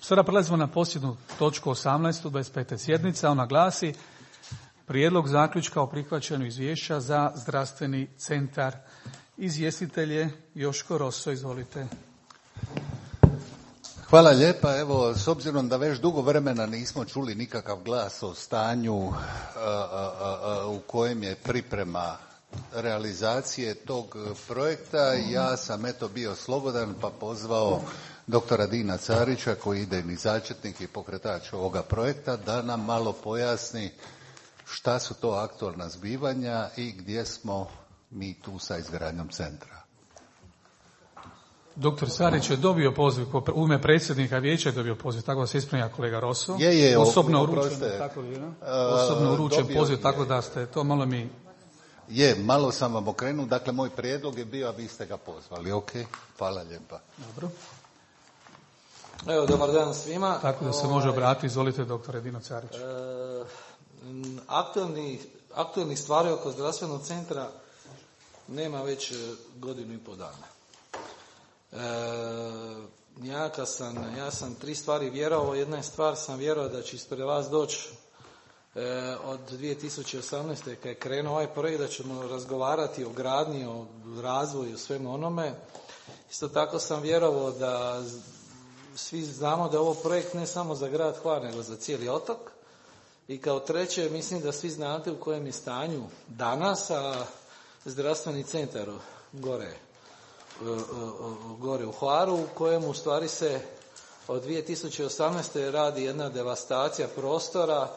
Sada prelazimo na posljednju točku 18. 25. sjednica. Ona glasi Prijedlog zaključka o prihvaćanju izvješća za zdravstveni centar. Izvjestitelj je Joško Roso, izvolite. Hvala lijepa. Evo, s obzirom da već dugo vremena nismo čuli nikakav glas o stanju u kojem je priprema realizacije tog projekta, ja sam bio slobodan pa pozvao doktora Dina Carića, koji je idejni začetnik i pokretač ovoga projekta, da nam malo pojasni šta su to aktualna zbivanja i gdje smo mi tu sa izgradnjom centra. Doktor Carić je dobio poziv, u ime predsjednika vijeća je dobio poziv, tako da se ispravlja kolega Roso. Osobno uručen poziv, tako da ste to malo mi... Malo sam vam okrenuo, dakle moj prijedlog je bio, a vi ste ga pozvali, ok? Hvala lijepa. Dobro. Evo, dobar dan svima. Tako da se može obratiti, izvolite doktore Dino Carić. Aktualnih stvari oko zdravstvenog centra nema već godinu i pol dana. Ja sam 3 stvari vjerovao. Jedna je stvar, sam vjerovao da će ispred vas doći od 2018. kad je krenuo ovaj projekt, da ćemo razgovarati o gradnji, o razvoju, o svemu onome. Isto tako sam vjerovao da svi znamo da je ovo projekt ne samo za grad Hvar, nego za cijeli otok. I kao treće, mislim da svi znate u kojem je stanju danas, a zdravstveni centar gore u Hvaru, u kojem u stvari se od 2018. radi jedna devastacija prostora.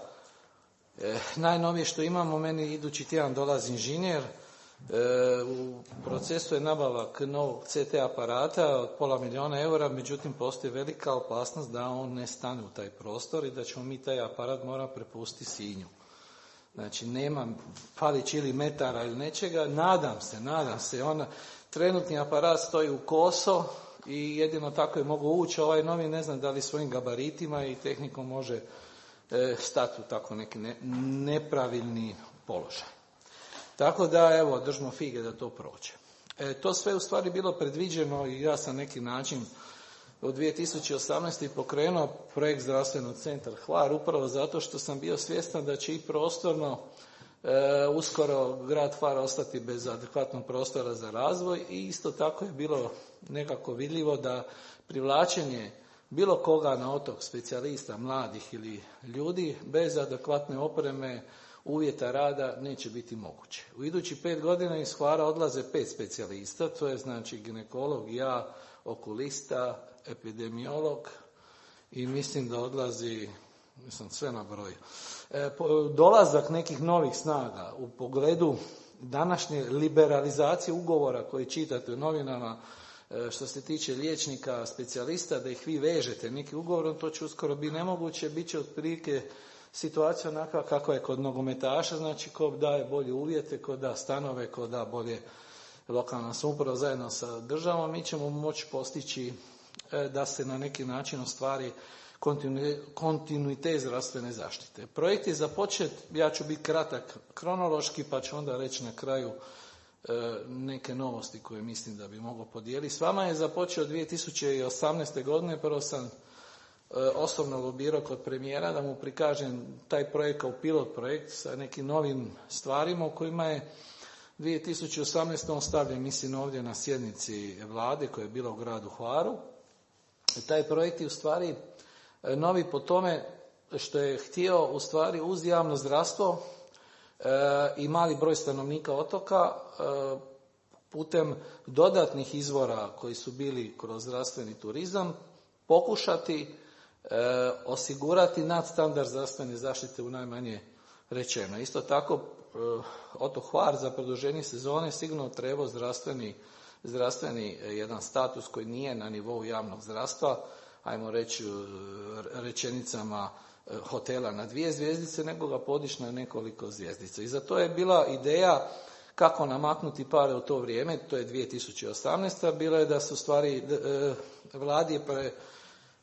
Najnovije što imamo, meni idući tjedan dolazi inženjer, u procesu je nabavak novog CT aparata od $500,000 eura, međutim postoji velika opasnost da on ne stane u taj prostor i da ćemo mi taj aparat morati prepustiti Sinju. Znači nema falić ili metara ili nečega, nadam se, trenutni aparat stoji u koso i jedino tako je mogu ući, ovaj novi ne znam da li svojim gabaritima i tehnikom može stati u tako neki nepravilni položaj. Tako da, evo, držimo fige da to prođe. To sve u stvari bilo predviđeno i ja sam neki način od 2018. pokrenuo projekt zdravstvenog centra Hvar, upravo zato što sam bio svjestan da će i prostorno uskoro grad Hvar ostati bez adekvatnog prostora za razvoj i isto tako je bilo nekako vidljivo da privlačenje bilo koga na otok, specijalista, mladih ili ljudi, bez adekvatne opreme, uvjeta rada neće biti moguće. U idući 5 godina iz Hvara odlaze 5 specijalista, to je znači ginekolog, ja, okulista, epidemiolog i mislim da odlazi, sve na broju. Dolazak nekih novih snaga u pogledu današnje liberalizacije ugovora koje čitate u novinama, što se tiče liječnika, specijalista, da ih vi vežete neki ugovorom, to će uskoro biti nemoguće, bit će otprilike situacija onakva kako je kod nogometaša, znači ko daje bolje uvjete, ko da stanove, ko da bolje lokalna samouprava zajedno sa državom, mi ćemo moći postići da se na neki način ostvari kontinuitet zdravstvene zaštite. Projekt je započet, ja ću biti kratak kronološki, pa ću onda reći na kraju neke novosti koje mislim da bi mogao podijeliti. S vama je započeo 2018. godine, prvo sam osobno lobirao kod premijera da mu prikažem taj projekt kao pilot projekt sa nekim novim stvarima u kojima je 2018. on stavljen, mislim, ovdje na sjednici vlade koja je bila u gradu Hvaru. Taj projekt je u stvari novi po tome što je htio u stvari uz javno zdravstvo i mali broj stanovnika otoka putem dodatnih izvora koji su bili kroz zdravstveni turizam pokušati osigurati nadstandard zdravstvene zaštite u najmanje rečeno. Isto tako otok Hvar za produženje sezone sigurno treba zdravstveni jedan status koji nije na nivou javnog zdravstva, ajmo reći rečenicama hotela na 2 zvjezdice, nego ga podići na nekoliko zvjezdica. I za to je bila ideja kako namaknuti pare u to vrijeme, to je 2018. Bilo je da su stvari vladi je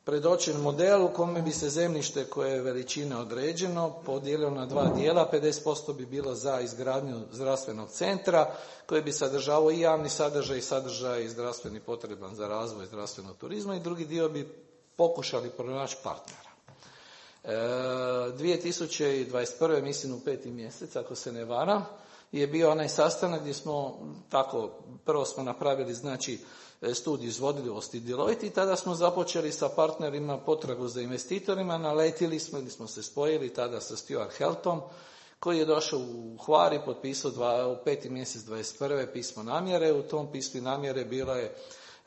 predočen model u kome bi se zemljište koje je veličine određeno podijelilo na 2 dijela, 50% bi bilo za izgradnju zdravstvenog centra koji bi sadržavao i javni sadržaj i sadržaj zdravstveni potreban za razvoj zdravstvenog turizma i drugi dio bi pokušali pronaći partnera. 2021. mislim u 5. mjesec, ako se ne varam, je bio onaj sastanak gdje smo tako, prvo smo napravili znači studiju izvodljivosti Deloitte i tada smo započeli sa partnerima potragu za investitorima, naletili smo ili smo se spojili tada sa Stuart Heltom, koji je došao u Hvar i potpisao u 5. mjesec 21. pismo namjere. U tom pismu namjere bilo je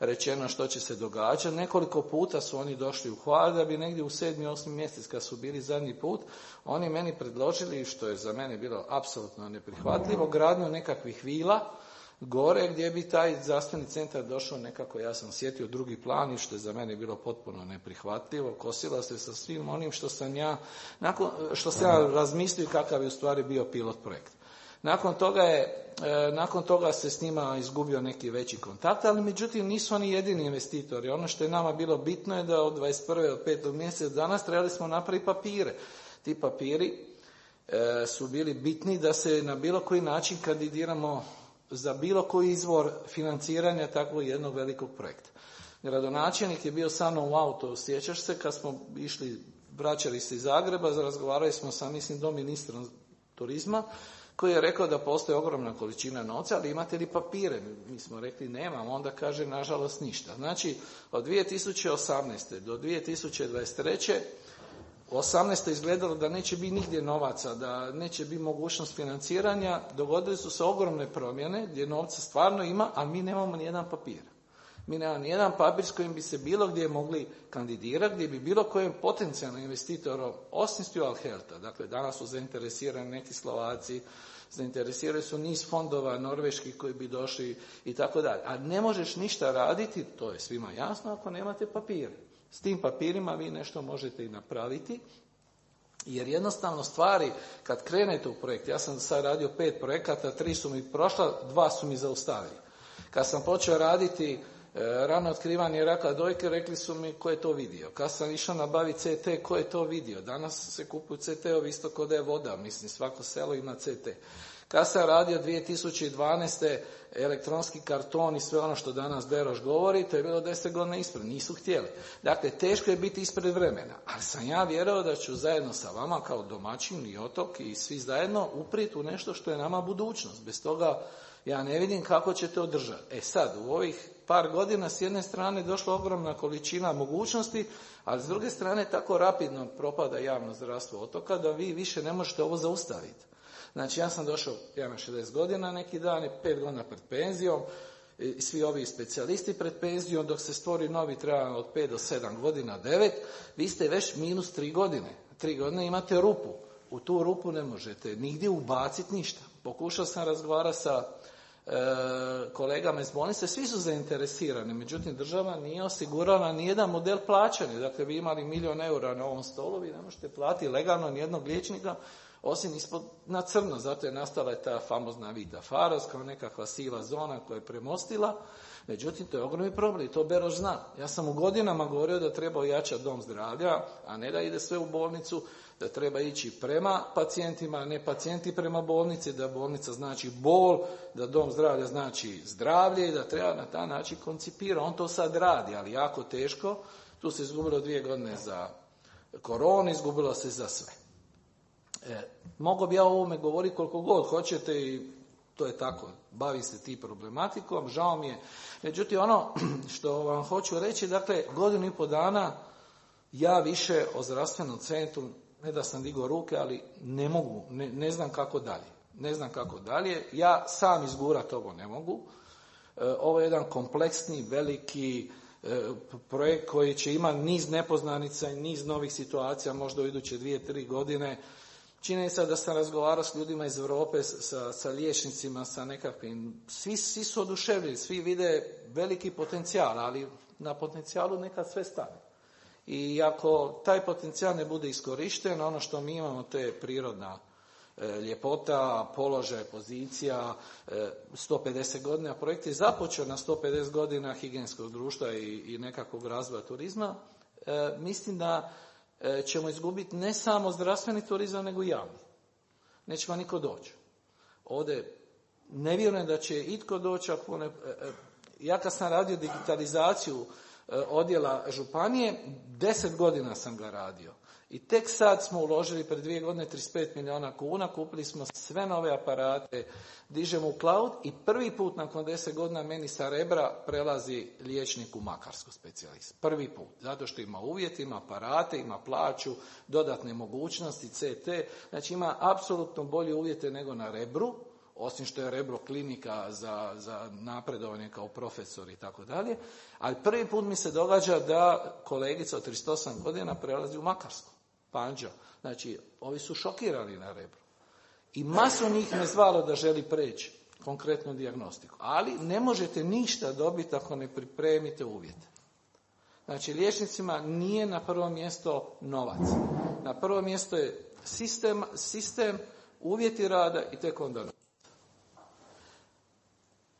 rečeno što će se događati. Nekoliko puta su oni došli u Hvar da bi negdje u 7. 8. mjesec kad su bili zadnji put, oni meni predložili, što je za mene bilo apsolutno neprihvatljivo, gradnju nekakvih vila gore gdje bi taj zdravstveni centar došao nekako, ja sam sjetio, drugi plan i što je za mene bilo potpuno neprihvatljivo, kosila se sa svim onim što sam ja razmislio kakav je u stvari bio pilot projekt. Nakon toga se s njima izgubio neki veći kontakt, ali međutim nisu oni jedini investitori. Ono što je nama bilo bitno je da od 21. od 5. mjeseca danas trebali smo napraviti papire. Ti papiri su bili bitni da se na bilo koji način kandidiramo za bilo koji izvor financiranja takvog jednog velikog projekta. Gradonačelnik je bio sa mnom u auto, sjećaš se, kad smo vraćali se iz Zagreba, razgovarali smo sa, mislim, doministrom turizma, koji je rekao da postoji ogromna količina novca, ali imate li papire? Mi smo rekli nemamo, onda kaže nažalost ništa. Znači, od 2018. do 2023. U 18. izgledalo da neće biti nigdje novaca, da neće biti mogućnost financiranja, dogodili su se ogromne promjene gdje novca stvarno ima, a mi nemamo nijedan papir. Mi nemamo nijedan papir s kojim bi se bilo gdje mogli kandidirati, gdje bi bilo kojem potencijalnom investitoru, osim Stuart Helta, dakle danas su zainteresirani neki Slovaci, zainteresirani su niz fondova norveških koji bi došli i tako dalje. A ne možeš ništa raditi, to je svima jasno, ako nemate papire. S tim papirima vi nešto možete i napraviti, jer jednostavno stvari, kad krenete u projekt, ja sam sad radio 5 projekata, 3 su mi prošla, 2 su mi zaustavili. Kad sam počeo raditi rano otkrivanje raka dojke, rekli su mi ko je to vidio. Kad sam išao nabaviti CT, ko je to vidio? Danas se kupuju CT-ovi isto kao da je voda, mislim svako selo ima CT. Kad sam radio 2012. elektronski karton i sve ono što danas Beroš govori, to je bilo 10 godina ispred, nisu htjeli. Dakle, teško je biti ispred vremena, ali sam ja vjerovao da ću zajedno sa vama kao domaćin i Otok i svi zajedno uprijeti u nešto što je nama budućnost. Bez toga ja ne vidim kako ćete održati. Sad, u ovih par godina s jedne strane došla ogromna količina mogućnosti, ali s druge strane tako rapidno propada javno zdravstvo Otoka da vi više ne možete ovo zaustaviti. Znači, ja sam došao, ja imam 60 godina neki dan, 5 godina pred penzijom, i svi ovi specijalisti pred penzijom, dok se stvori novi treba od 5 do 7 godina, 9, vi ste već minus 3 godine. 3 godine imate rupu. U tu rupu ne možete nigdje ubaciti ništa. Pokušao sam razgovarati sa kolegama iz bolnice, svi su zainteresirani, međutim država nije osigurala nijedan model plaćanja. Dakle, vi imali 1 000 000 eura na ovom stolu, vi ne možete platiti legalno nijednog liječnika, osim ispod na crno. Zato je nastala ta famozna Vita Faros kao nekakva siva zona koja je premostila. Međutim, to je ogromni problem i to Beroš zna. Ja sam u godinama govorio da treba ojačati dom zdravlja, a ne da ide sve u bolnicu, da treba ići prema pacijentima, a ne pacijenti prema bolnici, da bolnica znači bol, da dom zdravlja znači zdravlje i da treba na taj način koncipirati. On to sad radi, ali jako teško. Tu se izgubilo 2 godine za koronu, izgubilo se za sve. Mogu bi ja o ovome govoriti koliko god hoćete i to je tako, bavi se ti problematikom, žao mi je. Međutim, ono što vam hoću reći, dakle, 1,5 godinu dana ja više o zdravstvenom centru, ne da sam digao ruke, ali ne mogu, ne znam kako dalje. Ne znam kako dalje, ja sam izgurati ovo ne mogu. Ovo je jedan kompleksni, veliki projekt koji će imati niz nepoznanica i niz novih situacija, možda u iduće 2-3 godine. Činjenica da sam razgovarao s ljudima iz Europe, sa liječnicima, sa nekakvim, svi su oduševljeni, svi vide veliki potencijal, ali na potencijalu nekad sve stane. I ako taj potencijal ne bude iskorišten, ono što mi imamo, to je prirodna ljepota, položaj, pozicija, 150 godina. Projekt je započeo na 150 godina higijenskog društva i nekakvog razvoja turizma. Mislim da ćemo izgubiti ne samo zdravstveni turizam, nego i javni. Neće vam niko doći. Ovdje ne vjerujem da će itko doći. Ja kad sam radio digitalizaciju odjela županije, 10 godina sam ga radio. I tek sad smo uložili pred 2 godine 35 milijuna kuna, kupili smo sve nove aparate, dižemo u cloud i prvi put nakon 10 godina meni sa Rebra prelazi liječnik u Makarsku, specijalist. Prvi put, zato što ima uvjeti, ima aparate, ima plaću, dodatne mogućnosti, CT, znači ima apsolutno bolje uvjete nego na Rebru, osim što je Rebro klinika za napredovanje kao profesor i tako dalje, ali prvi put mi se događa da kolegica od 38 godina prelazi u Makarsku, Panđa. Znači, ovi su šokirani na Rebru. I masu njih me zvalo da želi preći konkretnu dijagnostiku. Ali ne možete ništa dobiti ako ne pripremite uvjete. Znači, liječnicima nije na prvo mjesto novac. Na prvo mjesto je sistem, uvjeti rada i tek onda novac.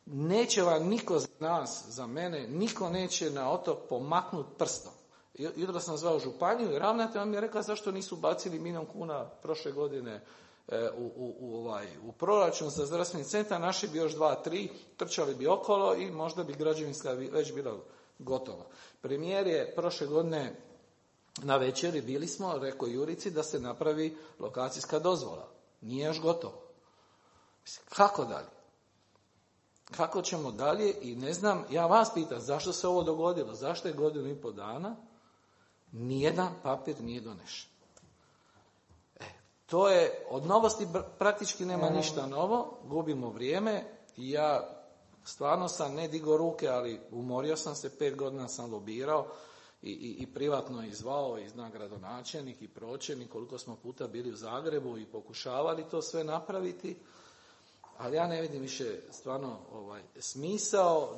Neće vam niko za nas, za mene, niko neće na otok pomaknut prstom. Jutro sam zvao županiju i ravnatelj mi je rekla zašto nisu bacili 1 milijun kuna prošle godine u proračun za zdravstveni centar, naši bi još 2-3, trčali bi okolo i možda bi građevinska već bila gotova. Premijer je prošle godine na večeri bili smo, rekao Jurici da se napravi lokacijska dozvola. Nije još gotovo. Kako dalje? Kako ćemo dalje? I ne znam, ja vas pitam zašto se ovo dogodilo, zašto je 1,5 godina nijedan papir nije donešen. To je, od novosti praktički nema ništa novo, gubimo vrijeme i ja stvarno sam ne digao ruke, ali umorio sam se, 5 godina sam lobirao i privatno izvao i zna gradonačelnik i pročelnik, koliko smo puta bili u Zagrebu i pokušavali to sve napraviti, ali ja ne vidim više stvarno smisao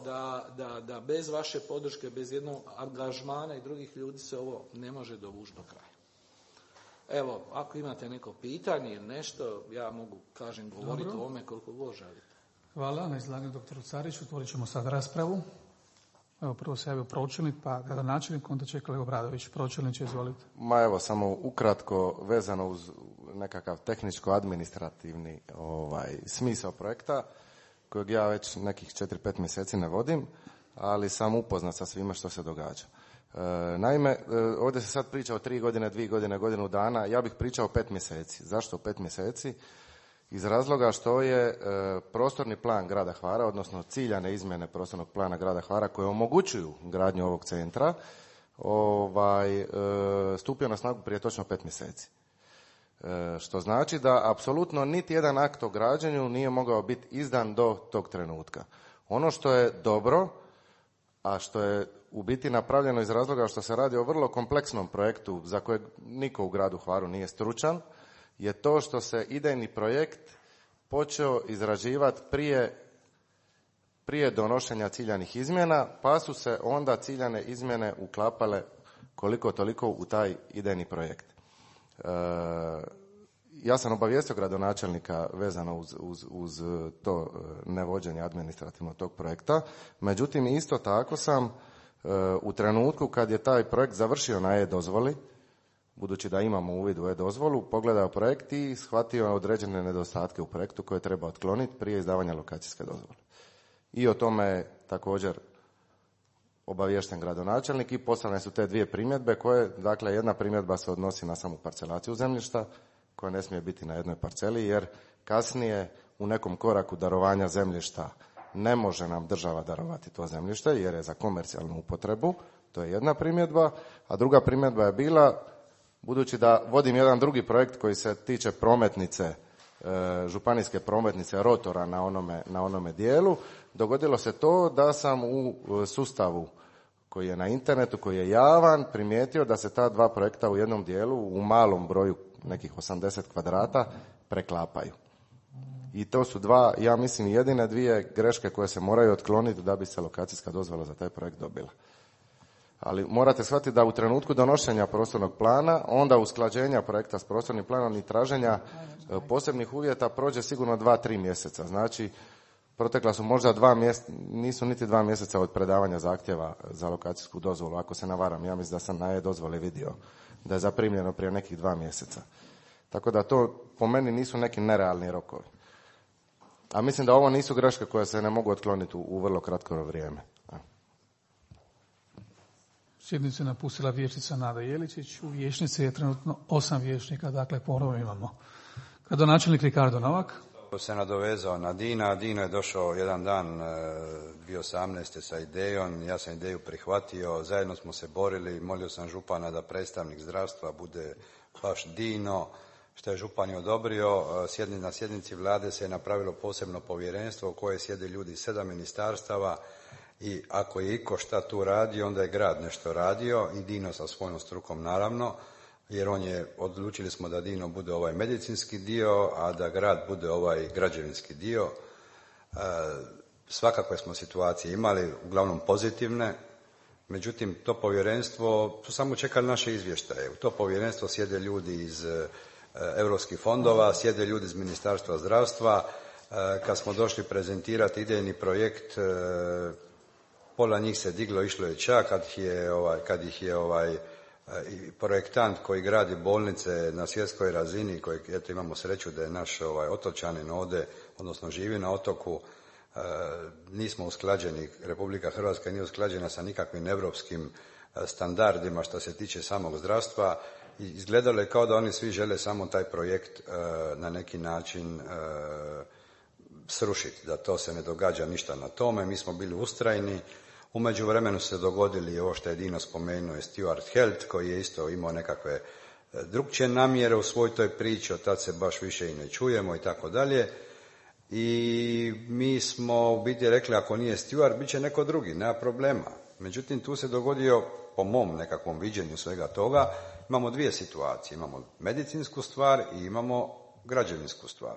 da bez vaše podrške, bez jednog angažmana i drugih ljudi se ovo ne može dovući do kraja. Evo, ako imate neko pitanje ili nešto, ja mogu, govoriti o ovome koliko god želite. Hvala na izlaganju doktoru Cariću. Otvorit ćemo sad raspravu. Evo, prvo se javio pročelnik, pa gradonačelnik, onda će kolega Obradović. Pročelniče, izvolite. Ma evo, samo ukratko vezano uz nekakav tehničko-administrativni smisao projekta, kojeg ja već nekih 4-5 mjeseci ne vodim, ali sam upoznat sa svime što se događa. Naime, ovdje se sad priča o 3 godine, 2 godine, godinu dana, ja bih pričao 5 mjeseci. Zašto 5 mjeseci? Iz razloga što je prostorni plan grada Hvara, odnosno ciljane izmjene prostornog plana grada Hvara koje omogućuju gradnju ovog centra, stupio na snagu prije točno 5 mjeseci. Što znači da apsolutno niti jedan akt o građenju nije mogao biti izdan do tog trenutka. Ono što je dobro, a što je u biti napravljeno iz razloga što se radi o vrlo kompleksnom projektu za kojeg niko u gradu Hvaru nije stručan, je to što se idejni projekt počeo izrađivati prije donošenja ciljanih izmjena, pa su se onda ciljane izmjene uklapale koliko toliko u taj idejni projekt. Ja sam obavijestio gradonačelnika vezano uz to nevođenje administrativno tog projekta, međutim isto tako sam u trenutku kad je taj projekt završio na e-dozvoli, budući da imamo uvid u e-dozvolu, pogledao projekt i shvatio određene nedostatke u projektu koje treba otkloniti prije izdavanja lokacijske dozvole. I o tome je također obaviješten gradonačelnik i poslane su te 2 primjedbe koje, dakle jedna primjedba se odnosi na samu parcelaciju zemljišta koja ne smije biti na jednoj parceli jer kasnije u nekom koraku darovanja zemljišta ne može nam država darovati to zemljište jer je za komercijalnu upotrebu, to je jedna primjedba, a druga primjedba je bila, budući da vodim jedan drugi projekt koji se tiče prometnice, županijske prometnice rotora na onome dijelu, dogodilo se to da sam u sustavu koji je na internetu, koji je javan, primijetio da se ta 2 projekta u jednom dijelu, u malom broju, nekih 80 kvadrata, preklapaju. I to su ja mislim, jedine 2 greške koje se moraju otkloniti da bi se lokacijska dozvola za taj projekt dobila. Ali morate shvatiti da u trenutku donošenja prostornog plana, onda usklađenja projekta s prostornim planom i traženja posebnih uvjeta prođe sigurno 2-3 mjeseca. Znači, protekla su možda 2 mjeseca, nisu niti 2 mjeseca od predavanja zahtjeva za lokacijsku dozvolu, ako se navaram. Ja mislim da sam na e-dozvole vidio da je zaprimljeno prije nekih 2 mjeseca. Tako da to po meni nisu neki nerealni rokovi. A mislim da ovo nisu greške koje se ne mogu otkloniti u vrlo kratko vrijeme. sjednicu je napustila vijećnica Nada Jeličić. U vijećnici je trenutno 8 vijećnika, dakle ponovo imamo gradonačelnik Ricardo Novak. Se nadovezao na Dina. Dino je došao jedan dan 2018. sa idejom, ja sam ideju prihvatio, zajedno smo se borili, molio sam župana da predstavnik zdravstva bude baš Dino, što je župan je odobrio. Na sjednici vlade se je napravilo posebno povjerenstvo u koje sjede ljudi 7 ministarstava i ako je iko šta tu radio, onda je grad nešto radio i Dino sa svojom strukom naravno, jer odlučili smo da Dino bude ovaj medicinski dio, a da grad bude ovaj građevinski dio. Svakakve smo situacije imali, uglavnom pozitivne, međutim to povjerenstvo su samo čekali naše izvještaje. U to povjerenstvo sjede ljudi iz europskih fondova, sjede ljudi iz Ministarstva zdravstva. Kad smo došli prezentirati idejni projekt, pola njih se diglo, išlo je čak kad ih je projektant koji gradi bolnice na svjetskoj razini, kojeg eto imamo sreću da je naš otočanin ovdje, odnosno živi na otoku, nismo usklađeni, Republika Hrvatska nije usklađena sa nikakvim europskim standardima što se tiče samog zdravstva i izgledalo je kao da oni svi žele samo taj projekt na neki način srušiti, da to se ne događa ništa na tome. Mi smo bili ustrajni. U međuvremenu se dogodili ovo što je Dino spomenuo, je Stuart Health, koji je isto imao nekakve drukčije namjere u svoj toj priči, od tad se baš više i ne čujemo i tako dalje. I mi smo u biti rekli, ako nije Stuart, bit će neko drugi, nema problema. Međutim, tu se dogodio, po mom nekakvom viđenju svega toga, imamo dvije situacije. Imamo medicinsku stvar i imamo građevinsku stvar.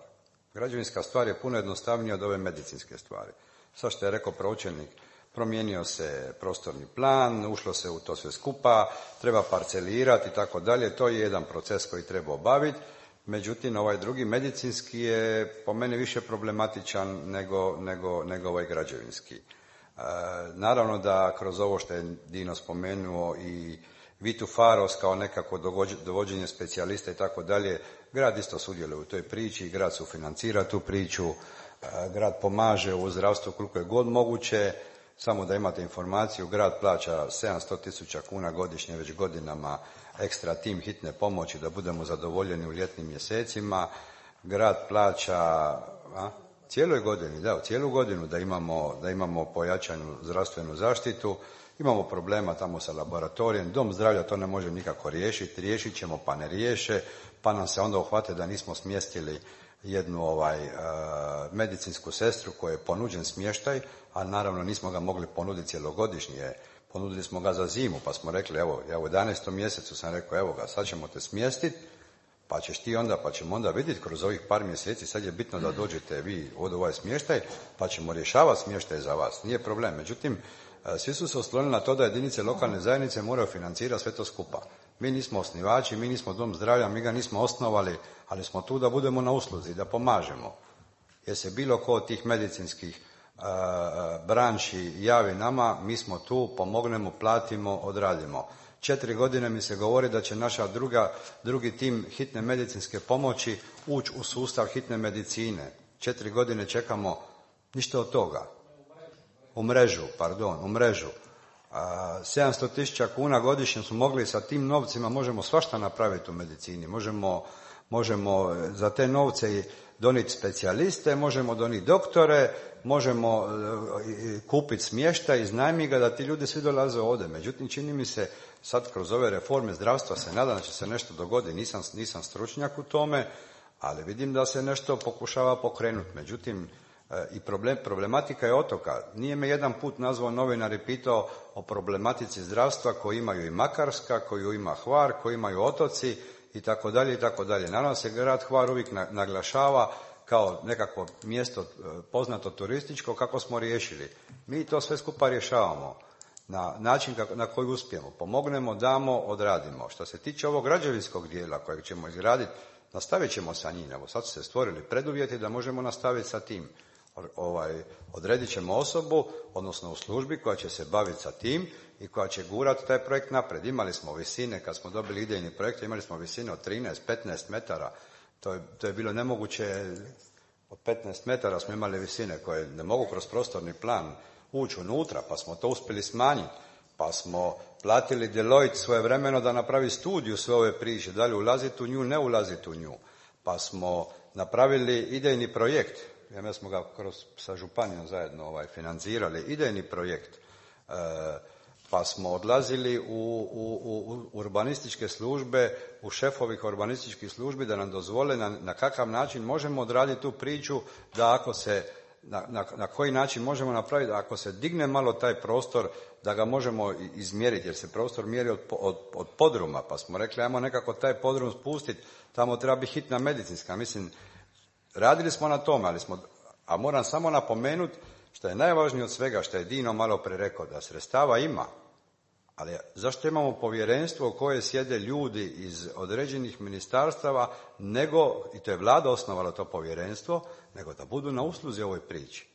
Građevinska stvar je puno jednostavnija od ove medicinske stvari. Sad što je rekao pročelnik, promijenio se prostorni plan, ušlo se u to sve skupa, treba parcelirati i tako dalje. To je jedan proces koji treba obaviti. Međutim, ovaj drugi medicinski je po meni više problematičan nego ovaj građevinski. Naravno da kroz ovo što je Dino spomenuo i Vitu Faros kao nekako dovođenje specijalista i tako dalje, grad isto sudjeluje u toj priči, grad sufinancira tu priču, grad pomaže u zdravstvu koliko je god moguće. Samo da imate informaciju, grad plaća 700.000 kuna godišnje već godinama ekstra tim hitne pomoći da budemo zadovoljeni u ljetnim mjesecima. Grad plaća cijelu godinu da imamo pojačanu zdravstvenu zaštitu. Imamo problema tamo sa laboratorijem, dom zdravlja to ne može nikako riješiti, riješit ćemo pa ne riješe, pa nam se onda uhvate da nismo smjestili jednu medicinsku sestru kojoj je ponuđen smještaj, a naravno nismo ga mogli ponuditi cjelogodišnje. Ponudili smo ga za zimu, pa smo rekli, evo, ja u 11. mjesecu sam rekao, evo ga, sad ćemo te smjestiti, pa ćemo onda vidjeti kroz ovih par mjeseci, sad je bitno da dođete vi od ovaj smještaj, pa ćemo rješavati smještaj za vas, nije problem. Međutim, svi su se oslonili na to da jedinice lokalne zajednice moraju financirati sve to skupa. Mi nismo osnivači, mi nismo dom zdravlja, mi ga nismo osnovali, ali smo tu da budemo na usluzi, da pomažemo. Jer se bilo ko od tih medicinskih branši javi nama, mi smo tu, pomognemo, platimo, odradimo. 4 godine mi se govori da će naša drugi tim hitne medicinske pomoći ući u sustav hitne medicine. 4 godine čekamo, ništa od toga. U mrežu. 700.000 kuna godišnje smo mogli sa tim novcima, možemo svašta napraviti u medicini. Možemo za te novce donijeti specijaliste, možemo donijeti doktore, možemo kupiti smještaj, iznajmiti ga da ti ljudi svi dolaze ovdje. Međutim, čini mi se sad kroz ove reforme zdravstva se nadam da će se nešto dogoditi. Nisam stručnjak u tome, ali vidim da se nešto pokušava pokrenuti. Međutim, i problematika je otoka. Nije me jedan put nazvao novinar i pitao o problematici zdravstva koju imaju i Makarska, koju ima Hvar, koju imaju otoci i tako dalje i tako dalje. Naravno se grad Hvar uvijek naglašava kao nekakvo mjesto poznato turističko kako smo riješili. Mi to sve skupa rješavamo na način na koji uspijemo. Pomognemo, damo, odradimo. Što se tiče ovog građevinskog dijela kojeg ćemo izgraditi, nastavit ćemo sa njim. Evo sad su se stvorili preduvjeti da možemo nastaviti sa tim. Odredit ćemo osobu, odnosno u službi koja će se baviti sa tim i koja će gurati taj projekt napred. Imali smo visine, kad smo dobili idejni projekt, imali smo visine od 13-15 metara. To je bilo nemoguće. Od 15 metara smo imali visine koje ne mogu kroz prostorni plan ući unutra, pa smo to uspjeli smanjiti. Pa platili Deloitte svojevremeno da napravi studiju sve ove priče, da li ulaziti u nju, ne ulaziti u nju. Pa smo napravili idejni projekt, mi smo ga sa županijom zajedno financirali, idejni projekt. Pa smo odlazili u urbanističke službe, u šefovih urbanističkih službi da nam dozvole na kakav način možemo odraditi tu priču, da ako se, na koji način možemo napraviti, da ako se digne malo taj prostor, da ga možemo izmjeriti, jer se prostor mjeri od podruma, pa smo rekli ajmo nekako taj podrum spustiti, tamo treba biti hitna medicinska. Mislim, radili smo na tome, a moram samo napomenuti, što je najvažnije od svega, što je Dino malo pre rekao, da sredstava ima, ali zašto imamo povjerenstvo u koje sjede ljudi iz određenih ministarstava, nego, i to je Vlada osnovala to povjerenstvo, nego da budu na usluzi ovoj priči.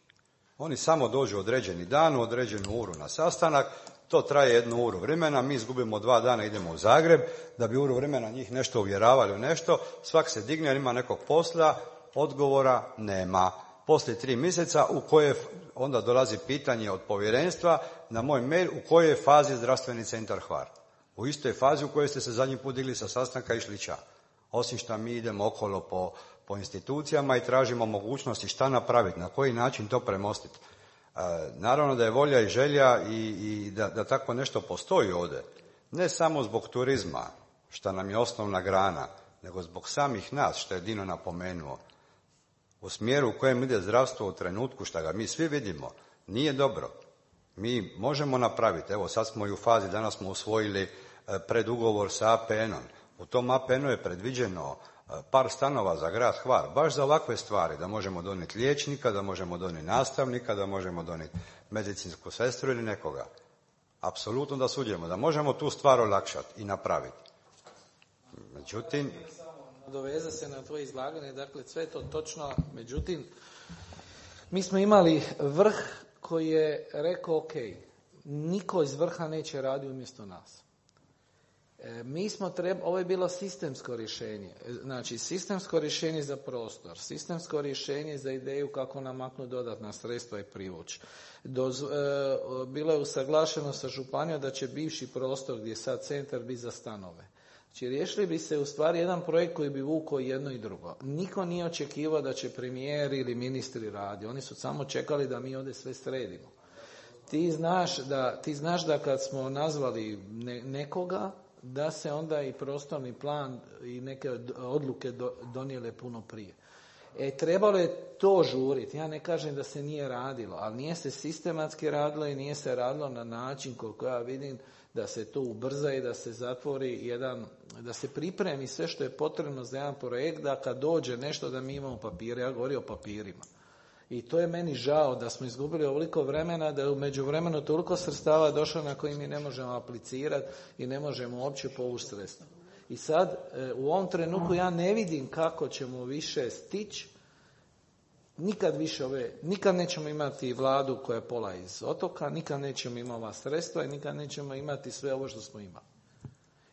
Oni samo dođu određeni dan, u određenu uru na sastanak, to traje 1 uru vremena, mi izgubimo 2 dana, idemo u Zagreb, da bi uru vremena njih nešto uvjeravali u nešto, svak se digne, jer ima nekog posla, odgovora nema. Poslije 3 mjeseca u koje onda dolazi pitanje od povjerenstva na moj mail u kojoj je fazi zdravstveni centar Hvar. U istoj fazi u kojoj ste se zadnji put digli sa sastanka i išli ča. Osim što mi idemo okolo po institucijama i tražimo mogućnosti šta napraviti, na koji način to premostiti. Naravno da je volja i želja i da tako nešto postoji ovdje. Ne samo zbog turizma, što nam je osnovna grana, nego zbog samih nas, što je Dino napomenuo. U smjeru u kojem ide zdravstvo u trenutku, što ga mi svi vidimo, nije dobro. Mi možemo napraviti, evo sad smo i u fazi, danas smo usvojili predugovor sa APN-om. U tom APN-u je predviđeno par stanova za grad Hvar, baš za ovakve stvari, da možemo donijeti liječnika, da možemo donijeti nastavnika, da možemo donijeti medicinsku sestru ili nekoga. Apsolutno da sudjelujemo, da možemo tu stvar olakšati i napraviti. Međutim, doveze se na tvoje izlaganje, dakle sve to točno, međutim mi smo imali vrh koji je rekao ok, niko iz vrha neće raditi umjesto nas. Ovo je bilo sistemsko rješenje, znači sistemsko rješenje za prostor, sistemsko rješenje za ideju kako namaknuti dodatna sredstva i privući. Bilo je usaglašeno sa županijom da će bivši prostor gdje je sad centar biti za stanove. Znači, riješili bi se u stvari jedan projekt koji bi vukao jedno i drugo. Niko nije očekivao da će premijer ili ministri raditi. Oni su samo čekali da mi ovdje sve sredimo. Ti znaš da kad smo nazvali nekoga, da se onda i prostorni plan i neke odluke donijele puno prije. Trebalo je to žuriti. Ja ne kažem da se nije radilo, ali nije se sistematski radilo i nije se radilo na način koliko ja vidim da se to ubrza i da se zatvori da se pripremi sve što je potrebno za jedan projekt, da kad dođe nešto da mi imamo papire. Ja govorim o papirima. I to je meni žao da smo izgubili ovoliko vremena, da je u međuvremenu toliko sredstava došlo na koji mi ne možemo aplicirati i ne možemo uopće povući sredstva. I sad, u ovom trenutku ja ne vidim kako ćemo više stići, nikad nećemo imati vladu koja je pola iz otoka, nikad nećemo imati ova sredstva i nikad nećemo imati sve ovo što smo imali.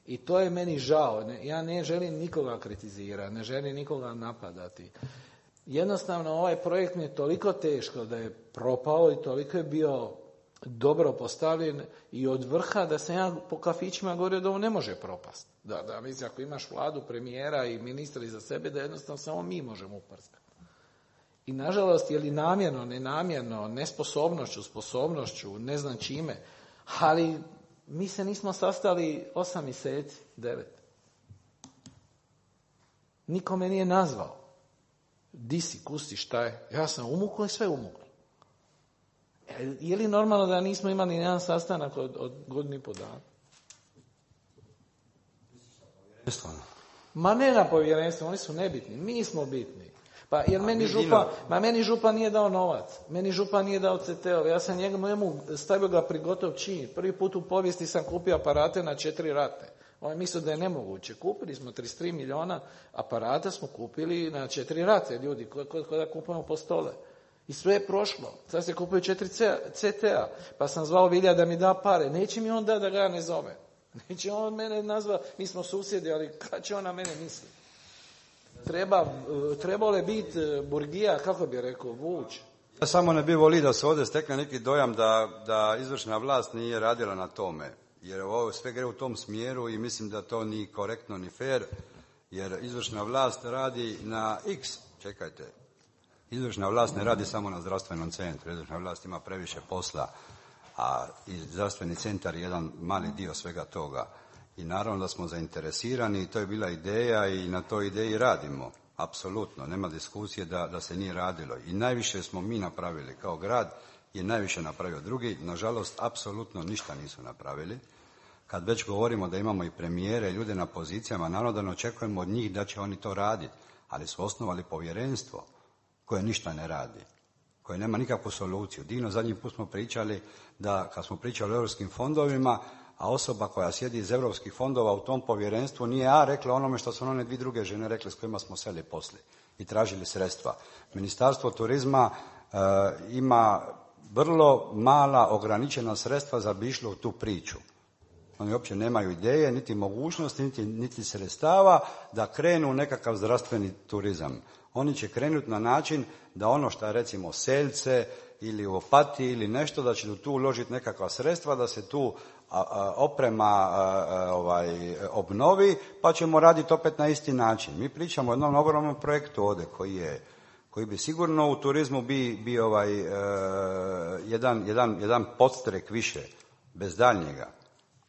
I to je meni žao. Ja ne želim nikoga kritizirati, ne želim nikoga napadati. Jednostavno ovaj projekt mi je toliko teško da je propao i toliko je bio dobro postavljen i od vrha da sam ja po kafićima govorio da ovo ne može propasti. Da mislim, ako imaš vladu, premijera i ministra iza sebe, da jednostavno samo mi možemo uprskati. I nažalost, je li namjerno, nenamjerno, nesposobnošću, sposobnošću, ne znam čime, ali mi se nismo sastali 8 mjeseci, 9. Niko me nije nazvao. Di si, kusti, šta je? Ja sam umuklo i sve umuklo. Je li normalno da nismo imali jedan sastanak od 1,5 dana? Ma ne na povjerenstvo, oni su nebitni, mi smo bitni. Pa jer meni župan nije dao novac, meni župan nije dao CT-ove, ja sam njemu stavio ga pri gotov čin. Prvi put u povijesti sam kupio aparate na 4 rate. On mislio da je nemoguće. Kupili smo 33 milijuna aparata, smo kupili na 4 rate, ljudi, ko da kupujemo po stole. I sve je prošlo. Sad se kupuju 4 CT-a. Pa sam zvao Vilja da mi da pare. Neće mi on da ga ja ne zove. Neće on mene nazva, mi smo susjedi, ali kad će on na mene misliti? Trebalo je biti burgija, kako bi rekao, vuč. Ja samo ne bi volio da se ovdje stekne neki dojam da izvršna vlast nije radila na tome. jer ovo sve gre u tom smjeru i mislim da to ni korektno ni fair, jer izvršna vlast radi na X, čekajte, izvršna vlast ne radi samo na zdravstvenom centru, izvršna vlast ima previše posla, a i zdravstveni centar je jedan mali dio svega toga. I naravno da smo zainteresirani i to je bila ideja i na toj ideji radimo. Apsolutno, nema diskusije da se nije radilo. I najviše smo mi napravili kao grad, je najviše napravio drugi. Nažalost, apsolutno ništa nisu napravili. Kad već govorimo da imamo i premijere, ljude na pozicijama, naravno da ne očekujemo od njih da će oni to raditi, ali su osnovali povjerenstvo koje ništa ne radi, koje nema nikakvu soluciju. Dino, zadnji put smo pričali da kad smo pričali o europskim fondovima, a osoba koja sjedi iz europskih fondova u tom povjerenstvu nije rekla onome što su one dvije druge žene rekle s kojima smo seli poslije i tražili sredstva. Ministarstvo turizma ima vrlo mala ograničena sredstva za bi išlo u tu priču. Oni uopće nemaju ideje, niti mogućnosti, niti sredstava da krenu u nekakav zdravstveni turizam. Oni će krenuti na način da ono što je recimo Selce ili u Opatiji ili nešto, da će tu uložiti nekakva sredstva, da se tu oprema obnovi, pa ćemo raditi opet na isti način. Mi pričamo o jednom ogromnom projektu ovdje koji bi sigurno u turizmu bio jedan podstrek više, bez daljnjega,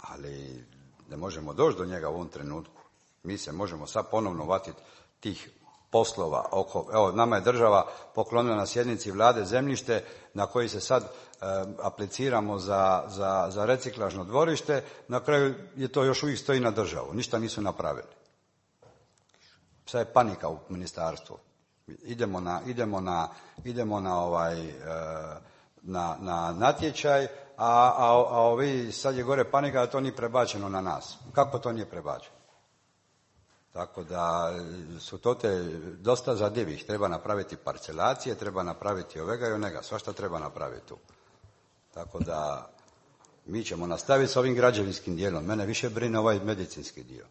ali ne možemo doći do njega u ovom trenutku. Mi se možemo sad ponovno vatiti tih poslova evo, nama je država poklonila na sjednici vlade zemljište na koji se sad apliciramo za reciklažno dvorište, na kraju je to još uvijek stoji na državu, ništa nisu napravili. Sad je panika u ministarstvu. Idemo na natječaj, a ovi sad je gore panika da to nije prebačeno na nas. Kako to nije prebačeno? Tako da su to dosta zadivih. Treba napraviti parcelacije, treba napraviti ovega i onega. Svašta treba napraviti tu. Tako da mi ćemo nastaviti s ovim građevinskim dijelom. Mene više brine ovaj medicinski dio.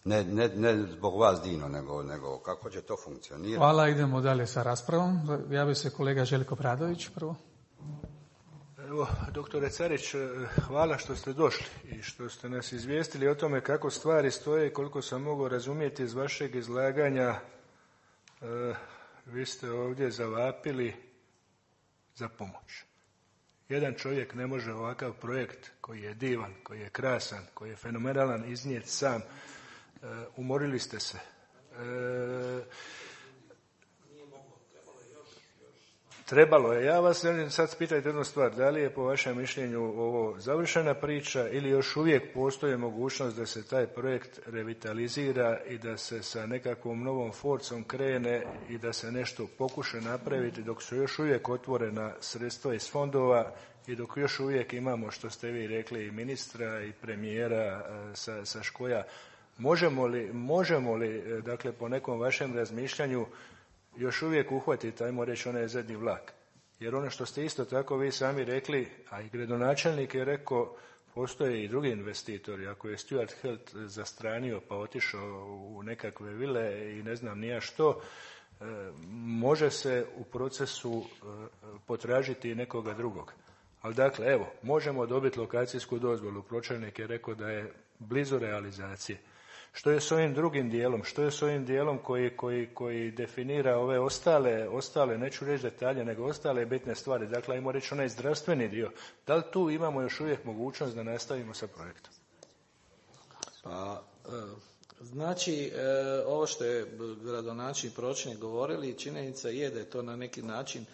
Ne zbog vas, Dino, nego kako će to funkcionirati. Hvala, idemo dalje sa raspravom. Javio se kolega Željko Pradović prvo. Evo, doktore Carić, hvala što ste došli i što ste nas izvijestili o tome kako stvari stoje i koliko sam mogao razumjeti iz vašeg izlaganja. Vi ste ovdje zavapili za pomoć. Jedan čovjek ne može ovakav projekt koji je divan, koji je krasan, koji je fenomenalan iznijeti sam. Umorili ste se. Trebalo je. Ja vas želim sad spitati jednu stvar. Da li je po vašem mišljenju ovo završena priča ili još uvijek postoji mogućnost da se taj projekt revitalizira i da se sa nekakvom novom forcom krene i da se nešto pokuša napraviti dok su još uvijek otvorena sredstva iz fondova i dok još uvijek imamo, što ste vi rekli, i ministra i premijera sa škoja. Možemo li, dakle, po nekom vašem razmišljanju još uvijek uhvatiti, ajmo reći, onaj zadnji vlak? Jer ono što ste isto tako vi sami rekli, a i gradonačelnik je rekao, postoje i drugi investitori. Ako je Stuart Health zastranio pa otišao u nekakve vile i ne znam nija što, može se u procesu potražiti i nekoga drugog. Ali dakle, evo, možemo dobiti lokacijsku dozvolu. Pročelnik je rekao da je blizu realizacije. Što je s ovim drugim dijelom? Što je s ovim dijelom koji definira ove ostale, neću reći detalje, nego ostale bitne stvari? Dakle, ajmo reći onaj zdravstveni dio. Da li tu imamo još uvijek mogućnost da nastavimo sa projektom? Pa, znači, ovo što je gradonačelnik i pročelnik govorili, činjenica je da je to na neki način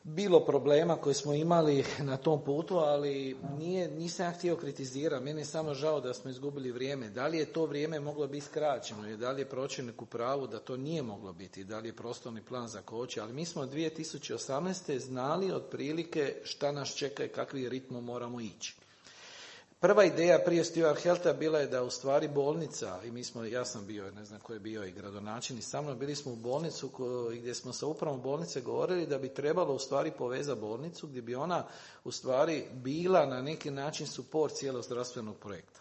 bilo problema koje smo imali na tom putu, ali nisam ja htio kritizirati. Meni je samo žao da smo izgubili vrijeme. Da li je to vrijeme moglo biti skraćeno i da li je pročelnik u pravu da to nije moglo biti, da li je prostorni plan zakočio, ali mi smo 2018. znali otprilike šta nas čeka i kakvi ritmom moramo ići. Prva ideja prije Stuart Healtha bila je da u stvari bolnica, i ja sam bio, ne znam ko je bio i gradonačelnik sa mnom, bili smo u bolnicu gdje smo sa upravom bolnice govorili da bi trebalo u stvari povezati bolnicu gdje bi ona u stvari bila na neki način suport cijelog zdravstvenog projekta.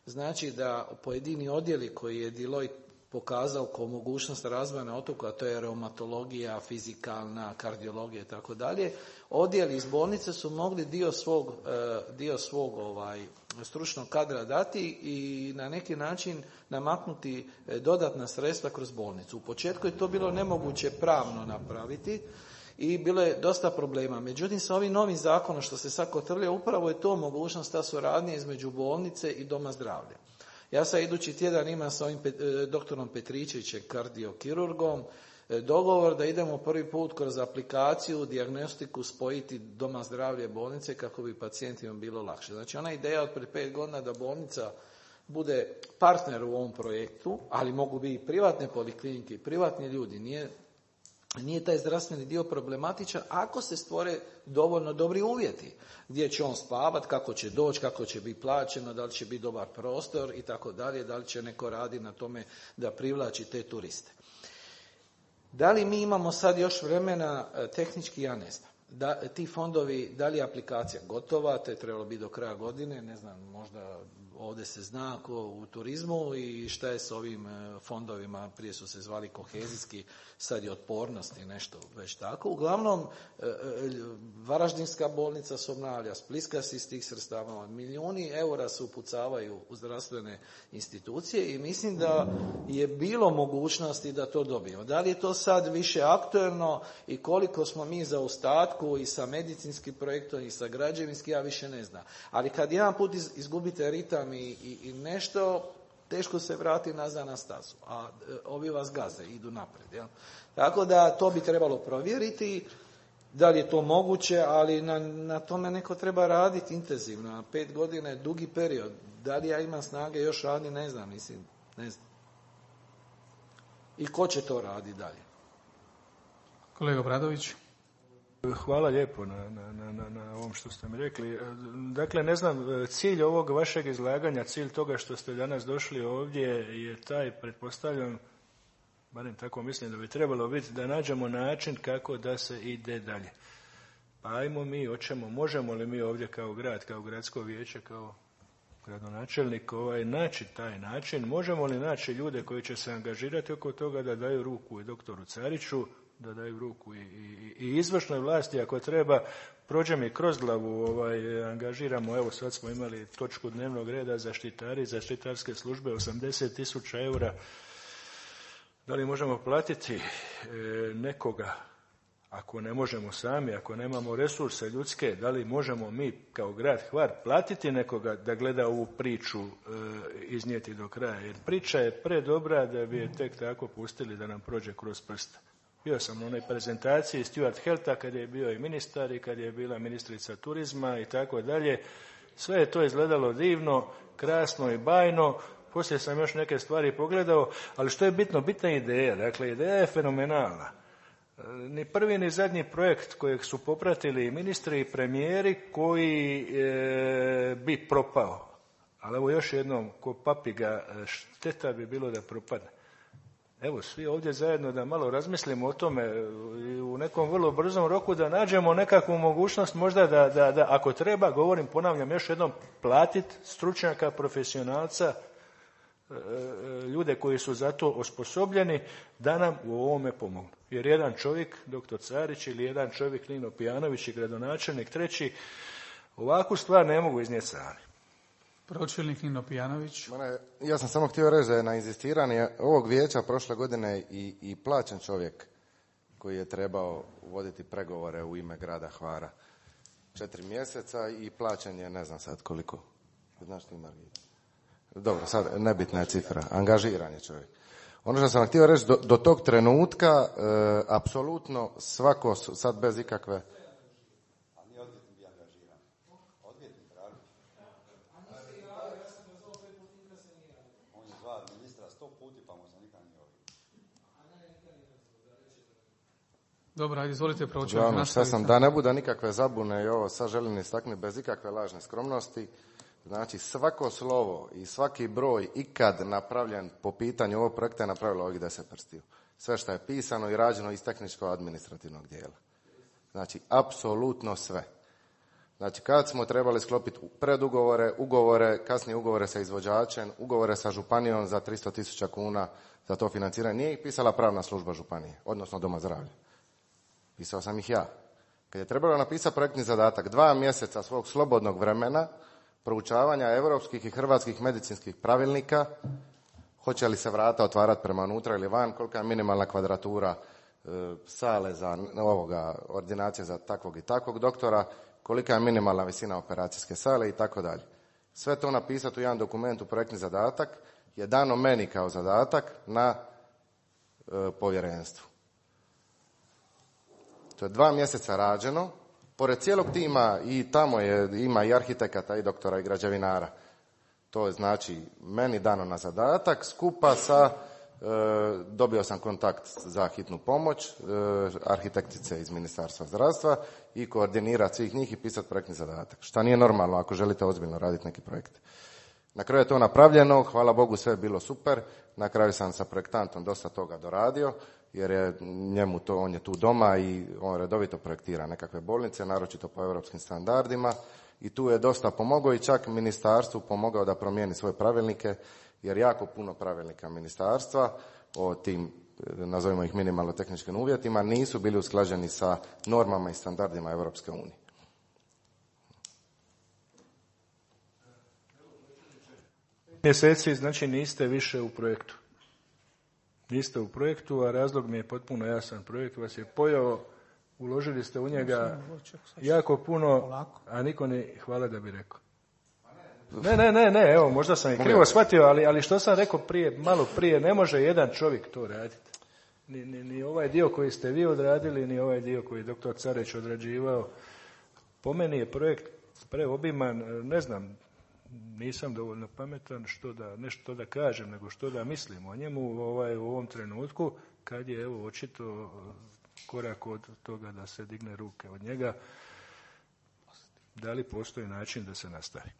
Znači da pojedini odjeli koji je Deloitte pokazao kao mogućnost razvoja na otoku, a to je reumatologija, fizikalna, kardiologija i tako dalje, odjeli iz bolnice su mogli dio svog stručnog kadra dati i na neki način namaknuti dodatna sredstva kroz bolnicu. U početku je to bilo nemoguće pravno napraviti i bilo je dosta problema. Međutim, sa ovim novim zakonom što se sad kotrlja, upravo je to mogućnost, ta suradnja između bolnice i doma zdravlja. Ja sad idući tjedan imam sa ovim doktorom Petričevićem, kardiokirurgom, dogovor da idemo prvi put kroz aplikaciju, dijagnostiku spojiti doma zdravlja i bolnice kako bi pacijentima bilo lakše. Znači, ona ideja od prije 5 godina da bolnica bude partner u ovom projektu, ali mogu biti i privatne poliklinike i privatni ljudi, nije taj zdravstveni dio problematičan ako se stvore dovoljno dobri uvjeti. Gdje će on spavati, kako će doći, kako će biti plaćeno, da li će biti dobar prostor i tako dalje, da li će neko raditi na tome da privlači te turiste. Da li mi imamo sad još vremena, tehnički ja ne znam. Ti fondovi, da li je aplikacija gotova, te je trebalo biti do kraja godine, ne znam, možda ovdje se zna u turizmu i šta je s ovim fondovima, prije su se zvali kohezijski, sad je otpornost i nešto već tako. Uglavnom, Varaždinska bolnica se obnavlja, Splitska se iz tih sredstava, milijuni eura se upucavaju u zdravstvene institucije i mislim da je bilo mogućnosti da to dobijemo. Da li je to sad više aktuelno i koliko smo mi za ostatku i sa medicinskim projektom i sa građevinskim, ja više ne znam. Ali kad jedan put izgubite ritam i nešto, teško se vrati nazad na stazu, a ovi vas gaze, idu naprijed. Jel? Tako da to bi trebalo provjeriti, da li je to moguće, ali na tome neko treba raditi intenzivno. 5 godina je dugi period. Da li ja imam snage još raditi, ne znam. I ko će to raditi dalje? Kolega Bradović. Hvala lijepo na ovom što ste mi rekli. Dakle, ne znam, cilj ovog vašeg izlaganja, cilj toga što ste danas došli ovdje je taj, pretpostavljam, barem tako mislim da bi trebalo biti, da nađemo način kako da se ide dalje. Pa ajmo mi, možemo li mi ovdje kao grad, kao gradsko vijeće, kao gradonačelnik naći taj način, možemo li naći ljude koji će se angažirati oko toga da daju ruku i doktoru Cariću, da daju ruku i izvršnoj vlasti ako treba, prođe mi kroz glavu, angažiramo, evo sad smo imali točku dnevnog reda zaštitari, zaštitarske službe, 80.000 eura. Da li možemo platiti nekoga, ako ne možemo sami, ako nemamo resurse ljudske, da li možemo mi kao grad Hvar platiti nekoga da gleda ovu priču iznijeti do kraja, jer priča je predobra da bi je tek tako pustili da nam prođe kroz prste. Bio sam u onoj prezentaciji Stuart Healtha kad je bio i ministar i kad je bila ministrica turizma i tako dalje. Sve je to izgledalo divno, krasno i bajno. Poslije sam još neke stvari pogledao, ali što je bitno, bitna je ideja. Dakle, ideja je fenomenalna. Ni prvi ni zadnji projekt kojeg su popratili ministri i premijeri koji bi propao. Ali evo još jednom, ko papiga, šteta bi bilo da propadne. Evo, svi ovdje zajedno da malo razmislimo o tome u nekom vrlo brzom roku, da nađemo nekakvu mogućnost možda da ako treba, ponavljam još jednom, platiti stručnjaka, profesionalca, ljude koji su za to osposobljeni da nam u ovome pomognu. Jer jedan čovjek, doktor Carić, ili jedan čovjek Nino Pijanović i gradonačelnik treći, ovakvu stvar ne mogu iznijeti sami. Pročelnik Nino Pijanović. Ja sam samo htio reći da je na inzistiranje ovog vijeća prošle godine i plaćen čovjek koji je trebao voditi pregovore u ime grada Hvara 4 mjeseca i plaćen je ne znam sad koliko. Znaš ti, Margita? Dobro, sad nebitna je cifra. Angažiran je čovjek. Ono što sam htio reći, do tog trenutka apsolutno svako, sad bez ikakve... Dobro, ajde, izvolite proći. Da ne bude nikakve zabune i ovo sad želim istaknuti bez ikakve lažne skromnosti. Znači, svako slovo i svaki broj ikad napravljen po pitanju ovog projekta je napravilo ovih 10 prstiju. Sve što je pisano i rađeno iz tehničko-administrativnog dijela. Znači, apsolutno sve. Znači, kad smo trebali sklopiti predugovore, ugovore, kasnije ugovore sa izvođačem, ugovore sa županijom za 300.000 kuna za to financiranje, nije ih pisala pravna služba županije, odnosno Doma zdravlja. Pisao sam ih ja. Kad je trebalo napisati projektni zadatak, 2 mjeseca svog slobodnog vremena, proučavanja europskih i hrvatskih medicinskih pravilnika, hoće li se vrata otvarati prema unutra ili van, kolika je minimalna kvadratura sale za ordinacije za takvog i takvog doktora, kolika je minimalna visina operacijske sale i tako dalje. Sve to napisati u jedan dokument u projektni zadatak je dano meni kao zadatak na povjerenstvu. To je 2 mjeseca rađeno, pored cijelog tima i tamo ima i arhitekata i doktora i građevinara. To je znači meni dano na zadatak, skupa sa, dobio sam kontakt za hitnu pomoć, arhitektice iz Ministarstva zdravstva i koordinirati svih njih i pisati projektni zadatak. Šta nije normalno ako želite ozbiljno raditi neki projekt. Na kraju je to napravljeno, hvala Bogu sve je bilo super, na kraju sam sa projektantom dosta toga doradio, jer je njemu to, on je tu doma i on redovito projektira nekakve bolnice, naročito po europskim standardima i tu je dosta pomogao i čak ministarstvu pomogao da promijeni svoje pravilnike, jer jako puno pravilnika ministarstva o tim, nazovimo ih minimalno tehničkim uvjetima, nisu bili usklađeni sa normama i standardima Europske unije. Mjeseci, znači niste više u projektu. Niste u projektu, a razlog mi je potpuno jasan. Projekt vas je pojao, uložili ste u njega jako puno, a niko ne hvala da bi rekao. Ne, evo, možda sam i krivo shvatio, ali što sam rekao malo prije, ne može jedan čovjek to raditi. Ni ovaj dio koji ste vi odradili, ni ovaj dio koji je doktor Careć odrađivao. Po meni je projekt preobiman, ne znam, nisam dovoljno pametan nešto da kažem, nego što da mislim o njemu u ovom trenutku, kad je evo očito korak od toga da se digne ruke od njega. Da li postoji način da se nastavi?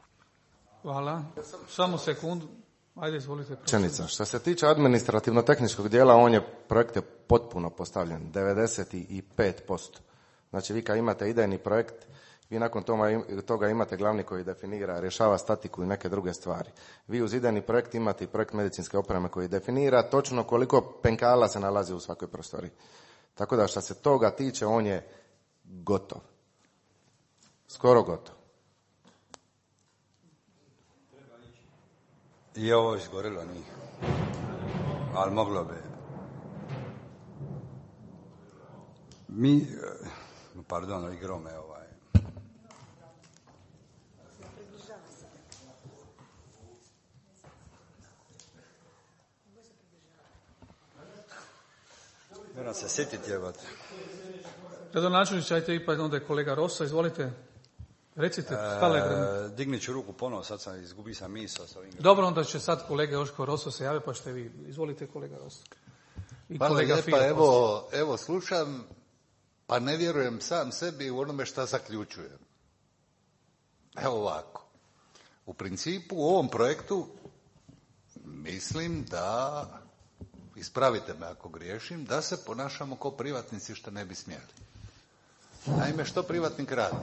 Hvala. Samo sekundu. Ajde, izvolite. Čenica. Što se tiče administrativno-tehničkog dijela, projekt je potpuno postavljen, 95%. Znači, vi kad imate idejni projekt, vi nakon toga imate glavni koji definira, rješava statiku i neke druge stvari. Vi uz idejni projekt imate i projekt medicinske opreme koji definira točno koliko penkala se nalazi u svakoj prostoriji. Tako da što se toga tiče, on je gotov. Skoro gotov. I ovo izgorilo nije. Ali moglo bi. Igrao me Moram se sjetiti jebati. Gradonačelniče, ajte ipak onda je kolega Rosa, izvolite. Recite, dignit ću ruku ponovo, sad sam izgubio sam misao. Dobro, onda će sad kolega Joško Roso se jave, pa ćete vi. Izvolite, kolega Roso. Hvala lijepa, evo slušam, pa ne vjerujem sam sebi u onome šta zaključujem. Evo ovako. U principu u ovom projektu mislim da, ispravite me ako griješim, da se ponašamo kao privatnici što ne bi smjeli. Naime, što privatnik radi?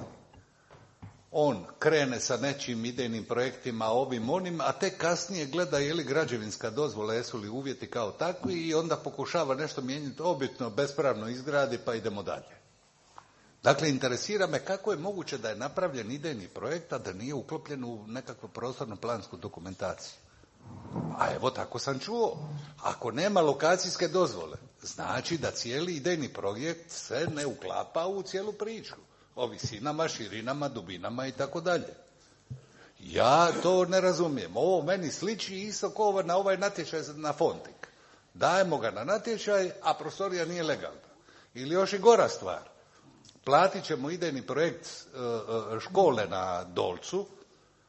On krene sa nečim idejnim projektima, ovim onim, a tek kasnije gleda je li građevinska dozvola, jesu li uvjeti kao takvi i onda pokušava nešto mijenjati, obitno, bespravno izgradi pa idemo dalje. Dakle, interesira me kako je moguće da je napravljen idejni projekt, a da nije uklopljen u nekakvu prostorno-plansku dokumentaciju. A evo tako sam čuo. Ako nema lokacijske dozvole, znači da cijeli idejni projekt se ne uklapa u cijelu priču. O visinama, širinama, dubinama i tako dalje. Ja to ne razumijem. Ovo meni sliči isto kao na ovaj natječaj na Fontik. Dajemo ga na natječaj, a prostorija nije legalna. Ili još i gora stvar. Platit ćemo idejni projekt škole na Dolcu,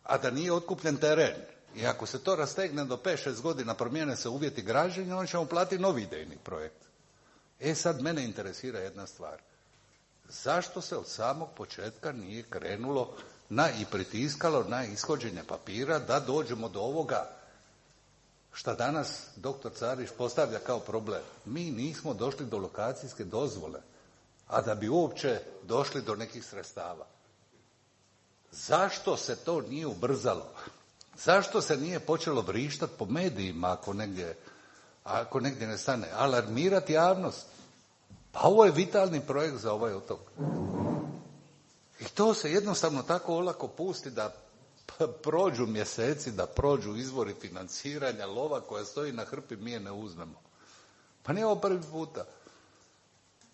a da nije otkupljen teren. I ako se to rastegne do 5-6 godina, promijene se uvjeti građenja, onda ćemo platiti novi idejni projekt. Sad mene interesira jedna stvar. Zašto se od samog početka nije krenulo i pritiskalo na ishođenje papira da dođemo do ovoga šta danas doktor Carić postavlja kao problem? Mi nismo došli do lokacijske dozvole, a da bi uopće došli do nekih sredstava. Zašto se to nije ubrzalo? Zašto se nije počelo vrištati po medijima ako negdje ne stane? Alarmirati javnost. Pa ovo je vitalni projekt za ovaj otok. I to se jednostavno tako olako pusti da prođu mjeseci, da prođu izvori financiranja, lova koja stoji na hrpi, mi je ne uzmemo. Pa nije ovo prvi puta.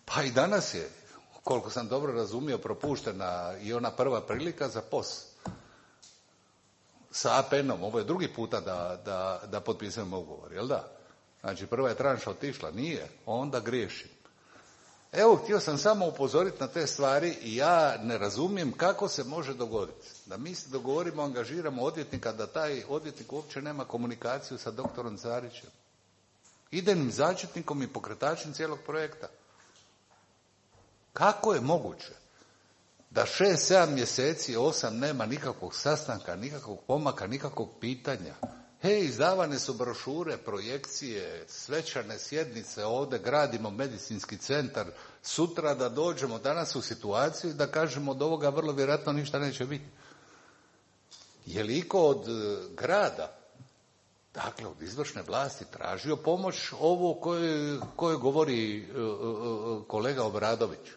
Pa i danas je, koliko sam dobro razumio, propuštena i ona prva prilika za POS. Sa APN-om, ovo je drugi puta da potpisujemo ugovor, jel da? Znači, prva je tranša otišla, nije, onda griješim. Evo, htio sam samo upozoriti na te stvari i ja ne razumijem kako se može dogoditi da mi se dogovorimo, angažiramo odvjetnika, da taj odvjetnik uopće nema komunikaciju sa doktorom Carićem, idejnim začetnikom i pokretačem cijelog projekta. Kako je moguće da 6-7 mjeseci, 8 nema nikakvog sastanka, nikakvog pomaka, nikakvog pitanja? Izdavane su brošure, projekcije, svečane sjednice, ovdje gradimo medicinski centar, sutra da dođemo danas u situaciju da kažemo od ovoga vrlo vjerojatno ništa neće biti. Je li iko od grada, dakle od izvršne vlasti, tražio pomoć ovo koje govori kolega Obradović?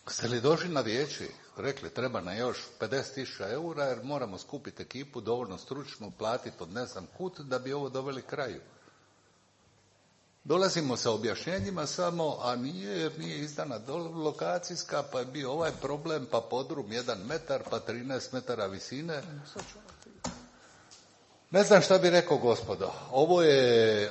Ste li došli na vijeće, rekli treba na još 50.000 eura jer moramo skupiti ekipu dovoljno stručnu, platiti od ne znam kud da bi ovo doveli kraju? Dolazimo sa objašnjenjima samo, a nije jer nije izdana lokacijska, pa je bio ovaj problem, pa podrum 1 metar, pa 13 metara visine. Ne znam šta bi rekao, gospodo.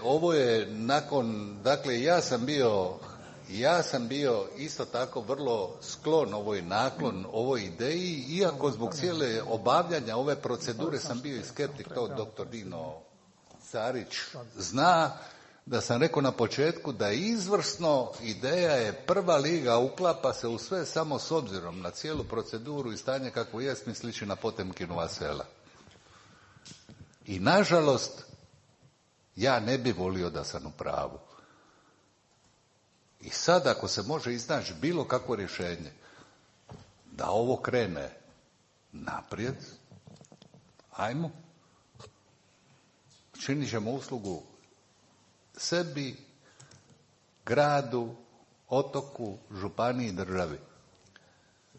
Ovo je nakon, dakle ja sam bio isto tako vrlo sklon ovoj naklon, ovoj ideji, iako zbog cijele obavljanja ove procedure sam bio i skeptik, to dr. Dino Carić zna, da sam rekao na početku da je izvrsno, ideja je prva liga, uklapa se u sve, samo s obzirom na cijelu proceduru i stanje kako jest, mi sliči na Potemkinova sela. I nažalost, ja ne bi volio da sam u pravu. I sad ako se može iznaći bilo kakvo rješenje da ovo krene naprijed, ajmo. Činit ćemo uslugu sebi, gradu, otoku, županiji, državi.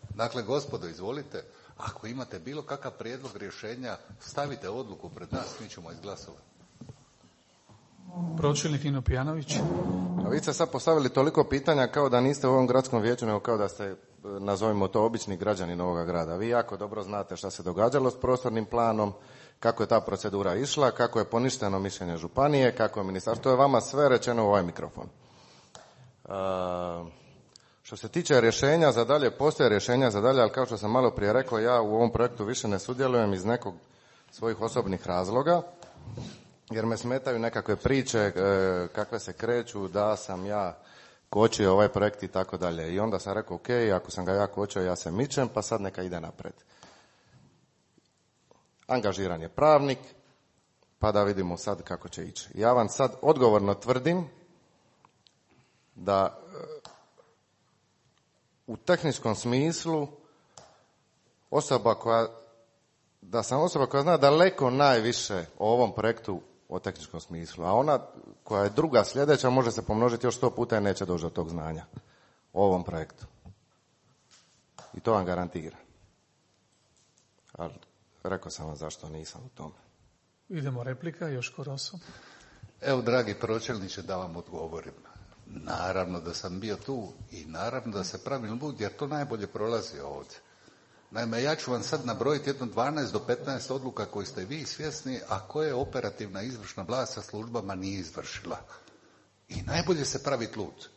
Dakle, gospodo, izvolite, ako imate bilo kakav prijedlog rješenja, stavite odluku pred nas, mi ćemo izglasovati. Pročelnik Nino Pijanović. A vi ste sad postavili toliko pitanja kao da niste u ovom gradskom vijeću, nego kao da ste, nazovimo to, obični građanin ovoga grada. Vi jako dobro znate šta se događalo s prostornim planom, kako je ta procedura išla, kako je poništeno mišljenje županije, kako je ministarstvo. To je vama sve rečeno u ovaj mikrofon. Što se tiče rješenja za dalje, postoje rješenja za dalje, ali kao što sam malo prije rekao, ja u ovom projektu više ne sudjelujem iz nekog svojih osobnih razloga, jer me smetaju nekakve priče kakve se kreću da sam ja kočio ovaj projekt i tako dalje. I onda sam rekao, ok, ako sam ga ja kočio, ja se mičem, pa sad neka ide napred. Angažiran je pravnik, pa da vidimo sad kako će ići. Ja vam sad odgovorno tvrdim da u tehničkom smislu da sam osoba koja zna daleko najviše o ovom projektu o tehničkom smislu, a ona koja je druga sljedeća može se pomnožiti još 100 puta i neće doći do tog znanja o ovom projektu. I to vam garantiram. Ali rekao sam vam zašto nisam u tome. Idemo replika, Joško Roso. Evo, dragi pročelniče, da vam odgovorim. Naravno da sam bio tu i naravno da se pravilno budi, jer to najbolje prolazi ovdje. Naime, ja ću vam sad nabrojiti jedno 12 do 15 odluka koje ste vi svjesni, a koje operativna izvršna vlast sa službama nije izvršila. I najbolje se praviti lud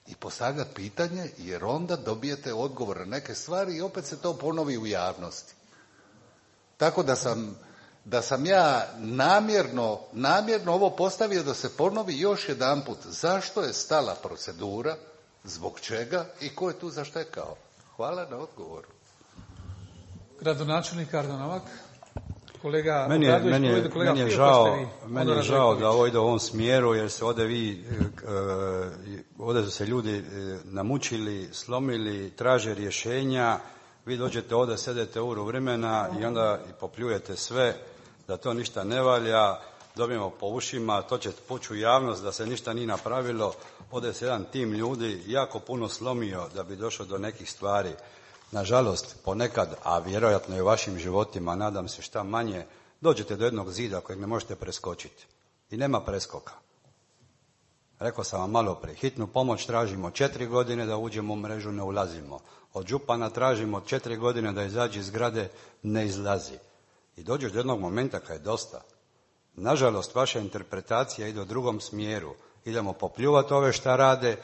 i postavljati pitanje, jer onda dobijete odgovor na neke stvari i opet se to ponovi u javnosti. Tako da sam ja namjerno ovo postavio da se ponovi još jedanput. Zašto je stala procedura, zbog čega i ko je tu zaštekao? Hvala na odgovoru. Gradonačelnik Ardo Novak. Kolega meni je žao da ovo ide u ovom smjeru, jer se ovdje su se ljudi namučili, slomili, traže rješenja, Vi dođete ovdje, sedete uru vremena i onda popljujete sve, da to ništa ne valja, dobijemo po ušima, to će pući u javnost da se ništa nije napravilo. Ovdje se jedan tim ljudi jako puno slomio da bi došao do nekih stvari. Nažalost, ponekad, a vjerojatno i u vašim životima, nadam se šta manje, dođete do jednog zida kojeg ne možete preskočiti. I nema preskoka. Rekao sam vam malo prije, hitnu pomoć tražimo 4 godine da uđemo u mrežu, ne ulazimo. Od župana tražimo 4 godine da izađe iz zgrade, ne izlazi. I dođeš do jednog momenta kad je dosta. Nažalost, vaša interpretacija ide u drugom smjeru. Idemo popljuvati ove šta rade,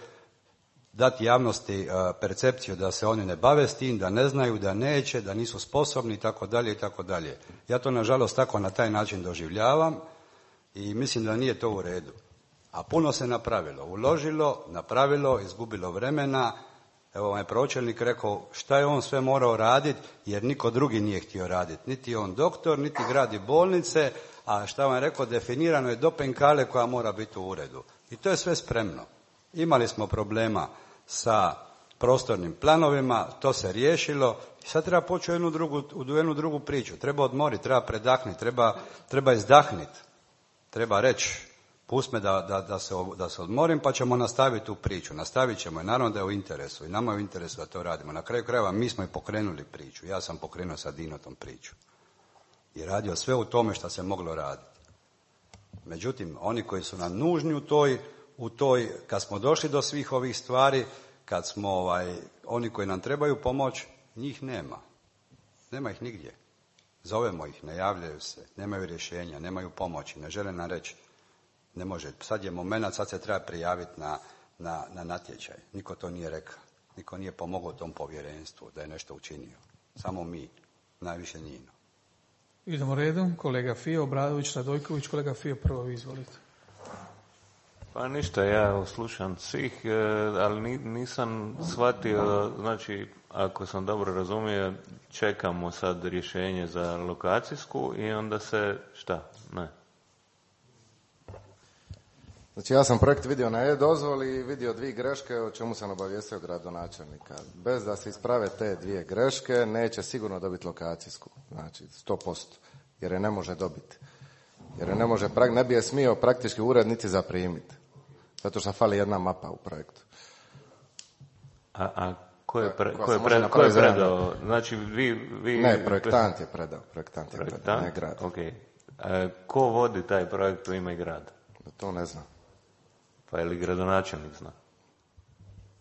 dati javnosti percepciju da se oni ne bave s tim, da ne znaju, da neće, da nisu sposobni itd. itd. Ja to nažalost tako na taj način doživljavam i mislim da nije to u redu. A puno se napravilo, uložilo, napravilo, izgubilo vremena. Evo vam je pročelnik rekao šta je on sve morao raditi jer niko drugi nije htio raditi. Niti on doktor, niti gradi bolnice, a šta vam je rekao, definirano je do penkale koja mora biti u uredu. I to je sve spremno. Imali smo problema sa prostornim planovima, to se riješilo i sad treba poći u jednu drugu priču. Treba odmoriti, treba predahnuti, treba izdahniti. Treba reći, pust me da se odmorim pa ćemo nastaviti tu priču. Nastavit ćemo i naravno da je u interesu i nama je u interesu da to radimo. Na kraju krajeva mi smo i pokrenuli priču. Ja sam pokrenuo sa Dinotom priču. I radio sve u tome što se moglo raditi. Međutim, oni koji su nam nužni u toj, kad smo došli do svih ovih stvari, kad smo oni koji nam trebaju pomoć, njih nema. Nema ih nigdje. Zovemo ih, ne javljaju se, nemaju rješenja, nemaju pomoći, ne žele nam reći. Ne može. Sad je moment, sad se treba prijaviti na natječaj. Niko to nije rekao. Niko nije pomogao tom povjerenstvu da je nešto učinio. Samo mi. Najviše Nino. Idemo redom. Kolega Fio, Obradović, Radojković. Kolega Fio, prvo izvolite. Pa ništa, ja slušam svih, ali nisam shvatio, znači, ako sam dobro razumio, čekamo sad rješenje za lokacijsku i onda se, šta? Ne. Znači ja sam projekt vidio na e-dozvoli i vidio 2 greške o čemu sam obavijestio gradonačelnika. Bez da se isprave te 2 greške neće sigurno dobiti lokacijsku. Znači 100%. Jer je ne može dobiti. Jer je ne bi je smio praktički ured niti zaprimiti. Zato što fali jedna mapa u projektu. A ko je predao? Znači vi... Ne, projektant je predao. Ne grad. Okay. Ko vodi taj projekt u ime grada? To ne znam. Pa je li gradonačelnik zna?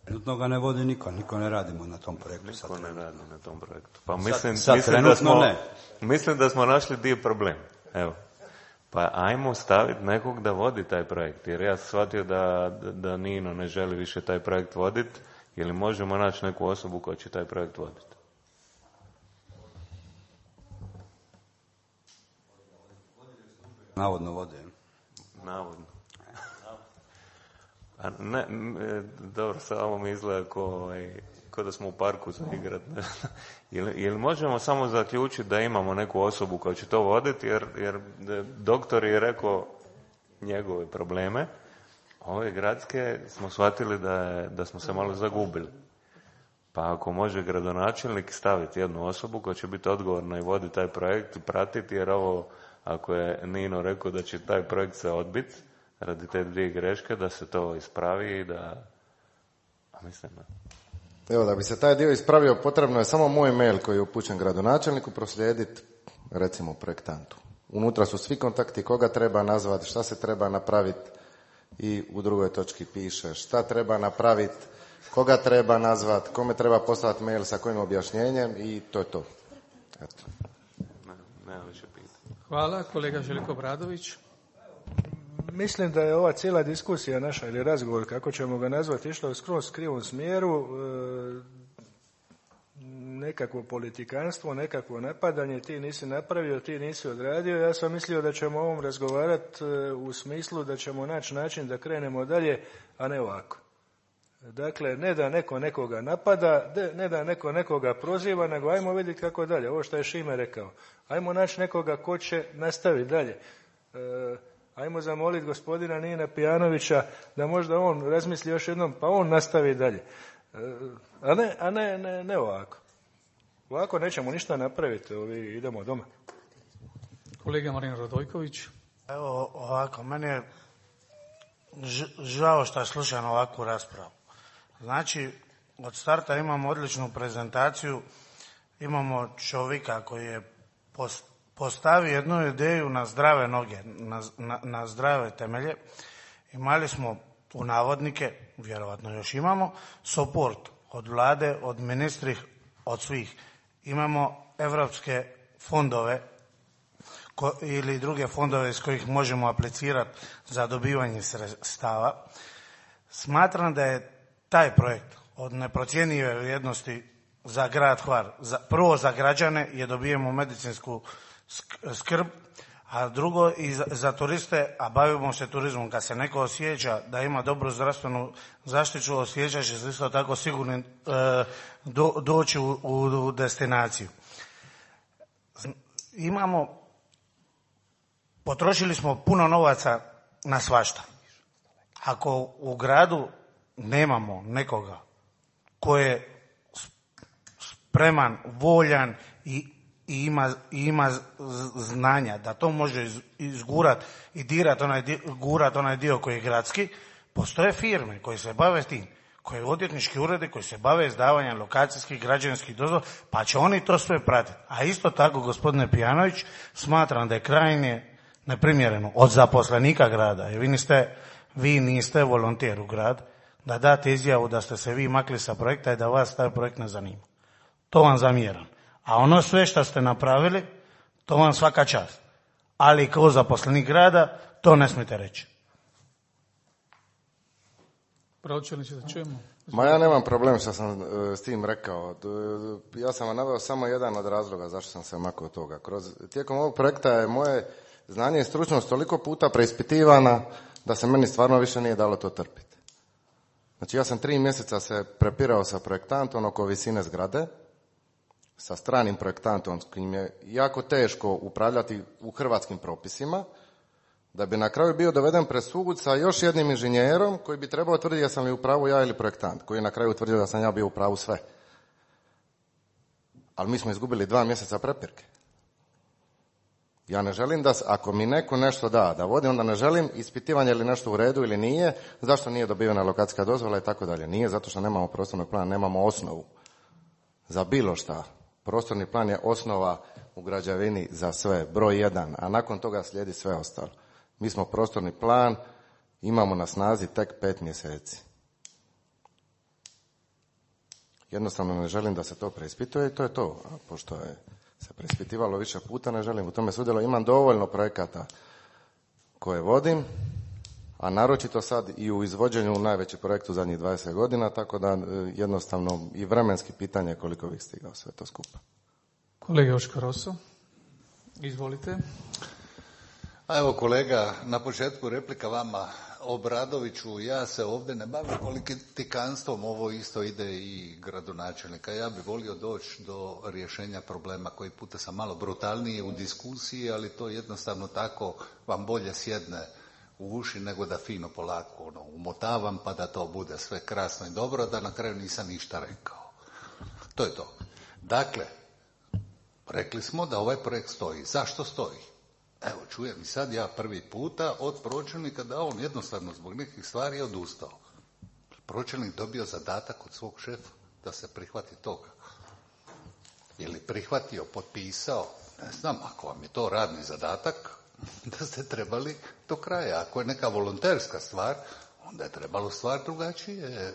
Trenutno ga ne vodi niko ne radimo na tom projektu. Niko ne radi na tom projektu. Pa mislim da smo našli dio problem. Evo. Pa ajmo staviti nekog da vodi taj projekt. Jer ja sam shvatio da Nino ne želi više taj projekt voditi. Ili možemo naći neku osobu koja će taj projekt voditi? Navodno vode. Navodno. A ne, dobro, samo mi izgleda ko da smo u parku za igrat. Ili možemo samo zaključiti da imamo neku osobu koja će to voditi, jer doktor je rekao njegove probleme, ove gradske smo shvatili da smo se malo zagubili. Pa ako može gradonačelnik staviti jednu osobu koja će biti odgovorna i voditi taj projekt i pratiti, jer ovo, ako je Nino rekao da će taj projekt se odbiti radi te 2 greške, da se to ispravi i da... A mislim da... Evo, da bi se taj dio ispravio, potrebno je samo moj mail koji je upućen gradonačelniku proslijediti, recimo, projektantu. Unutra su svi kontakti, koga treba nazvati, šta se treba napraviti i u drugoj točki piše šta treba napraviti, koga treba nazvati, kome treba poslati mail sa kojim objašnjenjem i to je to. Eto. Ne više pitanje. Hvala. Kolega Željko Obradović. Mislim da je ova cijela diskusija naša ili razgovor, kako ćemo ga nazvati, išla u skroz krivom smjeru, nekakvo politikanstvo, nekakvo napadanje, ti nisi napravio, ti nisi odradio. Ja sam mislio da ćemo o ovom razgovarati u smislu da ćemo naći način da krenemo dalje, a ne ovako. Dakle, ne da neko nekoga napada, ne da neko nekoga proziva, nego ajmo vidjeti kako dalje. Ovo što je Šime rekao. Ajmo naći nekoga ko će nastaviti dalje. Ajmo zamoliti gospodina Nina Pijanovića da možda on razmisli još jednom, pa on nastavi dalje. A ne ovako. Ovako nećemo ništa napraviti, idemo doma. Kolega Marin Radojković. Evo ovako, meni je žao što slušam ovakvu raspravu. Znači, od starta imamo odličnu prezentaciju, imamo čovjeka koji je postavio jednu ideju na zdrave noge, na zdrave temelje. Imali smo u navodnike, vjerovatno još imamo, support od vlade, od ministri, od svih. Imamo evropske fondove ili druge fondove iz kojih možemo aplicirati za dobivanje sredstava. Smatram da je taj projekt od neprocjenjive vrijednosti za grad Hvar. Prvo za građane je dobijemo medicinsku skrb, a drugo i za turiste, a bavimo se turizmom. Kad se neko osjeća da ima dobru zdravstvenu zaštitu, osjeća će se isto tako sigurno doći u destinaciju. Potrošili smo puno novaca na svašta. Ako u gradu nemamo nekoga ko je spreman, voljan i ima znanja da to može izgurat i gurat onaj dio koji je gradski, postoje firme koje se bave tim, koji odvjetnički uredi koji se bave izdavanjem lokacijskih, građevinskih dozvola, pa će oni to sve pratiti. A isto tako, gospodine Pijanović, smatram da je krajnje neprimjereno od zaposlenika grada, jer vi niste volonter u grad, da date izjavu da ste se vi makli sa projekta i da vas taj projekt ne zanima. To vam zamjeram. A ono sve što ste napravili, to vam svaka čast. Ali kao zaposlenik grada, to ne smijete reći. Pročelniče, da čujemo. Ma ja nemam problem što sam s tim rekao. Ja sam vam naveo samo jedan od razloga zašto sam se makao od toga. Tijekom ovog projekta je moje znanje i stručnost toliko puta preispitivana da se meni stvarno više nije dalo to trpiti. Znači ja sam 3 mjeseca se prepirao sa projektantom oko visine zgrade, sa stranim projektantom s kojim je jako teško upravljati u hrvatskim propisima, da bi na kraju bio doveden pred sud sa još jednim inženjerom koji bi trebao tvrditi jesam li u pravu ja ili projektant, koji je na kraju utvrdio da sam ja bio u pravu sve. Ali mi smo izgubili 2 mjeseca prepirke. Ja ne želim da, ako mi neko nešto da vodi, onda ne želim ispitivanje ili nešto u redu ili nije, zašto nije dobivena lokacijska dozvola i tako dalje. Nije zato što nemamo prostornog plana, nemamo osnovu za bilo šta. Prostorni plan je osnova u građevini za sve, broj 1, a nakon toga slijedi sve ostalo. Mi smo prostorni plan, imamo na snazi tek 5 mjeseci. Jednostavno ne želim da se to preispituje i to je to. A pošto je se preispitivalo više puta, ne želim u tome sudjelovati. Imam dovoljno projekata koje vodim, a naročito sad i u izvođenju najveći projekt u zadnjih 20 godina, tako da jednostavno i vremenski pitanje koliko bih stigao sve to skupa. Kolega Joško Roso, izvolite. A evo kolega, na početku replika vama, Obradoviću, ja se ovdje ne bavim politikanstvom, ovo isto ide i gradonačelnika. Ja bih volio doći do rješenja problema, koji puta sam malo brutalniji u diskusiji, ali to jednostavno tako vam bolje sjedne u uši nego da fino polako umotavam pa da to bude sve krasno i dobro, da na kraju nisam ništa rekao. To je to. Dakle, rekli smo da ovaj projekt stoji. Zašto stoji? Evo, čujem i sad ja prvi puta od pročelnika da on jednostavno zbog nekih stvari je odustao. Pročelnik dobio zadatak od svog šefa da se prihvati toga. Je li prihvatio, potpisao? Ne znam, ako vam je to radni zadatak, da ste trebali do kraja. Ako je neka volonterska stvar, onda je trebalo stvar drugačije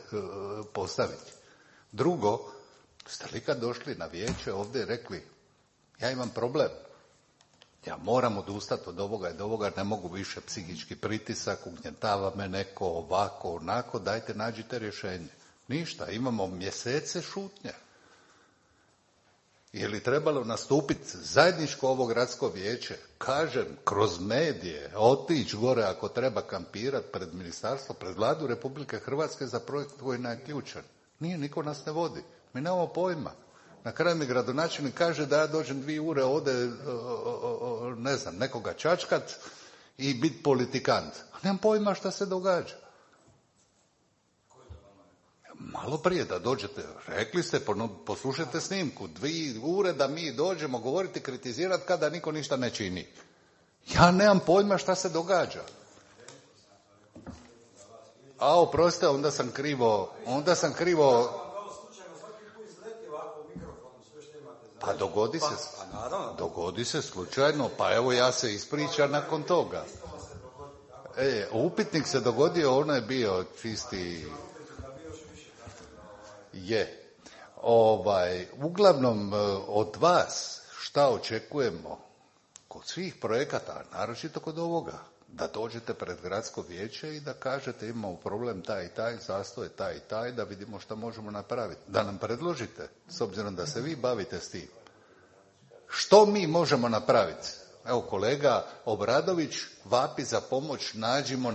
postaviti. Drugo, ste li kad došli na vijeće ovdje rekli, ja imam problem, ja moram odustati od ovoga i od ovoga, ne mogu više psihički pritisak, ugnjetava me neko ovako, onako, dajte nađite rješenje. Ništa, imamo mjesece šutnje. Je li trebalo nastupiti zajedničko ovo gradsko vijeće, kažem, kroz medije, otići gore ako treba kampirati pred ministarstvo, pred Vladu Republike Hrvatske za projekt koji je ključan. Nije, niko nas ne vodi. Mi nemamo pojma. Na kraju mi gradonačelnik kaže da ja dođem 2 ure ovdje, ne znam, nekoga čačkat i biti politikant. A nemam pojma šta se događa. Malo prije da dođete, rekli ste, poslušajte snimku, 2 ure da mi dođemo govoriti, kritizirati kada niko ništa ne čini. Ja nemam pojma šta se događa. A oprostite, onda sam krivo. Pa dogodi se slučajno, pa evo ja se ispričam nakon toga. Upitnik se dogodio, ono je bio čisti... Uglavnom od vas šta očekujemo kod svih projekata, naročito kod ovoga, da dođete pred gradsko vijeće i da kažete imamo problem taj i taj, zastoj taj i taj, da vidimo šta možemo napraviti. Da nam predložite, s obzirom da se vi bavite s tim. Što mi možemo napraviti? Evo kolega Obradović vapi za pomoć, nađimo.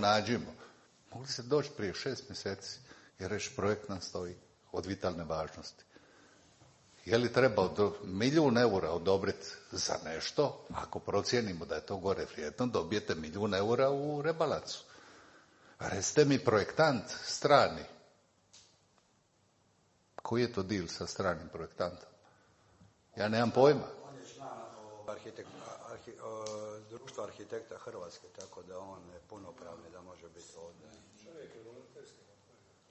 Mogli se doći prije 6 mjeseci i reći projekt nam stoji od vitalne važnosti. Je li treba 1 milijun eura odobriti za nešto? Ako procijenimo da je to gore vrijedno, dobijete 1 milijun eura u rebalansu. Recite mi projektant strani. Koji je to deal sa stranim projektantom? Ja nemam pojma. On je član društva arhitekta Hrvatske, tako da on je punopravni da može biti ovdje.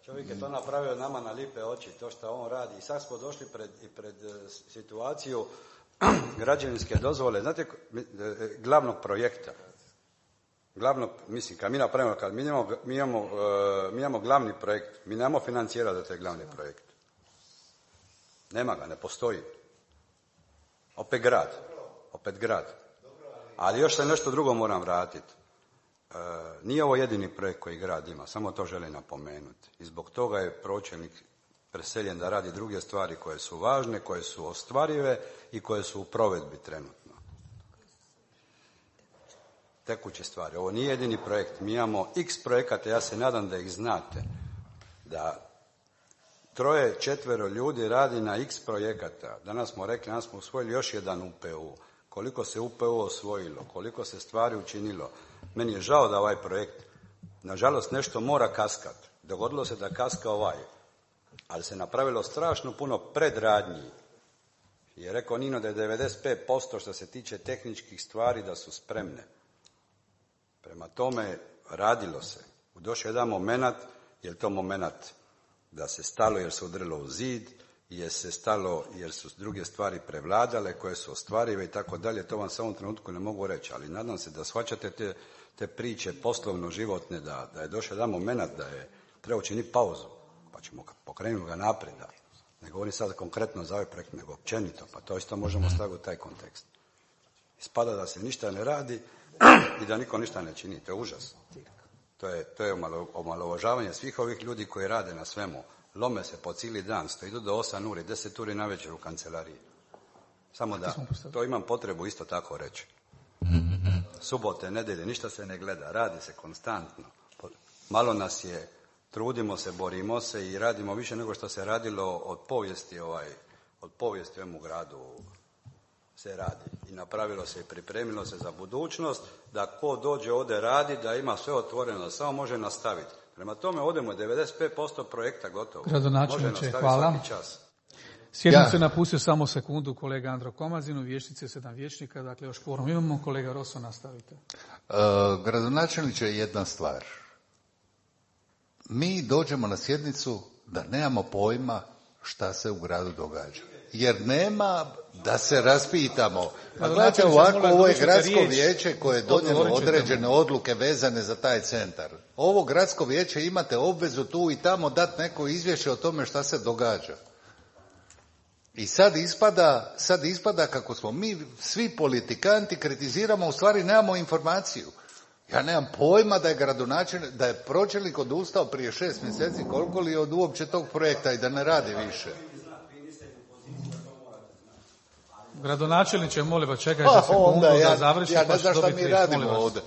Čovjek je to napravio nama na lipe oči, to što on radi. I sad smo došli pred situaciju građevinske dozvole, znate, glavnog projekta. Kad mi napravimo, mi imamo glavni projekt, mi nemamo financirati za taj glavni projekt. Nema ga, ne postoji. Opet grad. Ali još se nešto drugo moram vratiti. Nije ovo jedini projekt koji grad ima, samo to želim napomenuti. I zbog toga je pročelnik preseljen da radi druge stvari koje su važne, koje su ostvarive i koje su u provedbi trenutno. Tekuće stvari. Ovo nije jedini projekt. Mi imamo x projekata, ja se nadam da ih znate. Da 3-4 ljudi radi na x projekata. Danas smo rekli, danas smo usvojili još jedan UPU. Koliko se UPU osvojilo, koliko se stvari učinilo. Meni je žao da ovaj projekt, nažalost, nešto mora kaskat. Dogodilo se da kaska ali se napravilo strašno puno predradnji. Je rekao Nino da je 95% što se tiče tehničkih stvari da su spremne. Prema tome, radilo se. Došao jedan moment, je li to moment da se stalo jer se udrilo u zid, jer se stalo jer su druge stvari prevladale, koje su ostvarive i tako dalje, to vam samo u trenutku ne mogu reći, ali nadam se da shvaćate te priče poslovno-životne, da je došao jedan moment da je treba učiniti pauzu, pa ćemo pokrenuti ga naprijed. Ne govorim sad konkretno za ovaj projekt, nego općenito, pa to isto možemo staviti u taj kontekst. Ispada da se ništa ne radi i da niko ništa ne čini, to je užas. To je omalovažavanje svih ovih ljudi koji rade na svemu. Lome se po cijeli dan, idu do 8 uri, 10 uri navečer u kancelariji. Samo da, to imam potrebu isto tako reći. Subote, nedjelje, ništa se ne gleda, radi se konstantno. Malo nas je, trudimo se, borimo se i radimo više nego što se radilo od povijesti u ovom gradu se radi. I napravilo se i pripremilo se za budućnost, da ko dođe ovdje radi, da ima sve otvoreno, da samo može nastaviti. Prema tome, odemo 95% projekta gotovo. Gradonačelniče, hvala. Sjednicu je napustio samo sekundu kolega Andro Komazin, u vijećnici 7 vijećnika, dakle još kvorum imamo. Kolega Roso, nastavite. Gradonačelniče, jedna stvar. Mi dođemo na sjednicu da nemamo pojma šta se u gradu događa. Jer nema da se raspitamo. A gledajte ovako, ovo je gradsko vijeće koje je donijelo određene odluke vezane za taj centar. Ovo gradsko vijeće imate obvezu tu i tamo dati neko izvješće o tome šta se događa. I sad ispada kako smo mi svi politikanti kritiziramo, u stvari nemamo informaciju. Ja nemam pojma da je gradonačelnik, da je pročelnik odustao prije 6 mjeseci, koliko li je od uopće tog projekta i da ne radi više. Gradonačelniče, molim vas, čekajte sekundu da završi. Ja ne znam šta mi radimo ovdje.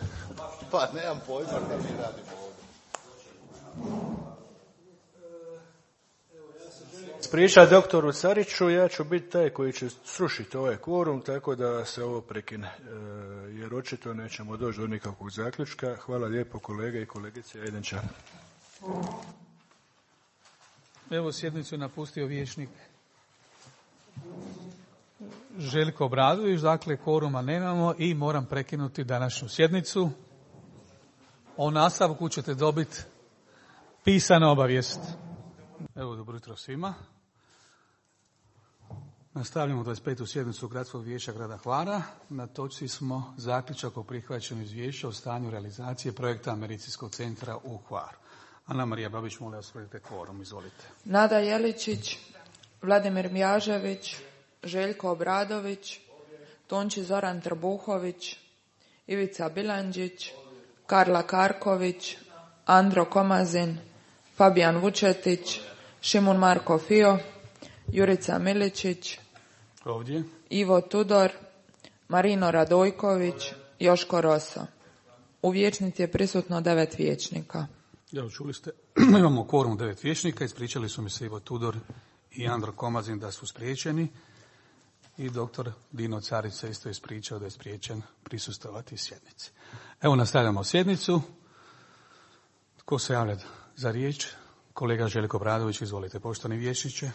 Pa nemam pojma šta mi radimo ovdje. Ispričati doktoru Cariću, ja ću biti taj koji će srušiti ovaj kvorum, tako da se ovo prekine, jer očito nećemo doći do nikakvog zaključka. Hvala lijepo kolege i kolegice. Ajdenča. Evo, sjednicu je napustio vijećnik Željko Obradović, dakle kvoruma nemamo i moram prekinuti današnju sjednicu. O nastavku ćete dobiti pisana obavijest. Evo, dobro jutro svima. Nastavljamo 25. sjednicu Gradskog vijeća grada Hvara. Na točci smo zaključak o prihvaćanju izvješća o stanju realizacije projekta Medicinskog centra u Hvaru. Ana Marija Babić, molim vas, provjerite kvorum, izvolite. Nada Jeličić, Vladimir Mjažević, Željko Obradović, Tonči Zoran Trbuhović, Ivica Bilandžić, Karla Karković, Andro Komazin, Fabijan Vučetić, Šimun Marko Fio, Jurica Miličić, ovdje, Ivo Tudor, Marino Radojković, Joško Roso. U vijećnici je prisutno 9 vijećnika. Evo, čuli ste, imamo kvorum 9 vijećnika, ispričali su mi se Ivo Tudor i Andro Komazin da su spriječeni i doktor Dino Carić se isto ispričao da je spriječen prisustvovati sjednici. Evo, nastavljamo sjednicu. Tko se javlja za riječ? Kolega Željko Obradović, izvolite, poštovani vijećniče.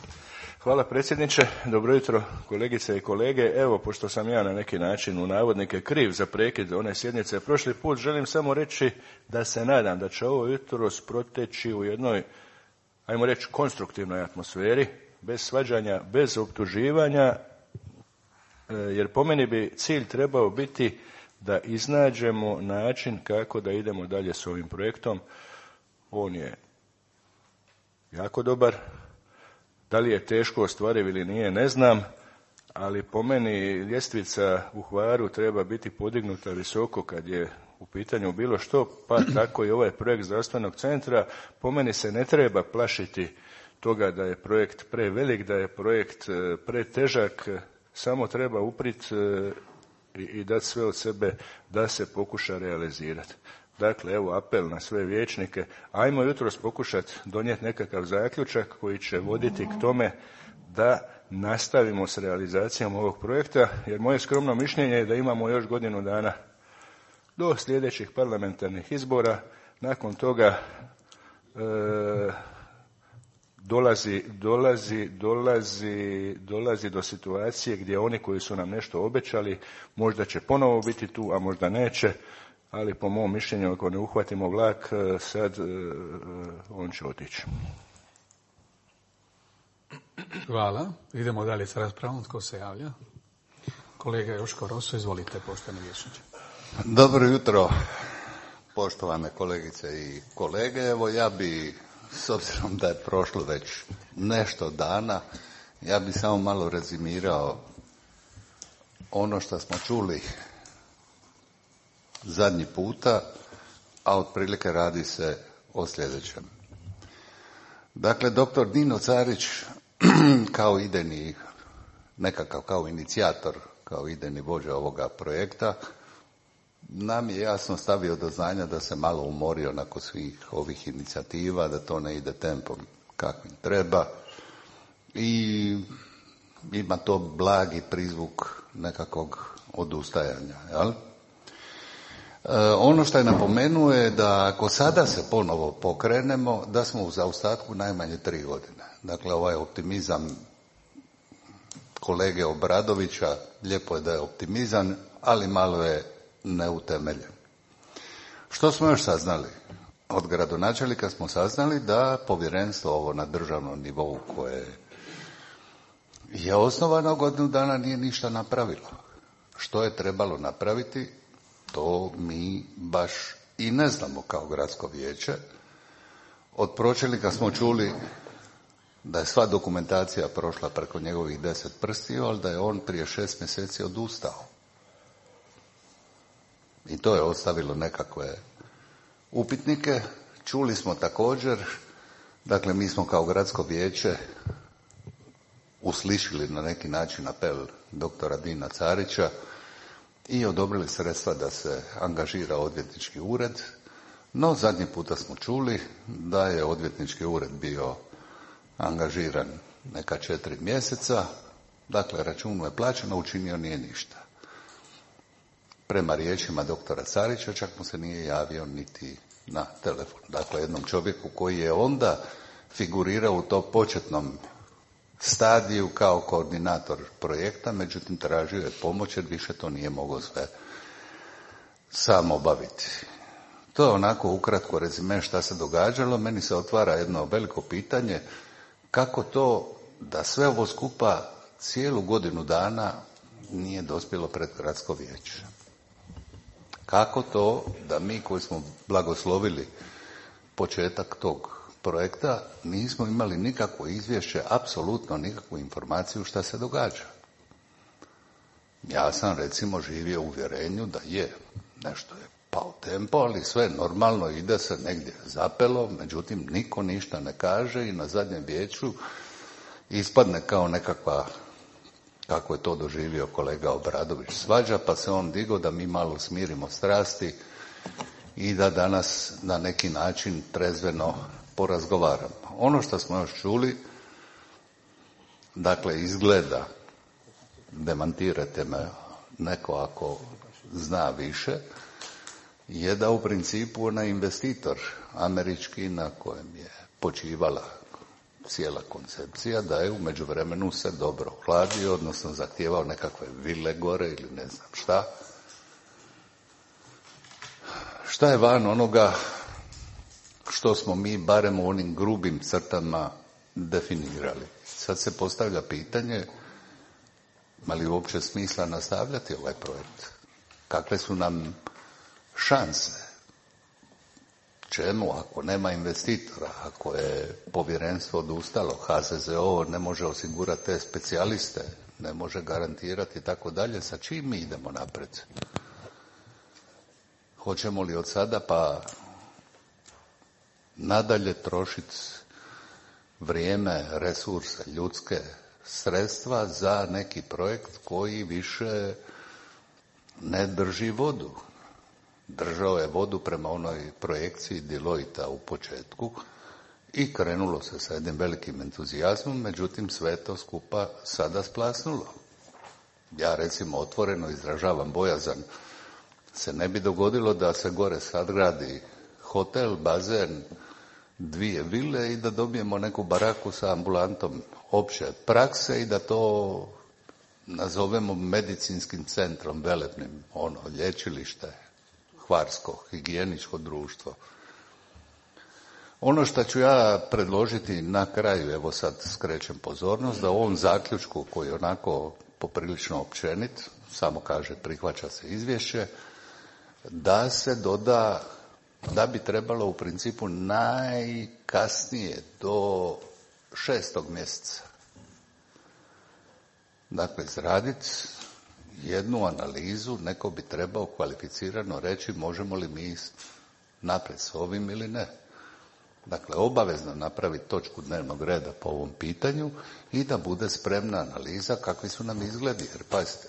Hvala predsjedniče, dobro jutro kolegice i kolege. Evo, pošto sam ja na neki način u navodnike kriv za prekid one sjednice prošli put, želim samo reći da se nadam da će ovo jutro proteći u jednoj, ajmo reći, konstruktivnoj atmosferi, bez svađanja, bez optuživanja, jer po meni bi cilj trebao biti da iznađemo način kako da idemo dalje s ovim projektom. On je jako dobar. Da li je teško ostvariv ili nije, ne znam, ali po meni ljestvica u Hvaru treba biti podignuta visoko kad je u pitanju bilo što, pa tako i ovaj projekt zdravstvenog centra. Po meni se ne treba plašiti toga da je projekt prevelik, da je projekt pretežak, samo treba uprit i dati sve od sebe da se pokuša realizirati. Dakle, evo apel na sve vijećnike, ajmo jutros pokušati donijeti nekakav zaključak koji će voditi k tome da nastavimo s realizacijom ovog projekta, jer moje skromno mišljenje je da imamo još godinu dana do sljedećih parlamentarnih izbora. Nakon toga dolazi do situacije gdje oni koji su nam nešto obećali možda će ponovo biti tu, a možda neće. Ali po mom mišljenju, ako ne uhvatimo vlak, sad on će otići. Hvala. Idemo dalje s raspravom. Tko se javlja? Kolega Joško Roso, izvolite, poštovani vijećniče. Dobro jutro, poštovane kolegice i kolege. Evo, ja bi, s obzirom da je prošlo već nešto dana, ja bi samo malo rezimirao ono što smo čuli zadnji puta, a otprilike radi se o sljedećem. Dakle, doktor Dino Carić kao idejni, nekakav kao inicijator, kao idejni vođa ovoga projekta, nam je jasno stavio do znanja da se malo umorio nakon svih ovih inicijativa, da to ne ide tempom kakvim treba i ima to blagi prizvuk nekakvog odustajanja, jel? Ono što je napomenuo je da ako sada se ponovo pokrenemo, da smo u zaostatku najmanje 3 godine. Dakle, ovaj optimizam kolege Obradovića, lijepo je da je optimizam, ali malo je neutemeljen. Što smo još saznali? Od gradonačelnika smo saznali da povjerenstvo ovo na državnom nivou koje je osnovano godinu dana nije ništa napravilo. Što je trebalo napraviti? To mi baš i ne znamo kao gradsko vijeće. Od pročelnika smo čuli da je sva dokumentacija prošla preko njegovih 10 prstiju, ali da je on prije 6 mjeseci odustao. I to je ostavilo nekakve upitnike. Čuli smo također, dakle mi smo kao gradsko vijeće uslišili na neki način apel doktora Dina Carića i odobrili sredstva da se angažira odvjetnički ured, no zadnji puta smo čuli da je odvjetnički ured bio angažiran neka 4 mjeseca, dakle računu je plaćeno, učinio nije ništa. Prema riječima doktora Carića čak mu se nije javio niti na telefon. Dakle, jednom čovjeku koji je onda figurirao u tom početnom stadiju kao koordinator projekta, međutim tražio je pomoć jer više to nije mogao sve sam obaviti. To je onako ukratko rezime šta se događalo. Meni se otvara jedno veliko pitanje kako to da sve ovo skupa cijelu godinu dana nije dospjelo pred gradsko vijeće. Kako to da mi koji smo blagoslovili početak tog projekta nismo imali nikakvo izvješće, apsolutno nikakvu informaciju šta se događa. Ja sam recimo živio u uvjerenju da nešto je pao tempo, ali sve normalno ide se negdje zapelo, međutim niko ništa ne kaže i na zadnjem vijeću ispadne kao nekakva, kako je to doživio kolega Obradović, svađa, pa se on digao da mi malo smirimo strasti i da danas na neki način trezveno porazgovaramo. Ono što smo još čuli, dakle izgleda, demantirajte me neko ako zna više, je da u principu onaj investitor američki na kojem je počivala cijela koncepcija, da je u međuvremenu se dobro ohladio, odnosno zahtijevao nekakve vile gore ili ne znam šta. Šta je van onoga što smo mi barem u onim grubim crtama definirali? Sad se postavlja pitanje, ima li uopće smisla nastavljati ovaj projekt? Kakve su nam šanse? Čemu ako nema investitora, ako je povjerenstvo odustalo, HZZO ne može osigurati te specijaliste, ne može garantirati i tako dalje, sa čim mi idemo naprijed? Hoćemo li od sada pa nadalje trošiti vrijeme, resurse, ljudske sredstva za neki projekt koji više ne drži vodu? Držao je vodu prema onoj projekciji Deloitta u početku i krenulo se sa jednim velikim entuzijazmom, međutim sve to skupa sada splasnulo. Ja recimo otvoreno izražavam bojazan, se ne bi dogodilo da se gore sad gradi hotel, bazen, 2 vile i da dobijemo neku baraku sa ambulantom opće prakse i da to nazovemo medicinskim centrom velebnim, lječilište, Hvarsko, higijeničko društvo. Ono što ću ja predložiti na kraju, evo sad skrećem pozornost, da u ovom zaključku koji je onako poprilično općenit, samo kaže prihvaća se izvješće, da se doda da bi trebalo u principu najkasnije do 6. mjeseca. Dakle, izraditi jednu analizu, neko bi trebao kvalificirano reći možemo li mi naprijed s ovim ili ne. Dakle, obavezno napraviti točku dnevnog reda po ovom pitanju i da bude spremna analiza kakvi su nam izgledi. Jer pazite,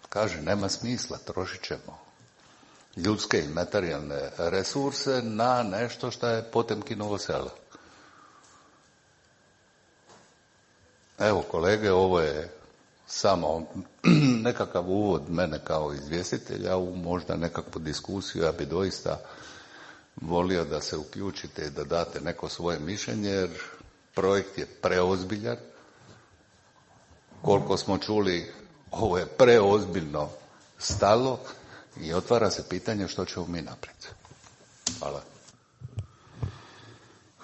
kaže nema smisla, trošit ćemo ljudske i materijalne resurse na nešto što je Potemkinovo selo. Evo kolege, ovo je samo nekakav uvod mene kao izvjestitelja u možda nekakvu diskusiju. Ja bi doista volio da se uključite i da date neko svoje mišljenje, jer projekt je preozbiljan. Koliko smo čuli, ovo je preozbiljno stalo i otvara se pitanje što ćemo mi naprijed. Hvala.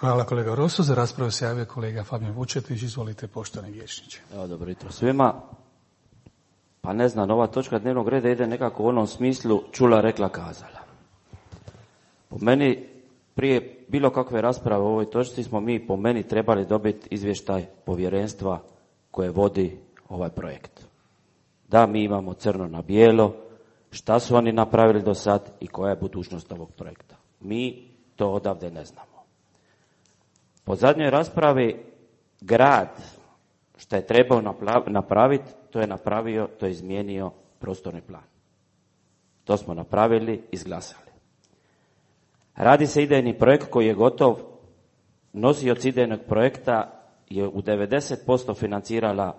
Hvala kolega Rosso. Za raspravu se javio kolega Fabijan Vučetić. Izvolite, poštovani vijećniče. Evo, dobro jutro svima. Pa ne znam, ova točka dnevnog reda ide nekako u onom smislu čula, rekla, kazala. Po meni, prije bilo kakve rasprave o ovoj točci smo mi po meni trebali dobiti izvještaj povjerenstva koje vodi ovaj projekt. Da, mi imamo crno na bijelo, šta su oni napravili do sad i koja je budućnost ovog projekta. Mi to odavde ne znamo. Po zadnjoj raspravi grad što je trebao napraviti, to je napravio, to je izmijenio prostorni plan. To smo napravili, izglasali. Radi se idejni projekt koji je gotov. Nosioc idejnog projekta je u 90% financirala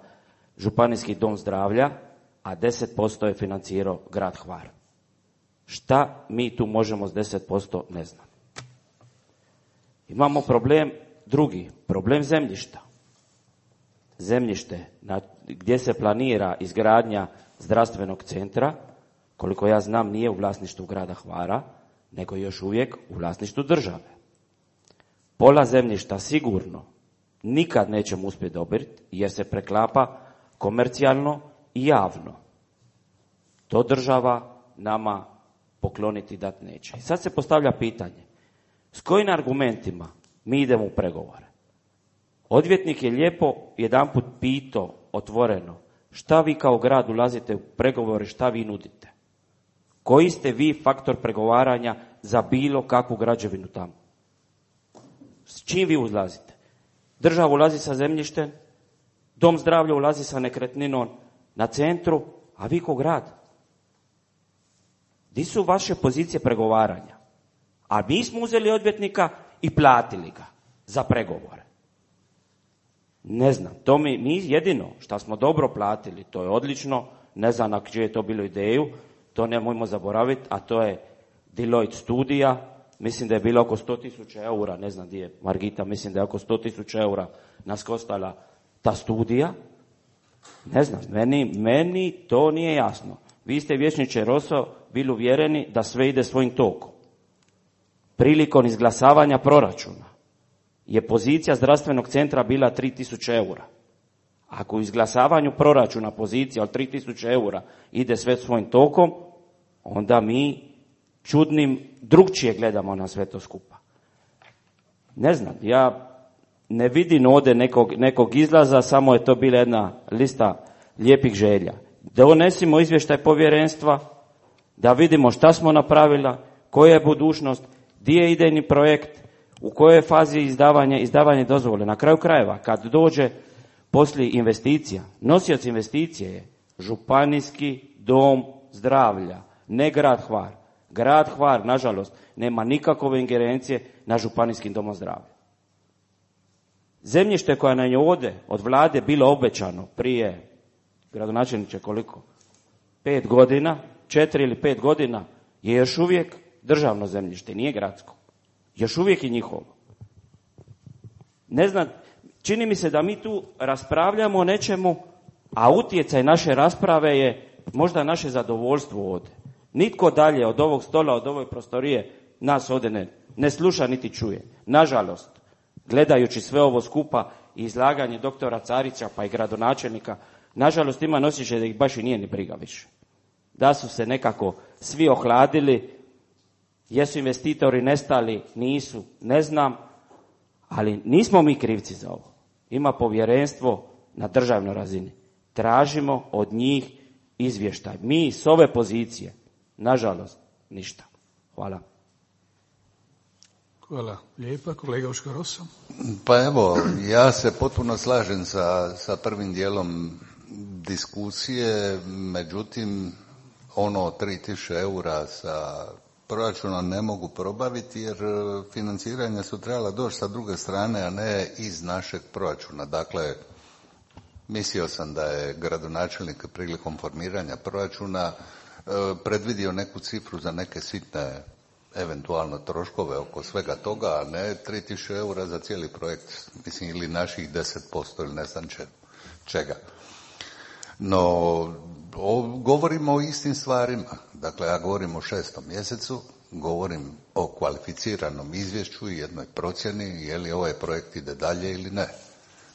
Županijski dom zdravlja, a 10% je financirao grad Hvar. Šta mi tu možemo s 10%, ne znam. Imamo problem drugi, problem zemljišta. Zemljište gdje se planira izgradnja zdravstvenog centra, koliko ja znam, nije u vlasništvu grada Hvara, nego još uvijek u vlasništvu države. Pola zemljišta sigurno nikad nećemo uspjeti dobiti, jer se preklapa komercijalno i javno. To država nama pokloniti dat neće. I sad se postavlja pitanje, s kojim argumentima mi idemo u pregovore? Odvjetnik je lijepo jedanput pitao otvoreno, šta vi kao grad ulazite u pregovore, šta vi nudite? Koji ste vi faktor pregovaranja za bilo kakvu građevinu tamo? S čim vi ulazite? Država ulazi sa zemljištem, dom zdravlja ulazi sa nekretninom na centru, a vi ko grad? Di su vaše pozicije pregovaranja? A mi smo uzeli odvjetnika i platili ga za pregovore. Ne znam, to mi jedino što smo dobro platili, to je odlično, ne znam na čiju je to bilo ideju, to nemojmo zaboraviti, a to je Deloitte studija, mislim da je bilo oko 100.000 eura, ne znam gdje je Margita, mislim da je oko 100.000 eura nas koštala ta studija. Ne znam, meni to nije jasno. Vi ste, vijećniče Roso, bili uvjereni da sve ide svojim tokom. Prilikom izglasavanja proračuna je pozicija zdravstvenog centra bila 3.000 eura. Ako u izglasavanju proračuna pozicija od 3.000 eura ide sve svojim tokom, onda mi čudnim drugčije gledamo na sve to skupa. Ne znam, ja ne vidim ovdje nekog izlaza, samo je to bila jedna lista lijepih želja. Donesimo izvještaj povjerenstva, da vidimo šta smo napravila, koja je budućnost, gdje je idejni projekt, u kojoj je fazi izdavanje dozvole. Na kraju krajeva, kad dođe poslije investicija, nosioc investicije je Županijski dom zdravlja, ne grad Hvar. Grad Hvar, nažalost, nema nikakve ingerencije na Županijskim domom zdravlja. Zemljište koje nam je ovdje od vlade bilo obećano prije, gradonačelniče, koliko? 5 godina, 4 ili 5 godina, je još uvijek državno zemljište, nije gradsko. Još uvijek je njihovo. Ne znam, čini mi se da mi tu raspravljamo o nečemu, a utjecaj naše rasprave je možda naše zadovoljstvo ovdje. Nitko dalje od ovog stola, od ove prostorije nas ovdje ne sluša niti čuje. Nažalost, gledajući sve ovo skupa i izlaganje doktora Carića pa i gradonačelnika, nažalost ima osjećaj da ih baš i nije ni briga više. Da su se nekako svi ohladili, jesu investitori nestali, nisu, ne znam, ali nismo mi krivci za ovo. Ima povjerenstvo na državnoj razini. Tražimo od njih izvještaj. Mi s ove pozicije, nažalost, ništa. Hvala. Hvala lijepa. Kolega Joško Roso. Pa evo, ja se potpuno slažem sa prvim dijelom diskusije, međutim, ono 3.000 eura sa proračunom ne mogu probaviti jer financiranja su trebala doći sa druge strane, a ne iz našeg proračuna. Dakle, mislio sam da je gradonačelnik prilikom formiranja proračuna predvidio neku cifru za neke sitne eventualno troškove oko svega toga, a ne 3.000 eura za cijeli projekt, mislim, ili naših 10% ili ne znam čega. No, govorimo o istim stvarima. Dakle, ja govorim o 6. mjesecu, govorim o kvalificiranom izvješću i jednoj procjeni je li ovaj projekt ide dalje ili ne.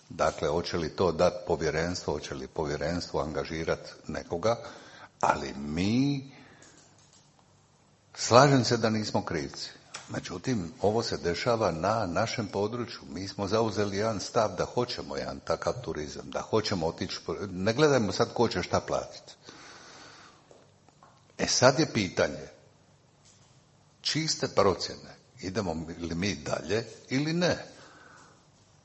Dakle, hoće li to dati povjerenstvo, hoće li povjerenstvo angažirati nekoga, ali mi, slažem se da nismo krivci. Međutim, ovo se dešava na našem području. Mi smo zauzeli jedan stav da hoćemo jedan takav turizam, da hoćemo otići, ne gledajmo sad ko će šta platiti. Sad je pitanje, čiste procjene, idemo li mi dalje ili ne?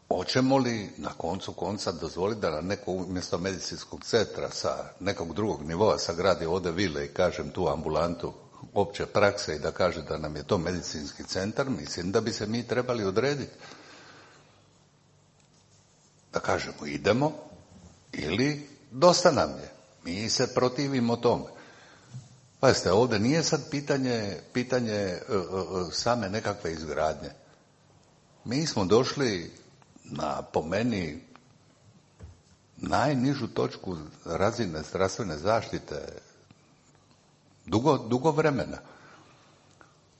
Hoćemo li na koncu konca dozvoliti da na neko umjesto medicinskog centra sa nekog drugog nivoa sagradi ovdje vile i kažem tu ambulantu opće prakse i da kaže da nam je to medicinski centar? Mislim da bi se mi trebali odrediti. Da kažemo idemo ili dosta nam je. Mi se protivimo tome. Pazite, ovdje nije sad pitanje same nekakve izgradnje. Mi smo došli na, po meni, najnižu točku razine zdravstvene zaštite dugo vremena.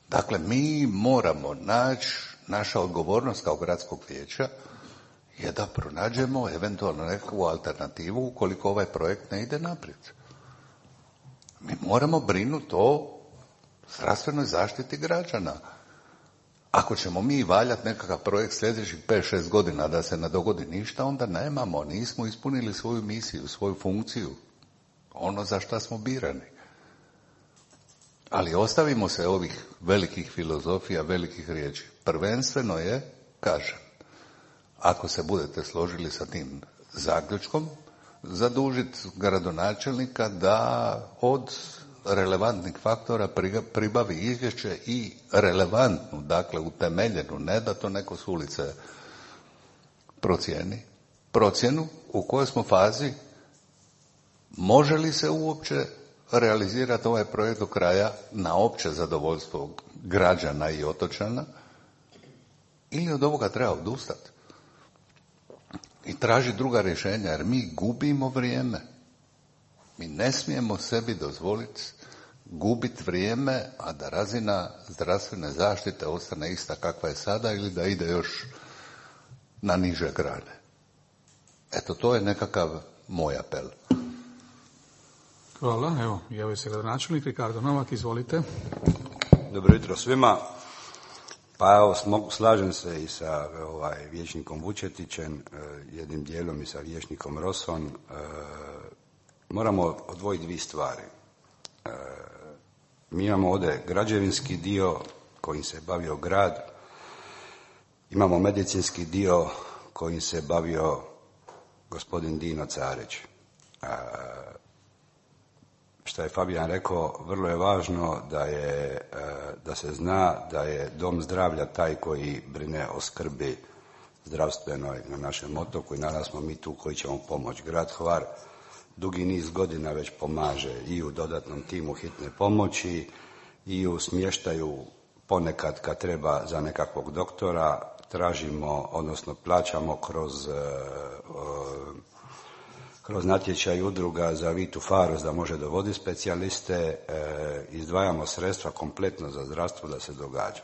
Dakle, mi moramo naći, naša odgovornost kao gradskog vijeća je da pronađemo eventualno nekakvu alternativu ukoliko ovaj projekt ne ide naprijed. Mi moramo brinuti o zdravstvenoj zaštiti građana. Ako ćemo mi valjati nekakav projekt sljedećih 5-6 godina da se ne dogodi ništa, onda nismo ispunili svoju misiju, svoju funkciju, ono za šta smo birani. Ali ostavimo se ovih velikih filozofija, velikih riječi. Prvenstveno je, kažem, ako se budete složili sa tim zaključkom, zadužiti gradonačelnika da od relevantnih faktora pribavi izvješće i relevantnu, dakle utemeljenu, ne da to neko s ulice procjenu u kojoj smo fazi, može li se uopće realizirati ovaj projekt do kraja na opće zadovoljstvo građana i otočana, ili od ovoga treba odustati i traži druga rješenja, jer mi gubimo vrijeme. Mi ne smijemo sebi dozvoliti gubiti vrijeme, a da razina zdravstvene zaštite ostane ista kakva je sada ili da ide još na niže grane. Eto, to je nekakav moj apel. Hvala. Evo, javio se gradonačelnik Ricardo Novak, izvolite. Dobro jutro svima. Pa evo, slažem se i sa vijećnikom Vučetićem, jednim dijelom i sa vijećnikom Rosom. Moramo odvojiti dvije stvari. Mi imamo ovdje građevinski dio kojim se bavio grad, imamo medicinski dio kojim se bavio gospodin Dino Carić. Što je Fabijan rekao, vrlo je važno da se zna da je dom zdravlja taj koji brine o skrbi zdravstvenoj na našem otoku i naravno smo mi tu koji ćemo pomoći. Grad Hvar dugi niz godina već pomaže i u dodatnom timu hitne pomoći i u smještaju ponekad kad treba za nekakvog doktora, tražimo, odnosno plaćamo kroz natječaj udruga za Vitu Faros da može dovoditi specijaliste, izdvajamo sredstva kompletno za zdravstvo da se događa.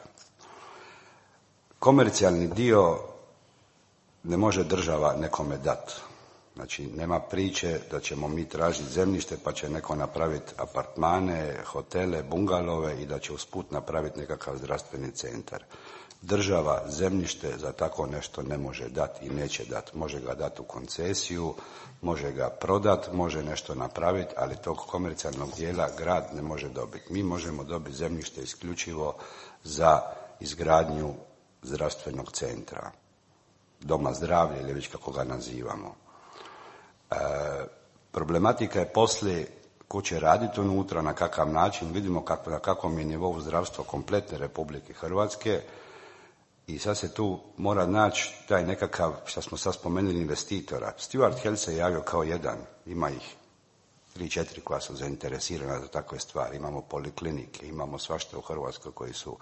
Komercijalni dio ne može država nekome dati. Znači, nema priče da ćemo mi tražiti zemljište pa će neko napraviti apartmane, hotele, bungalove i da će usput napraviti nekakav zdravstveni centar. Država zemljište za tako nešto ne može dati i neće dati. Može ga dati u koncesiju, može ga prodati, može nešto napraviti, ali tog komercijalnog dijela grad ne može dobiti. Mi možemo dobiti zemljište isključivo za izgradnju zdravstvenog centra, doma zdravlja ili već kako ga nazivamo. Problematika je poslije ko će raditi unutra, na kakav način, vidimo na kakvom je nivou zdravstva kompletne Republike Hrvatske i sad se tu mora naći taj nekakav, što smo sad spomenuli, investitora. Stuart Health se javio kao jedan, ima ih 3-4 koja su zainteresirana za takve stvari, imamo poliklinike, imamo svašta u Hrvatskoj koji su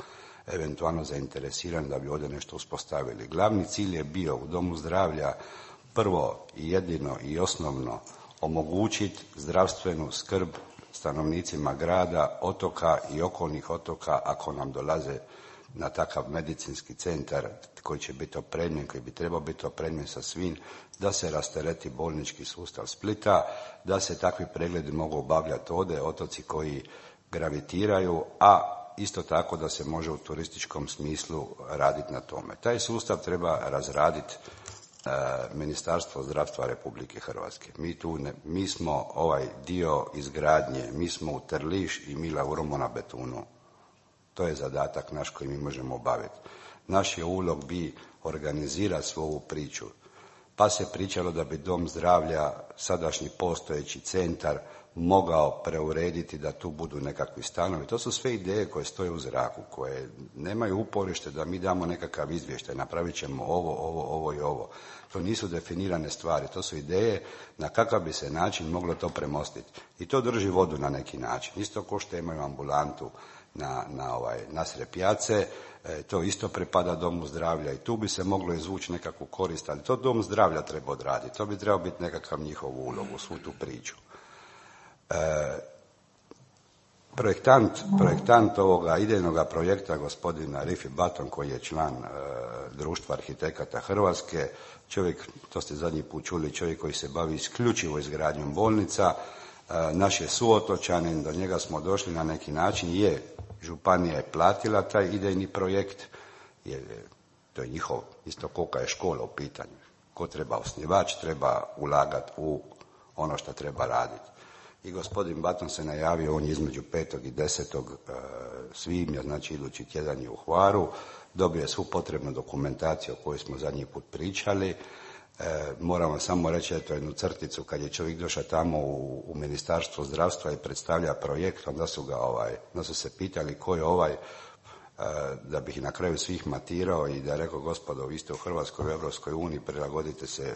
eventualno zainteresirani da bi ovdje nešto uspostavili. Glavni cilj je bio u domu zdravlja prvo i jedino i osnovno omogućiti zdravstvenu skrb stanovnicima grada, otoka i okolnih otoka ako nam dolaze na takav medicinski centar koji će biti opremljen, koji bi trebao biti opremljen sa svim, da se rastereti bolnički sustav Splita, da se takvi pregledi mogu obavljati ovdje, otoci koji gravitiraju, a isto tako da se može u turističkom smislu raditi na tome. Taj sustav treba razraditi Ministarstvo zdravstva Republike Hrvatske. Mi smo ovaj dio izgradnje, mi smo u Trliš i Mila Uromo na betunu. To je zadatak naš koji mi možemo obaviti. Naš je ulog bi organizirati svu ovu priču. Pa se pričalo da bi dom zdravlja, sadašnji postojeći centar, mogao preurediti da tu budu nekakvi stanovi. To su sve ideje koje stoje u zraku, koje nemaju uporište da mi damo nekakav izvještaj, napravit ćemo ovo i ovo. To nisu definirane stvari, to su ideje na kakav bi se način moglo to premostiti. I to drži vodu na neki način. Isto ko što imaju ambulantu nasred pijace, to isto pripada domu zdravlja i tu bi se moglo izvući nekakvu korist, ali to dom zdravlja treba odraditi, to bi trebao biti nekakav njihov ulog u svu tu priču. Projektant ovoga idejnoga projekta, gospodina Rifi Baton, koji je član Društva arhitekata Hrvatske, čovjek, to ste zadnji put čuli, čovjek koji se bavi isključivo izgradnjom bolnica, naš je suotočanin, do njega smo došli na neki način, županija je platila taj idejni projekt, jer to je njihov, isto kolika je škola u pitanju. Ko treba osnivač, treba ulagati u ono što treba raditi. I gospodin Baton se najavio, on je između 5. i 10. svibnja, znači idući tjedan je u Hvaru, dobio je svu potrebnu dokumentaciju o kojoj smo zadnji put pričali. Moram vam samo reći, eto jednu crticu, kad je čovjek došao tamo u Ministarstvo zdravstva i predstavlja projekt, onda su se pitali ko je da bih na kraju svih matirao i da je rekao, gospodo, vi ste u Hrvatskoj, u Europskoj uniji, prilagodite se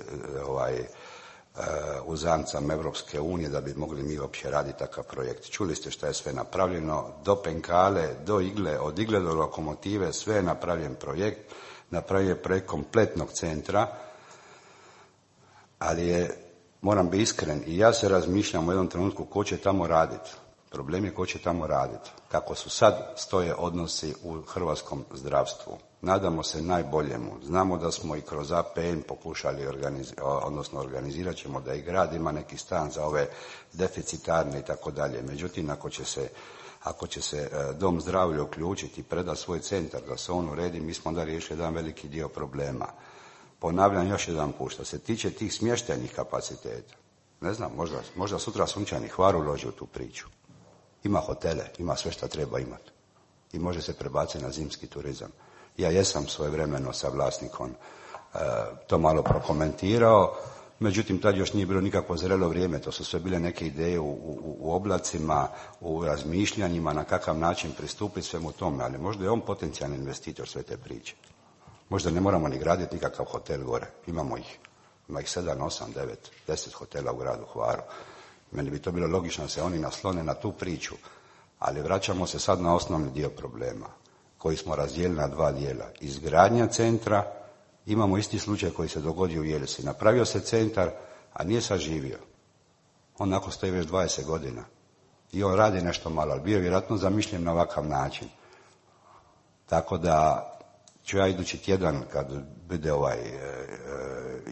uzancama Europske unije da bi mogli mi uopće raditi takav projekt. Čuli ste šta je sve napravljeno, do penkale, do igle, od igle do lokomotive, sve je napravljen projekt, napravljen je projekt kompletnog centra, ali moram biti iskren, i ja se razmišljam u jednom trenutku ko će tamo raditi. Problem je ko će tamo raditi. Kako su sad stoje odnosi u hrvatskom zdravstvu. Nadamo se najboljemu. Znamo da smo i kroz APN pokušali organizirat ćemo da i grad ima neki stan za ove deficitarne i tako dalje. Međutim, ako će se dom zdravlja uključiti i predati svoj centar da se on uredi, mi smo onda riješili jedan veliki dio problema. Ponavljam još jedan put, što se tiče tih smještajnih kapaciteta, ne znam, možda sutra Sunčani Hvar uloži u tu priču. Ima hotele, ima sve što treba imati i može se prebaciti na zimski turizam. Ja jesam svojevremeno sa vlasnikom to malo prokomentirao, međutim tad još nije bilo nikakvo zrelo vrijeme, to su sve bile neke ideje u oblacima, u razmišljanjima na kakav način pristupiti svemu tome, ali možda je on potencijalni investitor sve te priče. Možda ne moramo ni graditi nikakav hotel gore, ima ih 7, 8, 9, 10 hotela u gradu Hvaru. Meni bi to bilo logično da se oni naslone na tu priču, ali vraćamo se sad na osnovni dio problema koji smo razdijelili na dva dijela. Izgradnja centra, imamo isti slučaj koji se dogodio u Jelsi. Napravio se centar, a nije saživio. On nakon stoji već 20 godina. I on radi nešto malo, ali bio je vjerojatno zamišljen na ovakav način. Tako da ću ja idući tjedan, kad bude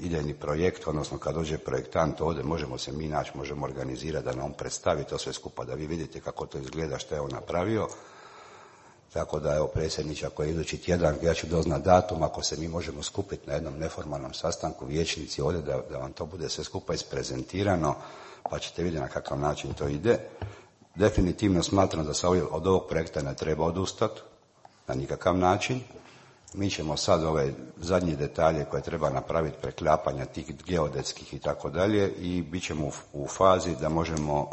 idejni projekt, odnosno kad dođe projektant ovdje, možemo se mi naći, možemo organizirati da nam predstavi to sve skupa, da vi vidite kako to izgleda, što je on napravio. Tako da, evo, predsjedniče, ako je idući tjedan, ja ću doznat datum, ako se mi možemo skupiti na jednom neformalnom sastanku vijećnici ovdje, da vam to bude sve skupa isprezentirano, pa ćete vidjeti na kakav način to ide. Definitivno smatram da se od ovog projekta ne treba odustati, na nikakav način. Mi ćemo sad ove zadnje detalje koje treba napraviti, preklapanja tih geodetskih i tako dalje, i bit ćemo u fazi da možemo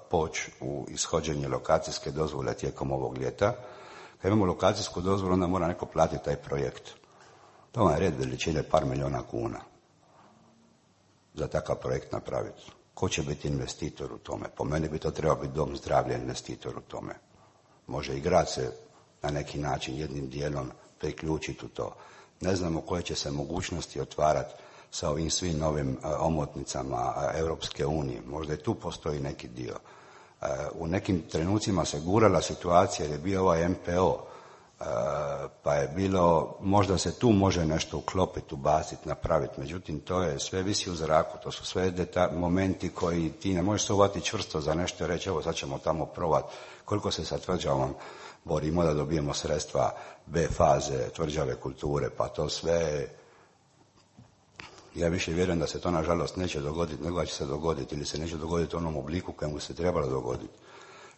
poći u ishođenje lokacijske dozvole tijekom ovog ljeta. Kad imamo lokacijsku dozvolu, onda mora neko platiti taj projekt. To je red veličine par milijuna kuna za takav projekt napraviti. Ko će biti investitor u tome? Po meni bi to trebao biti dom zdravlja investitor u tome. Može i grad se na neki način jednim dijelom priključiti u to. Ne znamo koje će se mogućnosti otvarati sa ovim svim novim omotnicama Europske unije. Možda i tu postoji neki dio. U nekim trenucima se gurala situacija jer je bio ovaj MPO, pa je bilo, možda se tu može nešto uklopiti, ubaciti, napraviti. Međutim, to je sve visi u zraku. To su sve momenti koji ti ne možeš se uvati čvrsto za nešto i reći, evo sad ćemo tamo probati. Koliko se sa tvrđavom borimo da dobijemo sredstva B faze, tvrđave kulture, pa to sve, ja više vjerujem da se to nažalost neće dogoditi, nego će se dogoditi ili se neće dogoditi u onom obliku kojem se trebalo dogoditi.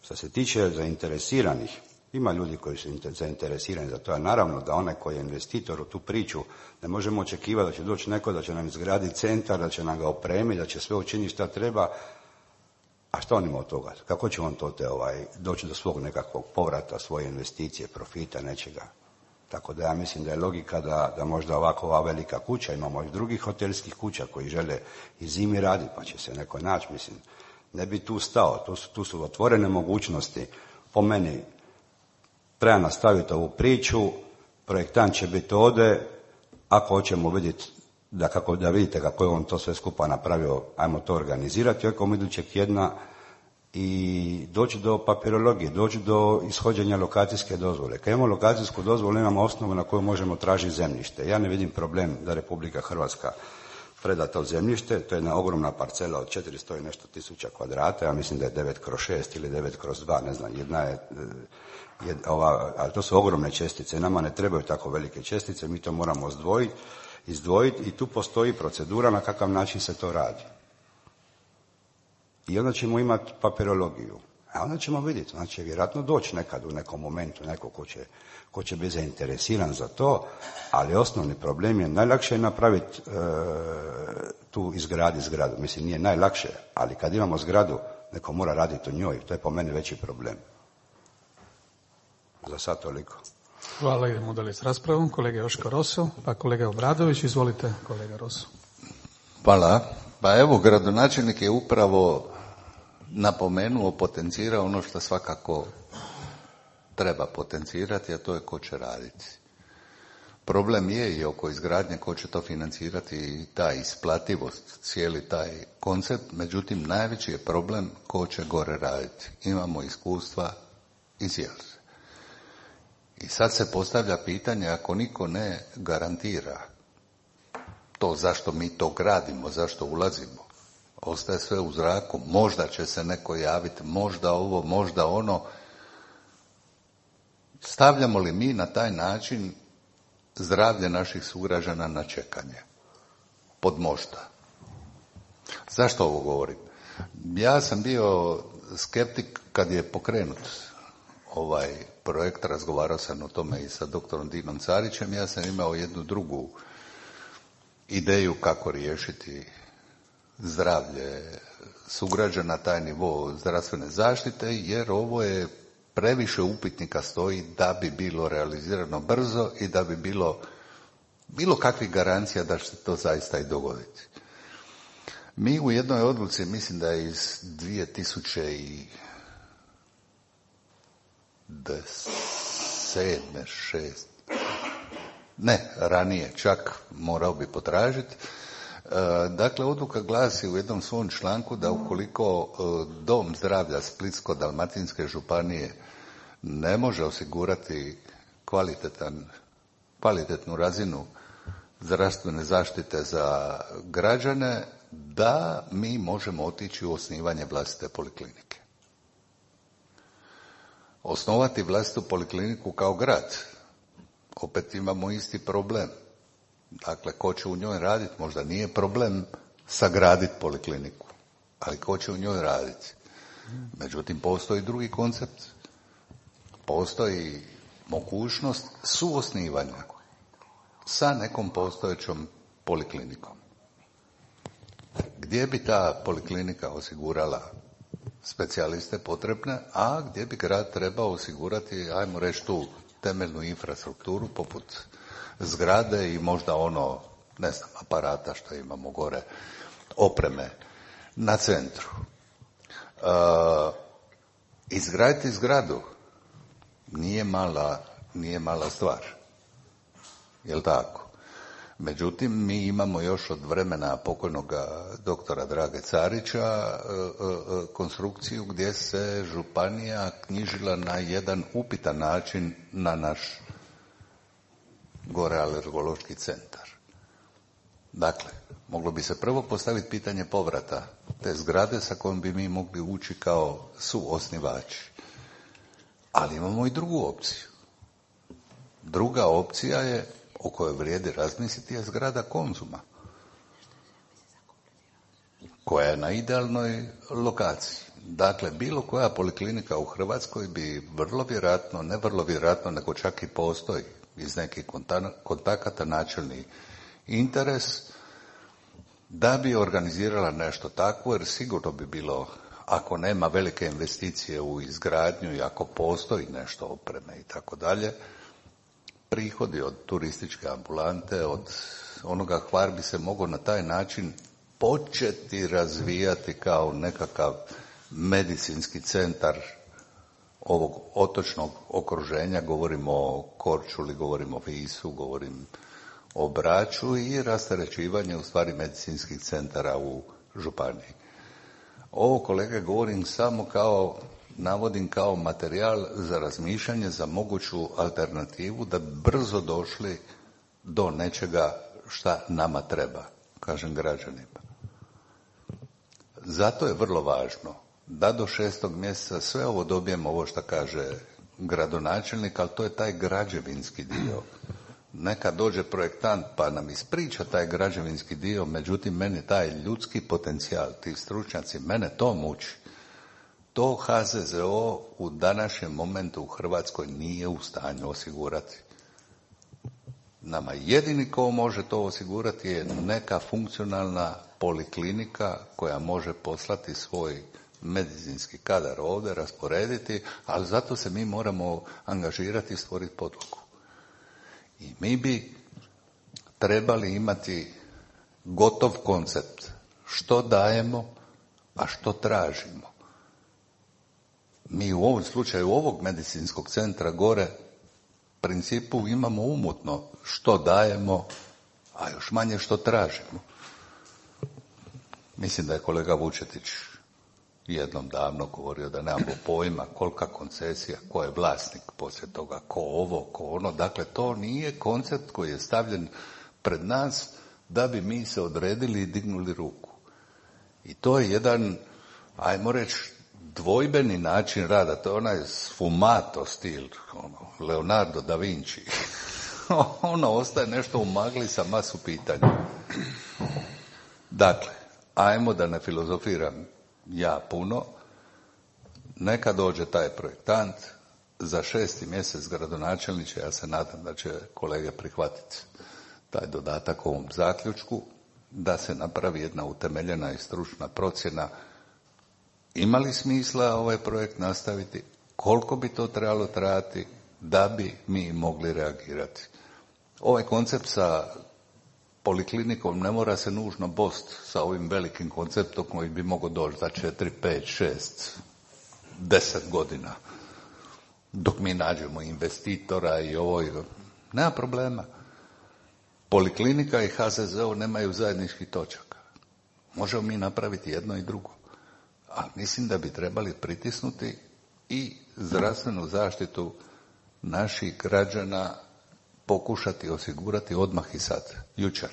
Što se tiče zainteresiranih, ima ljudi koji su zainteresirani za to, a naravno da onaj koji je investitor u tu priču, ne možemo očekivati da će doći neko da će nam izgraditi centar, da će nam ga opremiti, da će sve učiniti šta treba. A što on ima od toga? Kako će on to doći do svog nekakvog povrata, svoje investicije, profita, nečega? Tako da ja mislim da je logika da možda ovakva velika kuća, imamo i drugih hotelskih kuća koji žele i zimi raditi, pa će se neko naći, mislim. Ne bi tu stao, tu su otvorene mogućnosti. Po meni, treba nastaviti ovu priču, projektant će biti ovdje, ako hoćemo vidjeti da vidite kako je on to sve skupa napravio, ajmo to organizirati oko idućeg tjedna i doći do papirologije, doći do ishođenja lokacijske dozvole. Kad imamo lokacijsku dozvolu, imamo osnovu na koju možemo tražiti zemljište. Ja ne vidim problem da Republika Hrvatska preda to zemljište, to je jedna ogromna parcela od 400 i nešto tisuća kvadrata, ja mislim da je 9/6 ili 9/2, ne znam, jedna je ali to su ogromne čestice, nama ne trebaju tako velike čestice, mi to moramo izdvojiti i tu postoji procedura na kakav način se to radi. I onda ćemo imati papirologiju. A onda ćemo vidjeti, onda će vjerojatno doći nekad u nekom momentu neko ko će biti zainteresiran za to, ali osnovni problem je najlakše je napraviti tu izgraditi zgradu. Mislim, nije najlakše, ali kad imamo zgradu, neko mora raditi u njoj, to je po meni veći problem. Za sad toliko. Hvala, idemo dalje s raspravom. Kolega Joško Roso, pa kolega Obradović, izvolite kolega Roso. Hvala. Pa evo, gradonačelnik je upravo napomenuo, potencirao ono što svakako treba potencirati, a to je ko će raditi. Problem je i oko izgradnje ko će to financirati i ta isplativost, cijeli taj koncept, međutim najveći je problem ko će gore raditi. Imamo iskustva iz Jelze. I sad se postavlja pitanje, ako niko ne garantira to zašto mi to gradimo, zašto ulazimo, ostaje sve u zraku, možda će se neko javiti, možda ovo, možda ono. Stavljamo li mi na taj način zdravlje naših sugrađana na čekanje? Pod možda. Zašto ovo govorim? Ja sam bio skeptik kad je pokrenut ovaj projekt, razgovarao sam o tome i sa doktorom Dinom Carićem, ja sam imao jednu drugu ideju kako riješiti zdravlje sugrađana, taj nivo zdravstvene zaštite, jer ovo je previše upitnika stoji da bi bilo realizirano brzo i da bi bilo kakvih garancija da će se to zaista i dogoditi. Mi u jednoj odluci, mislim da je iz 2007. 6. Ne, ranije, čak morao bi potražiti. Dakle, odluka glasi u jednom svom članku da ukoliko Dom zdravlja Splitsko-dalmatinske županije ne može osigurati kvalitetnu razinu zdravstvene zaštite za građane, da mi možemo otići u osnivanje vlastite poliklinike. Osnovati vlastitu polikliniku kao grad, opet imamo isti problem. Dakle, ko će u njoj raditi, možda nije problem sagraditi polikliniku, ali ko će u njoj raditi. Međutim, postoji drugi koncept. Postoji mogućnost suosnivanja sa nekom postojećom poliklinikom. Gdje bi ta poliklinika osigurala specijaliste potrebne, a gdje bi grad trebao osigurati, ajmo reći, tu temeljnu infrastrukturu poput zgrade i možda aparata što imamo gore, opreme na centru. Izgraditi zgradu nije mala stvar. Jel' tako? Međutim, mi imamo još od vremena pokojnog doktora Drage Carića konstrukciju gdje se županija knjižila na jedan upitan način na naš gore alergološki centar. Dakle, moglo bi se prvo postaviti pitanje povrata te zgrade sa kojom bi mi mogli ući kao suosnivači. Ali imamo i drugu opciju. Druga opcija je, o kojoj vrijedi razmisliti, je zgrada Konzuma, koja je na idealnoj lokaciji. Dakle, bilo koja poliklinika u Hrvatskoj bi vrlo vjerojatno, ne vrlo vjerojatno, nego čak i postoji iz nekih kontakata načelni interes da bi organizirala nešto takvo, jer sigurno bi bilo, ako nema velike investicije u izgradnju i ako postoji nešto opreme i tako dalje, prihodi od turističke ambulante, od onoga Hvar bi se mogao na taj način početi razvijati kao nekakav medicinski centar ovog otočnog okruženja, govorimo o Korčuli, govorimo o Visu, govorim o Braču i rasterećivanje u stvari medicinskih centara u županiji. Ovo, kolege, govorim samo navodim kao materijal za razmišljanje, za moguću alternativu da bi brzo došli do nečega šta nama treba, kažem građanima. Zato je vrlo važno da do 6. mjeseca sve ovo dobijemo, ovo što kaže gradonačelnik, ali to je taj građevinski dio. Neka dođe projektant pa nam ispriča taj građevinski dio, međutim meni taj ljudski potencijal, ti stručnjaci, mene to muči. To HZZO u današnjem momentu u Hrvatskoj nije u stanju osigurati. Nama jedini ko može to osigurati je neka funkcionalna poliklinika koja može poslati svoj medicinski kadar ovdje, rasporediti, ali zato se mi moramo angažirati i stvoriti podlogu. I mi bi trebali imati gotov koncept što dajemo, a što tražimo. Mi u ovom slučaju ovog medicinskog centra gore principu imamo umutno što dajemo, a još manje što tražimo. Mislim da je kolega Vučetić jednom davno govorio da nemamo pojma kolika koncesija, ko je vlasnik poslije toga, ko ovo, ko ono. Dakle, to nije koncept koji je stavljen pred nas da bi mi se odredili i dignuli ruku. I to je jedan, ajmo reći, dvojbeni način rada. To je onaj sfumato stil, Leonardo da Vinci. Ono ostaje nešto u magli sa masu pitanja. Dakle, ajmo da ne filozofiram ja puno, neka dođe taj projektant, za 6. mjesec gradonačelniče, ja se nadam da će kolege prihvatiti taj dodatak ovom zaključku, da se napravi jedna utemeljena i stručna procjena ima li smisla ovaj projekt nastaviti, koliko bi to trebalo trajati da bi mi mogli reagirati. Ovaj koncept sa poliklinikom ne mora se nužno bost sa ovim velikim konceptom koji bi mogao doći za 4, 5, 6, 10 godina. Dok mi nađemo investitora i ovo, nema problema. Poliklinika i HZZO nemaju zajedničkih točaka. Možemo mi napraviti jedno i drugo. Ali mislim da bi trebali pritisnuti i zdravstvenu zaštitu naših građana pokušati osigurati odmah i sad, jučer.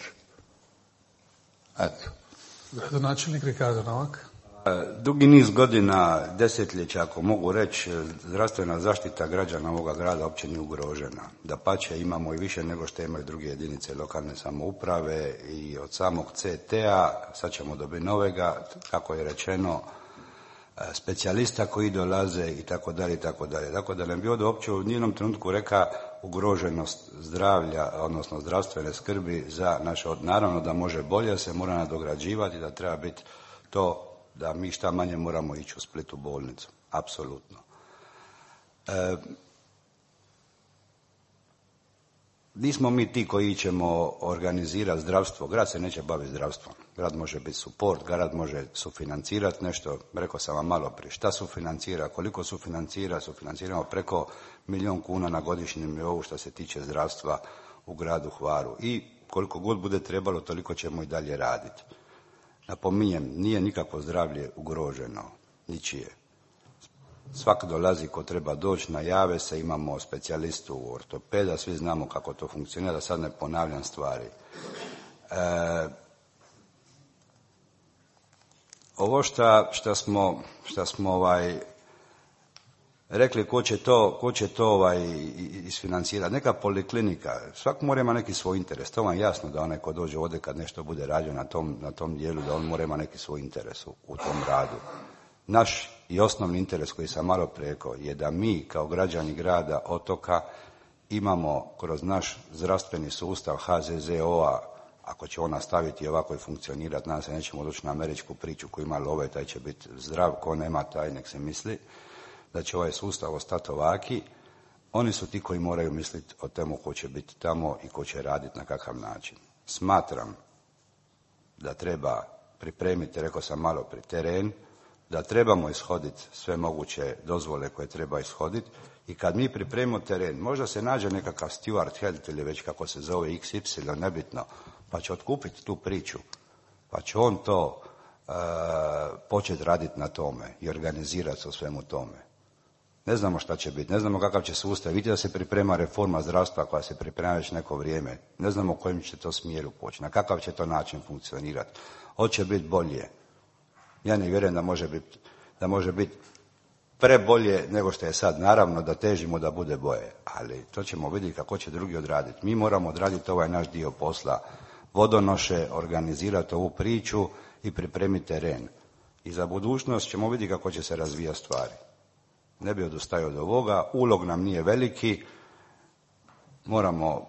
Eto. Gradonačelnik Ricardo Novak. Dugi niz godina, desetljeća, ako mogu reći, zdravstvena zaštita građana ovoga grada uopće nije ugrožena. Dapače, imamo i više nego što imaju druge jedinice lokalne samouprave i od samog CT-a, sad ćemo dobiti novega, kako je rečeno, specijalista koji dolaze i tako dalje i tako dalje. Tako da ne bi ovdje uopće u nijednom trenutku reka ugroženost zdravlja, odnosno zdravstvene skrbi za naše, naravno da može bolje, se mora nadograđivati, da treba biti to da mi šta manje moramo ići u Splitu bolnicu. Apsolutno. Nismo mi ti koji ćemo organizirati zdravstvo. Grad se neće baviti zdravstvom. Grad može biti suport, grad može sufinancirati nešto. Rekao sam vam malo prije. Šta sufinancira, koliko sufinancira? Sufinanciramo preko 1 milijun kuna na godišnjem nivou što se tiče zdravstva u gradu Hvaru. I koliko god bude trebalo, toliko ćemo i dalje raditi. Napominjem, nije nikakvo zdravlje ugroženo, ničije. Svak dolazi ko treba doći, najave se, imamo specijalistu ortopeda, svi znamo kako to funkcionira, da sad ne ponavljam stvari. Ovo šta smo rekli ko će to isfinancirati, neka poliklinika, svak mora ima neki svoj interes, to vam je jasno da onaj ko dođe ovdje kad nešto bude radio na tom dijelu, da on mora ima neki svoj interes u tom radu. Naš i osnovni interes koji sam malo prije rekao je da mi kao građani grada Otoka imamo kroz naš zdravstveni sustav HZZO-a, ako će on nastaviti ovako i funkcionirati, nadam se nećemo doći na američku priču koju ima love, taj će biti zdrav, ko nema taj nek se misli, da će ovaj sustav ostati ovaki. Oni su ti koji moraju misliti o temu ko će biti tamo i ko će raditi na kakav način. Smatram da treba pripremiti, rekao sam malo pri teren, da trebamo ishoditi sve moguće dozvole koje treba ishoditi i kad mi pripremimo teren, možda se nađe nekakav Stuart Health ili već kako se zove XY, nebitno, pa će otkupiti tu priču, pa će on to početi raditi na tome i organizirati se u svemu tome. Ne znamo šta će biti, ne znamo kakav će sustav. Vidite da se priprema reforma zdravstva koja se priprema već neko vrijeme. Ne znamo u kojem će to smjeru poći, na kakav će to način funkcionirati. Hoće biti bolje. Ja ne vjerujem da može biti prebolje nego što je sad. Naravno da težimo da bude bolje, ali to ćemo vidjeti kako će drugi odraditi. Mi moramo odraditi ovaj naš dio posla. Vodonoše, organizirati ovu priču i pripremiti teren. I za budućnost ćemo vidjeti kako će se razvijati stvari. Ne bi odustajao od ovoga, ulog nam nije veliki,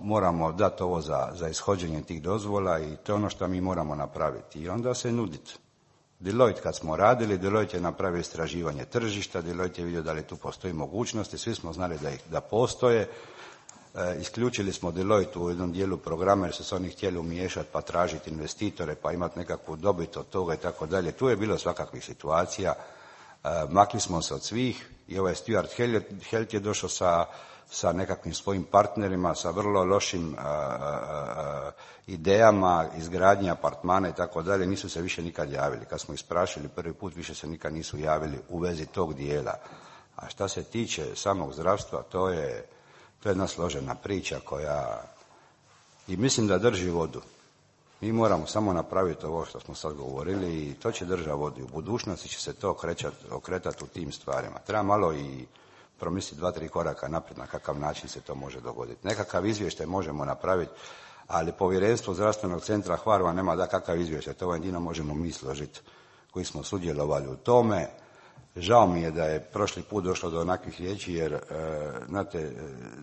moramo dati ovo za ishođenje tih dozvola i to je ono što mi moramo napraviti. I onda se nuditi. Deloitte kad smo radili, Deloitte je napravio istraživanje tržišta, Deloitte je vidio da li tu postoji mogućnosti, svi smo znali da postoje. Isključili smo Deloitte u jednom dijelu programa jer su se oni htjeli umiješati pa tražiti investitore pa imati nekakvu dobit od toga i tako dalje. Tu je bilo svakakvih situacija. Makli smo se od svih i ovaj Stuart Health je došao sa nekakvim svojim partnerima, sa vrlo lošim idejama, izgradnje apartmana i tako dalje, nisu se više nikad javili. Kad smo ih sprašili prvi put, više se nikad nisu javili u vezi tog dijela. A šta se tiče samog zdravstva, to je jedna složena priča koja i mislim da drži vodu. Mi moramo samo napraviti ovo što smo sad govorili i to će držati vodu. U budućnosti će se to okretati u tim stvarima. Treba malo i promisliti 2-3 koraka naprijed na kakav način se to može dogoditi. Nekakav izvještaj možemo napraviti, ali povjerenstvo zdravstvenog centra Hvar vam nema da kakav izvještaj. To jedino možemo mi složiti koji smo sudjelovali u tome. Žao mi je da je prošli put došlo do onakvih riječi jer, znate,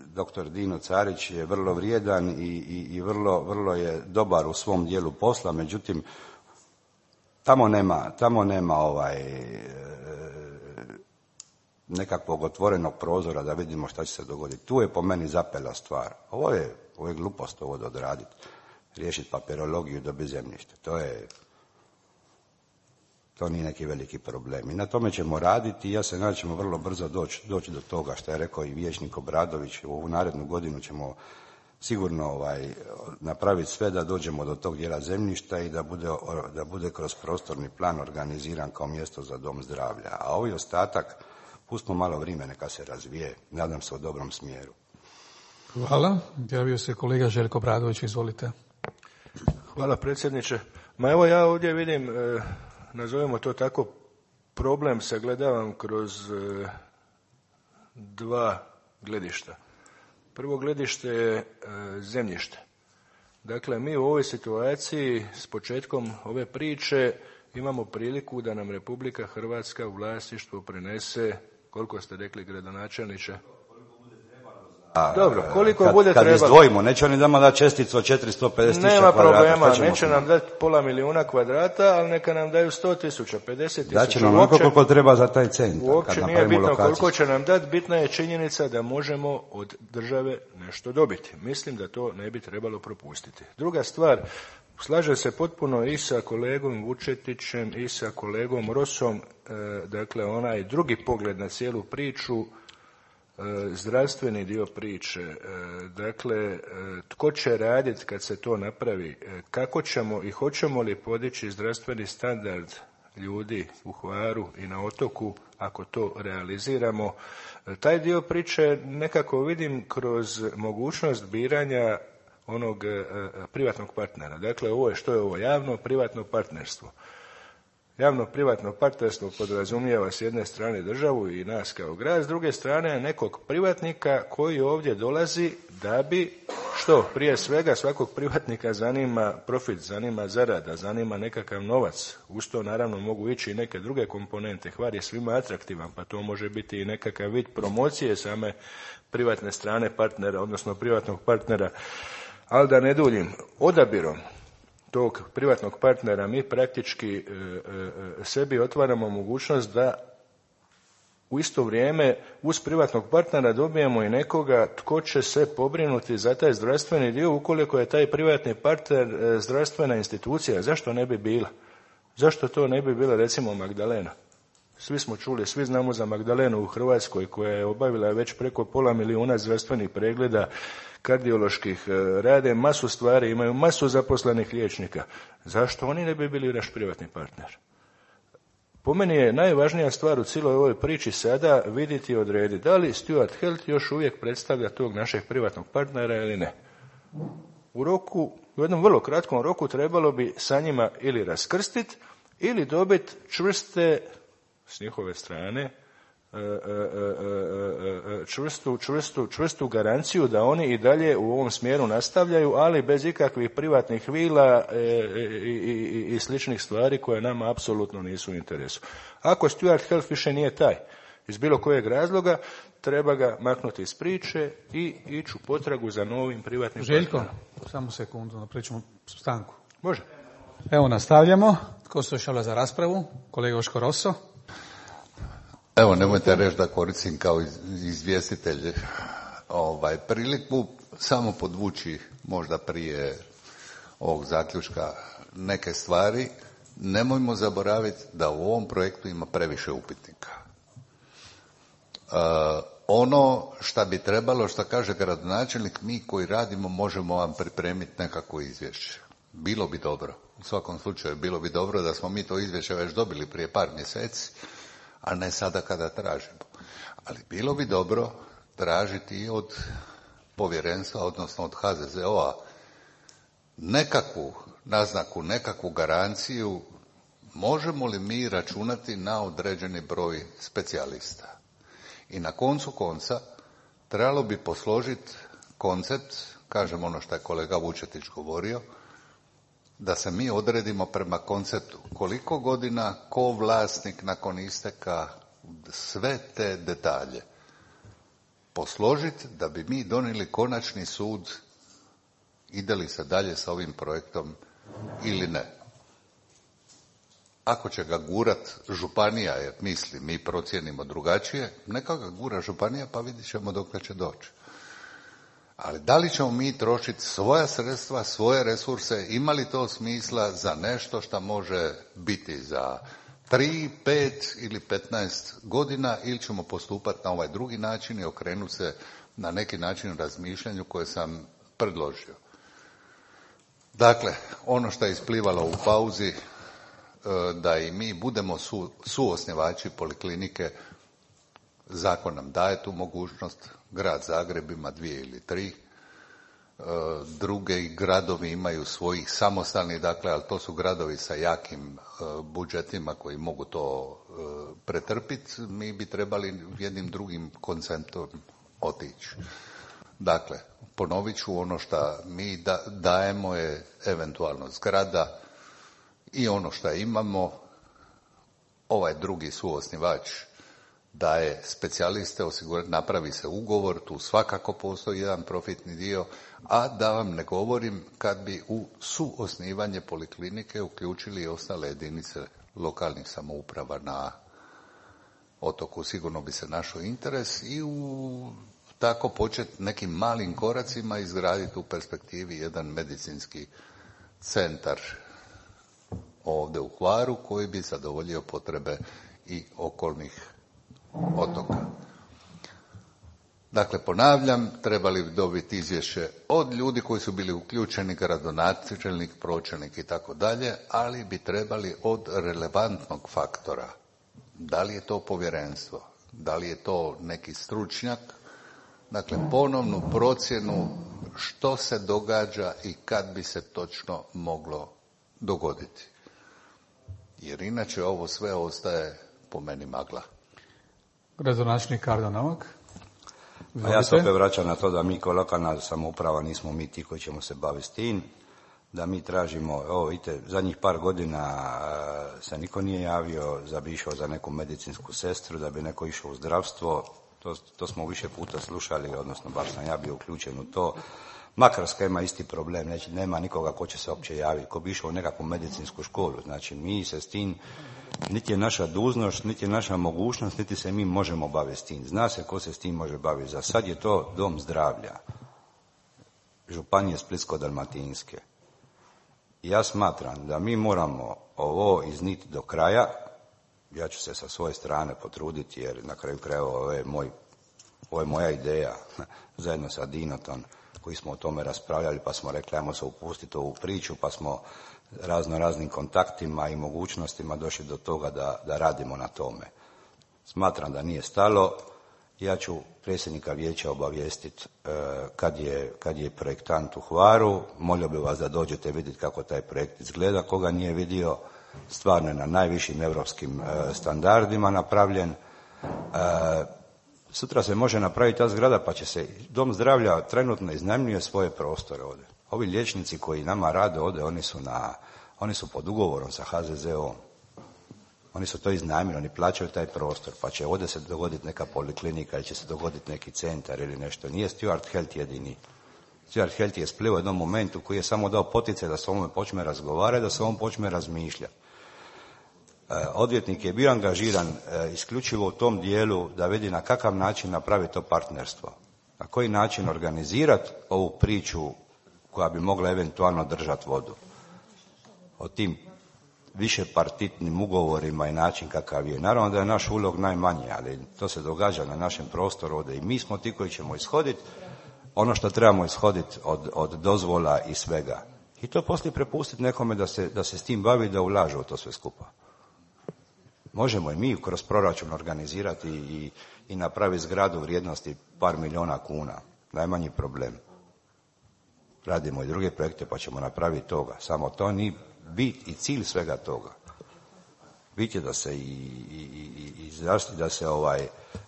doktor Dino Carić je vrlo vrijedan i vrlo je dobar u svom dijelu posla, međutim, tamo nema nekakvog otvorenog prozora da vidimo šta će se dogoditi. Tu je po meni zapela stvar. Ovo je glupost ovo da odraditi, riješiti papirologiju i dobiti zemljište. To nije neki veliki problem. I na tome ćemo raditi i ja se nadam da ćemo vrlo brzo doći do toga što je rekao i vijećnik Obradović. U ovu narednu godinu ćemo sigurno napraviti sve da dođemo do tog dijela zemljišta i da bude kroz prostorni plan organiziran kao mjesto za dom zdravlja. A ovi ostatak, pustimo malo vremena neka se razvije, nadam se u dobrom smjeru. Hvala. Javio se kolega Željko Obradović, izvolite. Hvala predsjedniče. Ma evo ja ovdje vidim, nazovemo to tako, problem sagledavam kroz dva gledišta. Prvo gledište je zemljište. Dakle, mi u ovoj situaciji s početkom ove priče imamo priliku da nam Republika Hrvatska u vlasništvo prenese, koliko ste rekli gradonačelniče? Dobro, koliko bude trebalo. Kad izdvojimo, neće oni nama dati česticu od 450.000 kvadrata. Nema problema, neće nam dati 500 milijuna kvadrata, ali neka nam daju 100.000, 50.000. Daće nam onoliko koliko treba za taj centar. Uopće nije bitno koliko će nam dati, bitna je činjenica da možemo od države nešto dobiti. Mislim da to ne bi trebalo propustiti. Druga stvar, slažem se potpuno i sa kolegom Vučetićem i sa kolegom Rosom, dakle onaj drugi pogled na cijelu priču, zdravstveni dio priče, dakle tko će raditi kad se to napravi, kako ćemo i hoćemo li podići zdravstveni standard ljudi u Hvaru i na otoku ako to realiziramo. Taj dio priče nekako vidim kroz mogućnost biranja onog privatnog partnera. Dakle, ovo je što je ovo javno-privatno partnerstvo. Javno-privatno partnerstvo podrazumijeva s jedne strane državu i nas kao grad, s druge strane nekog privatnika koji ovdje dolazi da bi, što prije svega svakog privatnika zanima profit, zanima zarada, zanima nekakav novac. Uz to naravno mogu ići i neke druge komponente. Hvar je svima atraktivan, pa to može biti i nekakav vid promocije same privatne strane partnera, odnosno privatnog partnera. Ali da ne duljim, odabirom tog privatnog partnera mi praktički sebi otvaramo mogućnost da u isto vrijeme uz privatnog partnera dobijemo i nekoga tko će se pobrinuti za taj zdravstveni dio ukoliko je taj privatni partner zdravstvena institucija. Zašto ne bi bila? Zašto to ne bi bila recimo Magdalena? Svi smo čuli, svi znamo za Magdalenu u Hrvatskoj koja je obavila već preko 500 000 zdravstvenih pregleda, kardioloških, rade masu stvari, imaju masu zaposlenih liječnika. Zašto oni ne bi bili naš privatni partner? Po meni je najvažnija stvar u cijeloj ovoj priči sada vidjeti i odrediti da li Stuart Health još uvijek predstavlja tog našeg privatnog partnera ili ne. U jednom vrlo kratkom roku trebalo bi sa njima ili raskrstiti ili dobiti čvrste, s njihove strane, čvrstu garanciju da oni i dalje u ovom smjeru nastavljaju, ali bez ikakvih privatnih vila i sličnih stvari koje nama apsolutno nisu u interesu. Ako Stuart Health više nije taj, iz bilo kojeg razloga, treba ga maknuti iz priče i ići u potragu za novim privatnim Željko, partnerom. samo sekundu, napričamo stanku. Može. Evo nastavljamo. Tko se još javlja za raspravu? Kolega Joško Rosso. Evo, nemojte reći da koristim kao izvjestitelj priliku samo podvući možda prije ovog zaključka neke stvari. Nemojmo zaboraviti da u ovom projektu ima previše upitnika. Ono što bi trebalo, što kaže gradonačelnik, mi koji radimo možemo vam pripremiti nekako izvješće. Bilo bi dobro, u svakom slučaju bilo bi dobro da smo mi to izvješće već dobili prije par mjeseci, a ne sada kada tražimo. Ali bilo bi dobro tražiti i od povjerenstva, odnosno od HZZO-a, nekakvu naznaku, nekakvu garanciju, možemo li mi računati na određeni broj specijalista. I na koncu konca trebalo bi posložiti koncept, kažem ono što je kolega Vučetić govorio, da se mi odredimo prema konceptu koliko godina, ko vlasnik nakon isteka, sve te detalje posložiti da bi mi donijeli konačni sud ide li se dalje sa ovim projektom ili ne. Ako će ga gurat županija, jer misli mi procijenimo drugačije, neka ga gura županija pa vidit ćemo dokle će doći. Ali da li ćemo mi trošiti svoja sredstva, svoje resurse, ima li to smisla za nešto što može biti za 3, 5 ili 15 godina, ili ćemo postupati na ovaj drugi način i okrenuti se na neki način razmišljanju koje sam predložio. Dakle, ono što je isplivalo u pauzi, da i mi budemo suosnivači poliklinike, zakon nam daje tu mogućnost, grad Zagreb ima 2 ili 3, drugi gradovi imaju svojih samostalnih, dakle, ali to su gradovi sa jakim budžetima koji mogu to pretrpiti, mi bi trebali jednim drugim konceptom otići. Dakle, ponovit ću, ono što mi dajemo je eventualno zgrada i ono što imamo, ovaj drugi suosnivač daje specijaliste, napravi se ugovor, tu svakako postoji jedan profitni dio, a da vam ne govorim kad bi u suosnivanje poliklinike uključili i ostale jedinice lokalnih samouprava na otoku, sigurno bi se našao interes i u tako početi nekim malim koracima izgraditi u perspektivi jedan medicinski centar ovdje u Hvaru koji bi zadovoljio potrebe i okolnih otoka. Dakle, ponavljam, trebali bi dobiti izvješće od ljudi koji su bili uključeni, gradonačelnik, pročelnik i tako dalje, ali bi trebali od relevantnog faktora. Da li je to povjerenstvo, da li je to neki stručnjak, dakle, ponovnu procjenu što se događa i kad bi se točno moglo dogoditi. Jer inače ovo sve ostaje po meni magla. Gradonačelnik Kardo Novak. A ja se opet vraćam na to da mi kao lokalna samouprava nismo mi ti koji ćemo se baviti s tim, da mi tražimo, vidite, zadnjih par godina se niko nije javio da bi išao za neku medicinsku sestru, da bi neko išao u zdravstvo, to smo više puta slušali, odnosno bar sam ja bio uključen u to. Makarska ima isti problem, znači nema nikoga ko će se uopće javiti, ko bi išao u nekakvu medicinsku školu, znači mi se s tim, niti je naša dužnost, niti je naša mogućnost, niti se mi možemo baviti s tim. Zna se ko se s tim može baviti. Za sad je to dom zdravlja Županije Splitsko-dalmatinske. Ja smatram da mi moramo ovo izniti do kraja Ja ću se sa svoje strane potruditi, jer na kraju krajeva ovo je moja ideja, zajedno sa Dinotom, koji smo o tome raspravljali, pa smo rekli ajmo se upustiti u ovu priču, pa smo raznim kontaktima i mogućnostima došli do toga da radimo na tome. Smatram da nije stalo. Ja ću predsjednika vijeća obavijestiti kad je projektant u Hvaru. Molio bih vas da dođete vidjeti kako taj projekt izgleda. Koga nije vidio, stvarno je na najvišim europskim standardima napravljen. Sutra se može napraviti ta zgrada, pa će se dom zdravlja trenutno iznajmljuje svoje prostore ovdje. Ovi liječnici koji nama rade ovdje, oni su pod ugovorom sa HZZO-om. Oni su to iznajmili, oni plaćaju taj prostor, pa će ovdje se dogoditi neka poliklinika ili će se dogoditi neki centar ili nešto. Nije Stuart Health jedini. Stuart Health je splivao u jednom momentu koji je samo dao poticaj da se o ovome počne razgovarati, da se o ovom počne razmišljati. Odvjetnik je bio angažiran isključivo u tom dijelu da vidi na kakav način napraviti to partnerstvo. Na koji način organizirati ovu priču koja bi mogla eventualno držati vodu. O tim više partitnim ugovorima i način kakav je. Naravno da je naš ulog najmanji, ali to se događa na našem prostoru ovdje i mi smo ti koji ćemo ishoditi ono što trebamo ishoditi od dozvola i svega. I to poslije prepustiti nekome da se s tim bavi, da ulaže u to sve skupa. Možemo i mi kroz proračun organizirati i napraviti zgradu vrijednosti par milijuna kuna. Najmanji problem. Radimo i druge projekte pa ćemo napraviti toga. Samo to nije bit i cilj svega toga. Bit je da se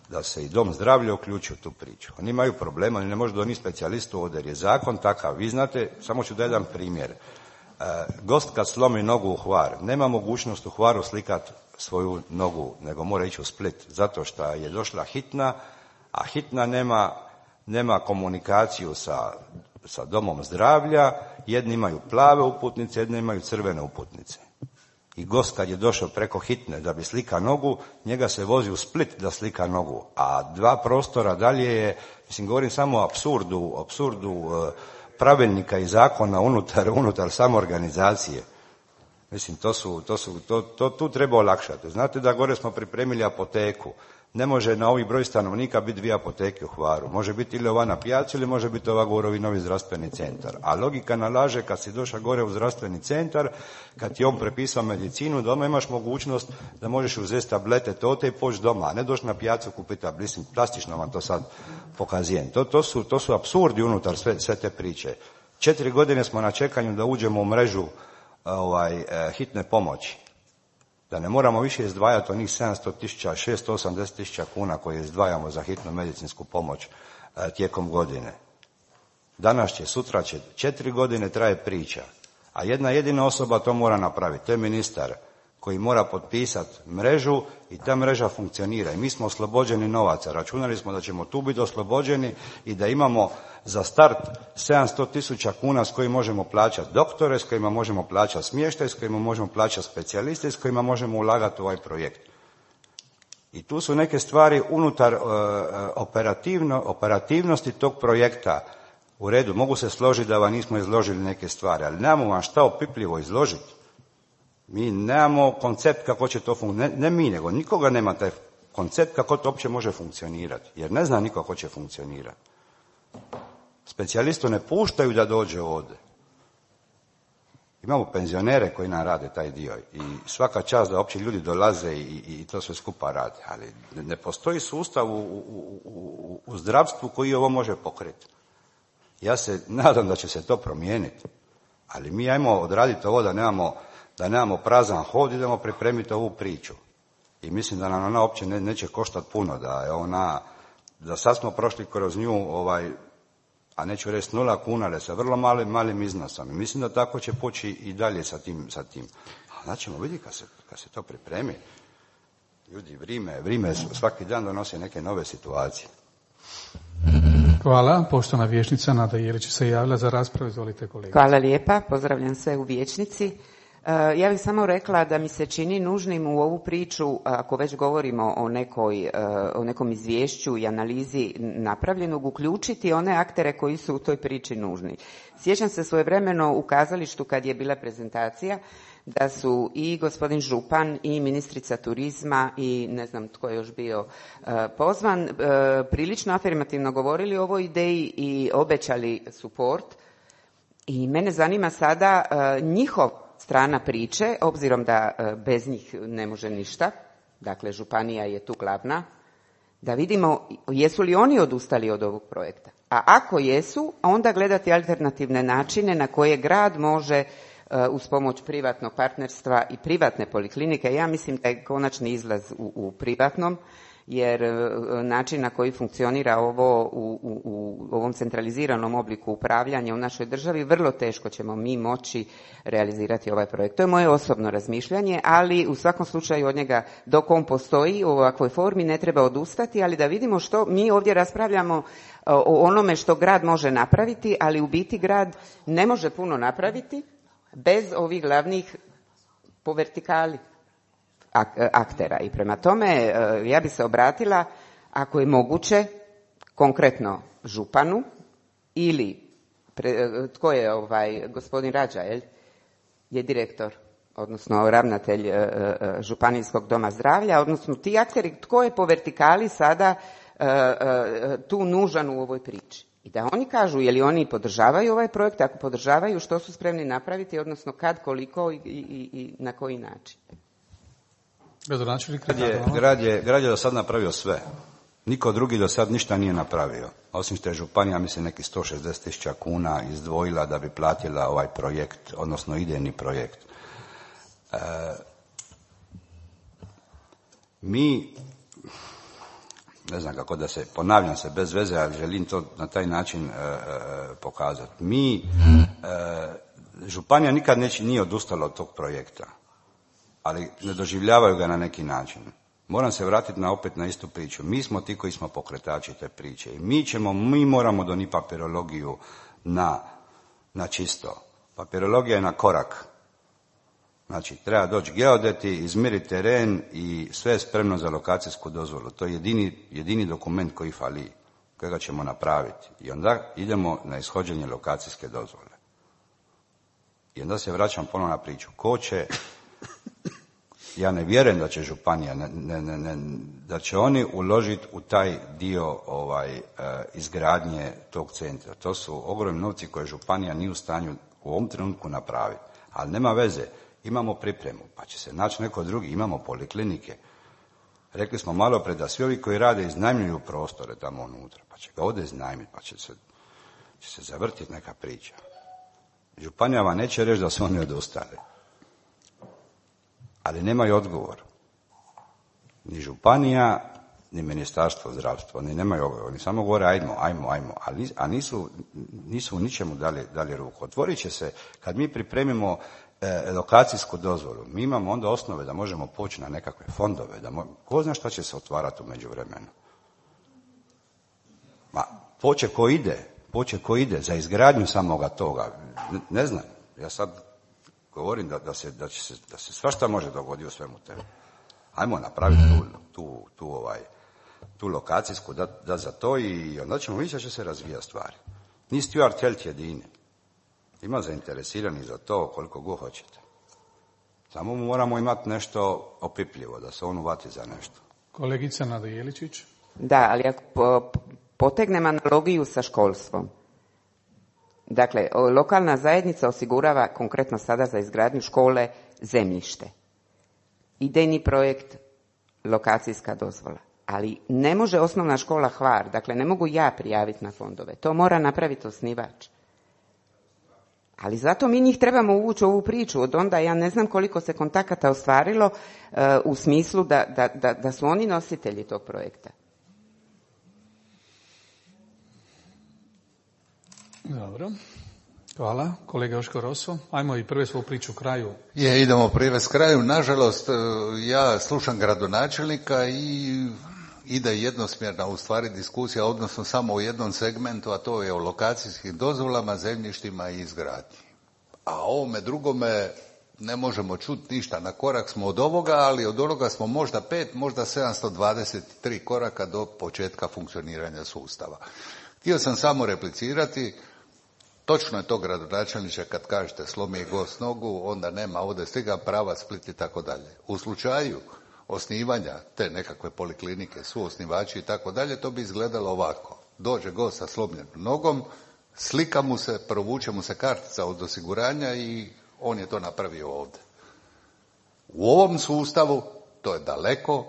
da se i dom zdravlja uključi u tu priču. Oni imaju problema, oni ne može donijeti specijalistu ovdje jer je zakon takav. Vi znate, samo ću da jedan primjer. Gost kad slomi nogu u Hvar, nema mogućnost u Hvaru slikati svoju nogu, nego mora ići u Split, zato što je došla hitna, a hitna nema komunikaciju sa domom zdravlja, jedni imaju plave uputnice, jedni imaju crvene uputnice. I gost kad je došao preko hitne da bi slika nogu, njega se vozi u Split da slika nogu, a 2 prostora dalje je, govorim samo o apsurdu pravilnika i zakona unutar samoorganizacije. Tu treba olakšati. Znate da gore smo pripremili apoteku. Ne može na ovih broj stanovnika biti 2 apoteke u Hvaru. Može biti ili ova na Pijaci ili može biti ova gore novi zdravstveni centar. A logika nalaže kad si došao gore u zdravstveni centar, kad ti on prepisao medicinu, doma imaš mogućnost da možeš uzeti tablete tote i poći doma, a ne doći na Pijacu kupiti tablete. Plastično vam to sad pokazujem. To su apsurdi unutar sve te priče. 4 godine smo na čekanju da uđemo u mrežu hitne pomoći. Da ne moramo više izdvajati onih 700.000, 680.000 kuna koje izdvajamo za hitnu medicinsku pomoć tijekom godine. Danas će, sutra će, 4 godine traje priča, a jedna jedina osoba to mora napraviti, to je ministar koji mora potpisati mrežu i ta mreža funkcionira. I mi smo oslobođeni novaca. Računali smo da ćemo tu biti oslobođeni i da imamo za start 700.000 kuna s kojima možemo plaćati doktore, s kojima možemo plaćati smještaj, s kojima možemo plaćati specijaliste, s kojima možemo ulagati u ovaj projekt. I tu su neke stvari unutar operativnosti tog projekta. U redu, mogu se složiti da vam nismo izložili neke stvari, ali nemamo vam šta opipljivo izložiti. Mi nemamo koncept kako će to funkcionirati. Ne mi, nego nikoga nema taj koncept kako to uopće može funkcionirati. Jer ne zna niko kako će funkcionirati. Specijalistu ne puštaju da dođe ovdje. Imamo penzionere koji nam rade taj dio i svaka čast da uopće ljudi dolaze i to sve skupa rade. Ali ne postoji sustav u zdravstvu koji ovo može pokriti. Ja se nadam da će se to promijeniti. Ali mi ajmo odraditi ovo da nemamo prazan hod, idemo pripremiti ovu priču. I mislim da nam ona uopće neće koštati puno, da sad smo prošli kroz nju, a neću reći 0 kuna, ali sa vrlo malim iznosom. I mislim da tako će poći i dalje sa tim. A znači ćemo vidjeti kad se to pripremi. Ljudi, vrijeme svaki dan donosi neke nove situacije. Hvala. Poštovana vijećnica Nada Jelić se javila za raspravu. Izvolite kolega. Hvala lijepa. Pozdravljam sve u vijećnici. Ja bih samo rekla da mi se čini nužnim u ovu priču, ako već govorimo o nekom izvješću i analizi napravljenog, uključiti one aktere koji su u toj priči nužni. Sjećam se svojevremeno u kazalištu kad je bila prezentacija da su i gospodin župan i ministrica turizma i ne znam tko je još bio pozvan, prilično afirmativno govorili o ovoj ideji i obećali suport. I mene zanima sada njihov strana priče, obzirom da bez njih ne može ništa, dakle županija je tu glavna, da vidimo jesu li oni odustali od ovog projekta. A ako jesu, onda gledati alternativne načine na koje grad može uz pomoć privatnog partnerstva i privatne poliklinike. Ja mislim da je konačni izlaz u privatnom, jer način na koji funkcionira ovo u ovom centraliziranom obliku upravljanja u našoj državi, vrlo teško ćemo mi moći realizirati ovaj projekt. To je moje osobno razmišljanje, ali u svakom slučaju od njega dok on postoji u ovakvoj formi ne treba odustati, ali da vidimo što mi ovdje raspravljamo o onome što grad može napraviti, ali u biti grad ne može puno napraviti bez ovih glavnih po vertikali aktera. I prema tome ja bi se obratila, ako je moguće, konkretno županu ili tko je gospodin Rađa, je direktor, odnosno ravnatelj Županijskog doma zdravlja, odnosno ti akteri, tko je po vertikali sada tu nužan u ovoj priči. I da oni kažu je li oni podržavaju ovaj projekt, ako podržavaju što su spremni napraviti, odnosno kad, koliko i na koji način. Grad je do sad napravio sve. Niko drugi do sad ništa nije napravio. Osim što je županija, mislim, nekih 160.000 kuna izdvojila da bi platila ovaj projekt, odnosno idejni projekt. Mi, ne znam kako da se, ponavljam se bez veze, ali želim to na taj način pokazati. Županija nikad nije odustala od tog projekta, ali ne doživljavaju ga na neki način. Moram se vratiti opet na istu priču. Mi smo ti koji smo pokretači te priče. I mi moramo donijeti papirologiju na čisto. Papirologija je na korak. Znači, treba doći geodeti, izmjeriti teren i sve je spremno za lokacijsku dozvolu. To je jedini dokument koji fali, kojega ćemo napraviti. I onda idemo na ishođenje lokacijske dozvole. I onda se vraćam ponovno na priču. Ko će... Ja ne vjerujem da će županija, da će oni uložiti u taj dio izgradnje tog centra. To su ogromni novci koje županija nije u stanju u ovom trenutku napraviti. Ali nema veze, imamo pripremu, pa će se naći neko drugi, imamo poliklinike. Rekli smo malo pre da svi ovi koji rade iznajmljuju prostore tamo unutra, pa će ga ovdje iznajmiti, pa će se zavrtiti neka priča. Županija vam neće reći da su oni odustali. Ali nemaju odgovor. Ni županija, ni ministarstvo zdravstva, ni nemaju odgovor. Oni samo govore ajmo, a nisu u ničemu dali ruku. Otvorit će se, kad mi pripremimo lokacijsku dozvolu, mi imamo onda osnove da možemo poći na nekakve fondove, ko zna šta će se otvarati u međuvremenu. Poče ko ide za izgradnju samoga toga, ne znam, ja sad govorim da se svašta može dogoditi u svemu tebe. Ajmo napraviti tu lokacijsku, da za to i onda ćemo vidjeti da će se razvijati stvari. Ni Stuart Health jedini. Ima zainteresirani za to koliko god hoćete. Samo moramo imati nešto opipljivo, da se on uvati za nešto. Kolegica Nada Jeličić. Da, ali ako potegnem analogiju sa školstvom. Dakle, lokalna zajednica osigurava konkretno sada za izgradnju škole zemljište. Idejni projekt, lokacijska dozvola. Ali ne može osnovna škola Hvar, dakle ne mogu ja prijaviti na fondove. To mora napraviti osnivač. Ali zato mi njih trebamo uvući u ovu priču. Od onda ja ne znam koliko se kontakata ostvarilo u smislu da su oni nositelji tog projekta. Dobro. Hvala. Kolega Joško Roso, ajmo i prve svoju priču kraju. Idemo privest kraju. Nažalost, ja slušam gradonačelnika i ide jednosmjerna u stvari diskusija, odnosno samo u jednom segmentu, a to je o lokacijskim dozvolama, zemljištima i izgradnji. A ovome drugome ne možemo čuti ništa. Na korak smo od ovoga, ali od onoga smo možda 5, možda 723 koraka do početka funkcioniranja sustava. Htio sam samo replicirati, točno je to gradonačelniče kad kažete slomi je gost nogu, onda nema ovdje stiga prava Split i tako dalje. U slučaju osnivanja te nekakve poliklinike, su osnivači i tako dalje, to bi izgledalo ovako. Dođe gost sa slomljenom nogom, slika mu se, provuče mu se kartica od osiguranja i on je to napravio ovdje. U ovom sustavu to je daleko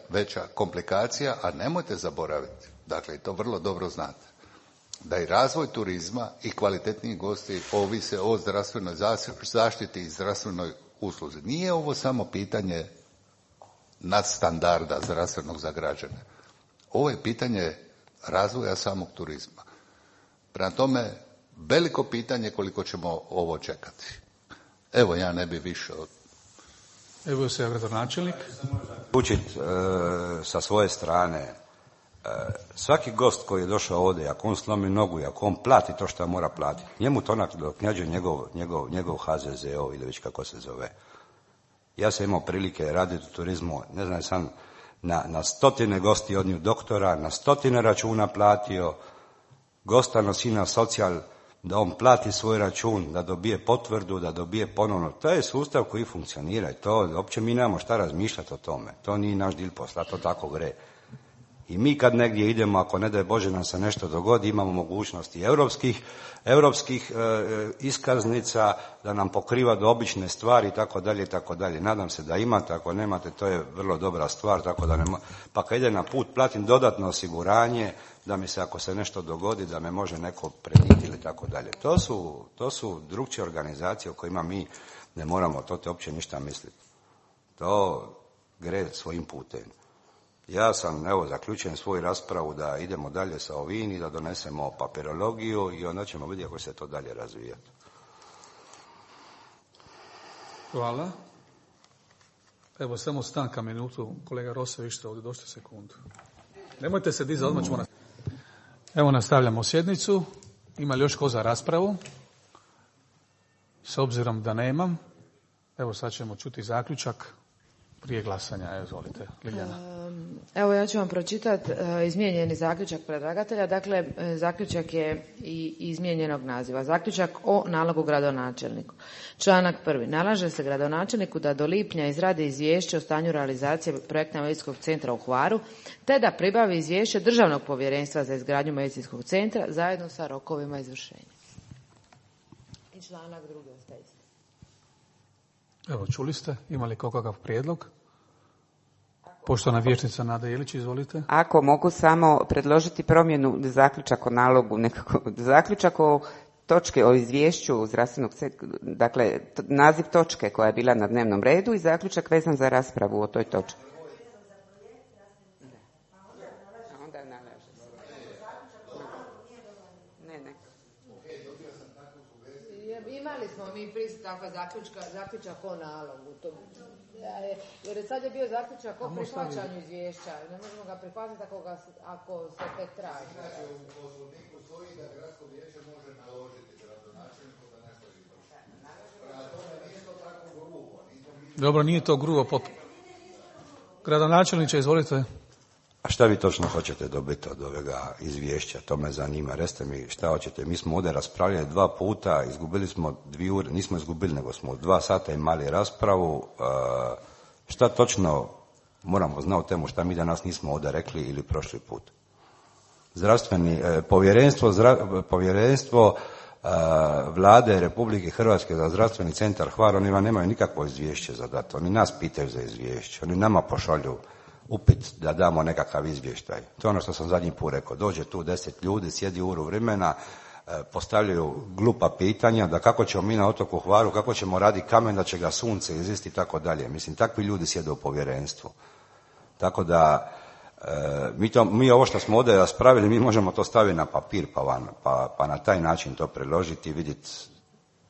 veća komplikacija, a nemojte zaboraviti, dakle i to vrlo dobro znate, da i razvoj turizma i kvalitetniji gosti ovise o zdravstvenoj zaštiti i zdravstvenoj usluzi. Nije ovo samo pitanje nadstandarda zdravstvenog za građane. Ovo je pitanje razvoja samog turizma. Prema tome, veliko pitanje koliko ćemo ovo čekati. Evo, ja ne bi više od... Evo se gradonačelnik. Učiti sa svoje strane, svaki gost koji je došao ovdje, ako on slomi nogu i ako on plati to što mora platiti, njemu to naknjađuje njegov HZZO ili već kako se zove. Ja sam imao prilike raditi u turizmu, ne znam, sam na stotine gosti odnio doktora, na stotine računa platio, gosta nosi na socijal, da on plati svoj račun, da dobije potvrdu, da dobije ponovno. To je sustav koji funkcionira i to uopće mi nemamo šta razmišljati o tome. To nije naš dil posla, to tako gre. I mi kad negdje idemo, ako ne daj Bože nam se nešto dogodi, imamo mogućnosti europskih iskaznica da nam pokriva do obične stvari i tako dalje i tako dalje. Nadam se da imate, ako nemate, to je vrlo dobra stvar, tako da pa kad ide na put platim dodatno osiguranje da mi se ako se nešto dogodi da me može neko prenijeti ili tako dalje. To su drugčije organizacije o kojima mi ne moramo to te uopće ništa misliti. To gre svojim putem. Ja sam, zaključujem svoju raspravu da idemo dalje sa ovim i da donesemo papirologiju i onda ćemo vidjeti kako se to dalje razvijati. Hvala. Evo, samo stanka minutu. Kolega Rosa, ste ovdje, došli sekundu. Nemojte se dizati, odmah ćemo nastaviti. Evo, nastavljamo sjednicu. Ima li još ko za raspravu? S obzirom da nemam, evo sad ćemo čuti zaključak prije glasanja. Izvolite, Liljana. Evo, ja ću vam pročitati izmijenjeni zaključak predlagatelja. Dakle, zaključak je i izmijenjenog naziva. Zaključak o nalogu gradonačelniku. Članak 1. Nalaže se gradonačelniku da do lipnja izradi izvješće o stanju realizacije projekta medicinskog centra u Hvaru, te da pribavi izvješće Državnog povjerenstva za izgradnju medicinskog centra zajedno sa rokovima izvršenja. I članak 2. ostaje isti. Evo, čuli ste, imali kakav prijedlog? Poštovana vijećnica Nada Jelić, izvolite. Ako mogu samo predložiti promjenu zaključak o nalogu, zaključak o točke o izvješću zdravstvenog centra, dakle naziv točke koja je bila na dnevnom redu i zaključak vezan za raspravu o toj točki. Imali smo mi takva zaključak o nalogu. Jer sad je bio zaključak o prihvaćanju izvješća. Ne možemo ga prihvatiti ako se tek traži. U poslovniku stoji da gradsko vijeće može naložiti gradonačelniku da nešto izvrši. Prema tome nije to tako grubo. Dobro, nije to grubo. Gradonačelniče, izvolite. A šta vi točno hoćete dobiti od ovoga izvješća? To me zanima. Recite mi šta hoćete. Mi smo ovdje raspravljali 2 puta, izgubili smo 2 ure, nismo izgubili, nego smo 2 sata imali raspravu. Šta točno moramo znati o temu šta mi danas nismo ovdje rekli ili prošli put? Povjerenstvo Vlade Republike Hrvatske za zdravstveni centar Hvar, oni vam nemaju nikakvo izvješće za dati. Oni nas pitaju za izvješće. Oni nama pošalju upit da damo nekakav izvještaj. To je ono što sam zadnji put rekao. Dođe tu 10 ljudi, sjedi uru vremena, postavljaju glupa pitanja da kako ćemo mi na otoku Hvaru, kako ćemo raditi kamen da će ga sunce izlisti i tako dalje. Mislim, takvi ljudi sjede u povjerenstvu. Tako da mi ovo što smo ovdje raspravili, mi možemo to staviti na papir pa na taj način to preložiti i vidjeti,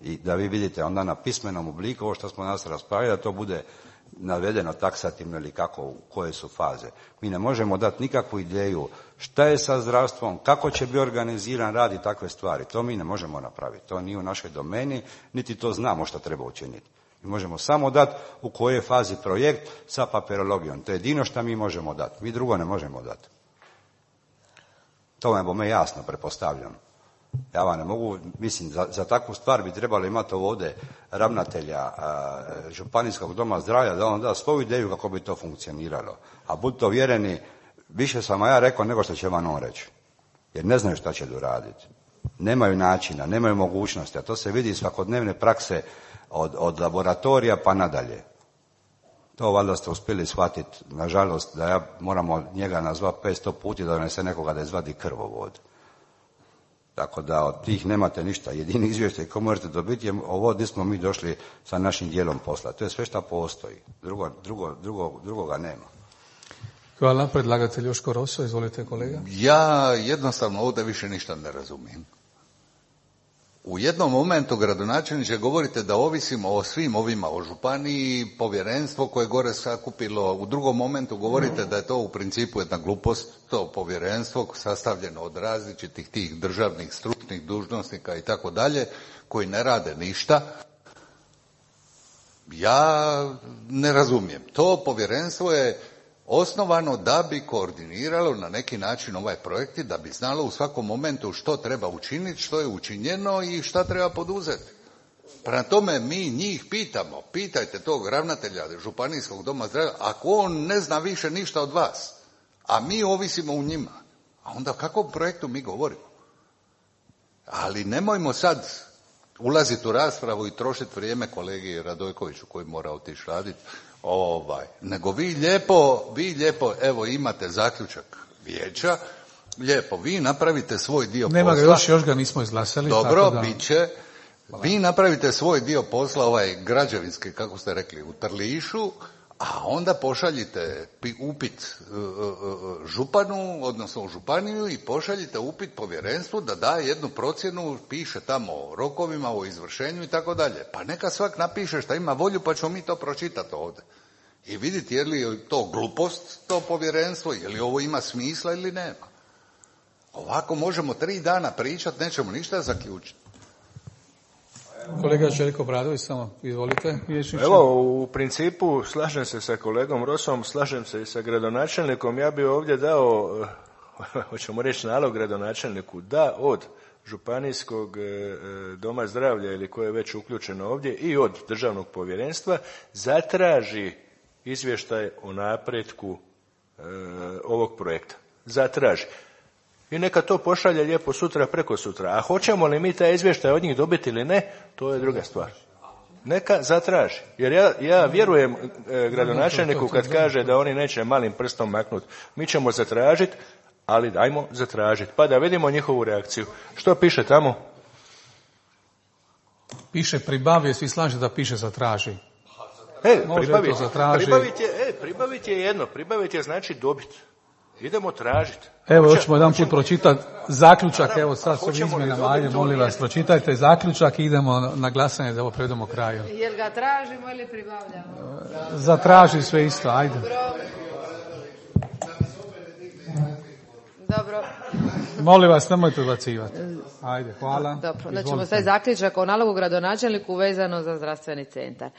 i da vi vidite onda na pismenom obliku ovo što smo danas raspravili, da to bude navedeno taksativno ili kako, koje su faze. Mi ne možemo dati nikakvu ideju šta je sa zdravstvom, kako će biti organiziran rad i takve stvari. To mi ne možemo napraviti. To nije u našoj domeni, niti to znamo što treba učiniti. Mi možemo samo dati u kojoj fazi projekt sa papirologijom. To je jedino što mi možemo dati. Mi drugo ne možemo dati. To vam je bome jasno, pretpostavljam. Ja vam ne mogu, mislim, za takvu stvar bi trebalo imati ovdje ravnatelja Županijskog doma zdravlja da on da svoju ideju kako bi to funkcioniralo. A budite uvjereni, više sam ja rekao nego što će vam on reći. Jer ne znaju šta će doraditi. Nemaju načina, nemaju mogućnosti, a to se vidi iz svakodnevne prakse od laboratorija pa nadalje. To valjda ste uspjeli shvatiti, nažalost, da ja moramo njega nazvati 500 puta da donese nekoga da izvadi krvovod. Tako da od tih nemate ništa. Jedini izvještaj koji možete dobiti je ovo gdje smo mi došli sa našim dijelom posla. To je sve što postoji. Drugoga nema. Hvala. Predlagatelj Joško Roso, izvolite kolega. Ja jednostavno ovdje više ništa ne razumijem. U jednom momentu, gradonačelniče, govorite da ovisimo o svim ovima, o županiji, povjerenstvo koje je gore sakupilo. U drugom momentu govorite da je to u principu jedna glupost, to povjerenstvo sastavljeno od različitih tih državnih stručnih dužnosnika i tako dalje, koji ne rade ništa. Ja ne razumijem. To povjerenstvo je osnovano da bi koordiniralo na neki način ovaj projekt i da bi znalo u svakom momentu što treba učiniti, što je učinjeno i šta treba poduzeti. Prema tome mi njih pitamo, pitajte tog ravnatelja Županijskog doma zdravlja, ako on ne zna više ništa od vas, a mi ovisimo u njima, a onda o kakvom projektu mi govorimo? Ali nemojmo sad ulaziti u raspravu i trošiti vrijeme kolegi Radojkoviću koji mora otići raditi. Nego vi lijepo, evo imate zaključak vijeća, lijepo, vi napravite svoj dio Nema posla. Nema ga još ga nismo izglasali. Dobro, tako da... bit će. Vi napravite svoj dio posla, ovaj građevinski, kako ste rekli, u Trlišu, a onda pošaljite upit županu, odnosno u županiju i pošaljite upit povjerenstvu da da jednu procjenu, piše tamo o rokovima, o izvršenju i tako dalje. Pa neka svak napiše šta ima volju pa ćemo mi to pročitati ovdje. I vidjeti je li to glupost, to povjerenstvo, je li ovo ima smisla ili nema. Ovako možemo 3 dana pričati, nećemo ništa zaključiti. Kolega Željko Bradović, samo izvolite. Vijećniče. Evo, u principu slažem se sa kolegom Rosom, slažem se i sa gradonačelnikom. Ja bih ovdje dao, hoćemo reći nalog gradonačelniku, da od Županijskog doma zdravlja ili koje je već uključeno ovdje i od državnog povjerenstva zatraži izvještaj o napretku ovog projekta. Zatraži. I neka to pošalje lijepo sutra, preko sutra. A hoćemo li mi taj izvještaj od njih dobiti ili ne, to je druga stvar. Neka zatraži. Jer ja vjerujem gradonačelniku kad kaže da oni neće malim prstom maknuti. Mi ćemo zatražiti, ali dajmo zatražiti. Pa da vidimo njihovu reakciju. Što piše tamo? Piše pribavi, svi slaže da piše zatraži. Pribaviti je jedno. Pribaviti je znači dobiti. Idemo tražiti. Evo, hoćemo jedan put pročitati zaključak, evo sad s ovim izmjenama, ajde, molim vas, pročitajte zaključak i idemo na glasanje da ovo prevedemo kraju. Jel ga tražimo ili pribavljamo? Zatraži sve isto, ajde. Dobro. Molim vas, nemojte odbacivati. Ajde, hvala. Dobro, znači ćemo taj zaključak o nalogu gradonačelniku vezano za zdravstveni centar.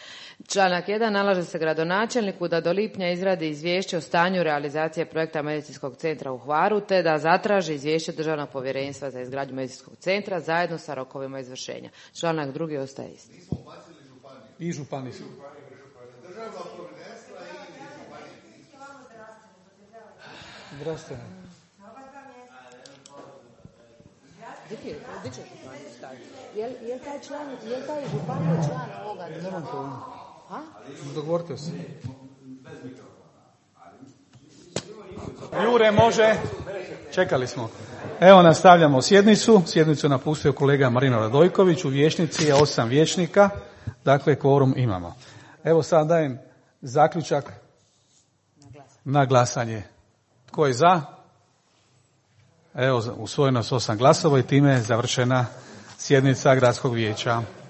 Članak 1. Nalaže se gradonačelniku da do lipnja izradi izvješće o stanju realizacije projekta medicinskog centra u Hvaru, te da zatraži izvješće Državnog povjerenstva za izgradnju medicinskog centra zajedno sa rokovima izvršenja. Članak 2. ostaje isti. I županiji. Državnog povjerenstva i županiji. Zdravstveno. Gdje će županiju staviti? Je taj županiju član ovoga? Nemam pojma. Dogovorite se. Jure, može. Čekali smo. Evo, nastavljamo sjednicu. Sjednicu je napustio kolega Marino Radojković. U vijećnici je 8 vijećnika. Dakle, kvorum imamo. Evo sad dajem zaključak na glasanje. Tko je za? Evo, usvojeno s 8 glasova i time je završena sjednica Gradskog vijeća.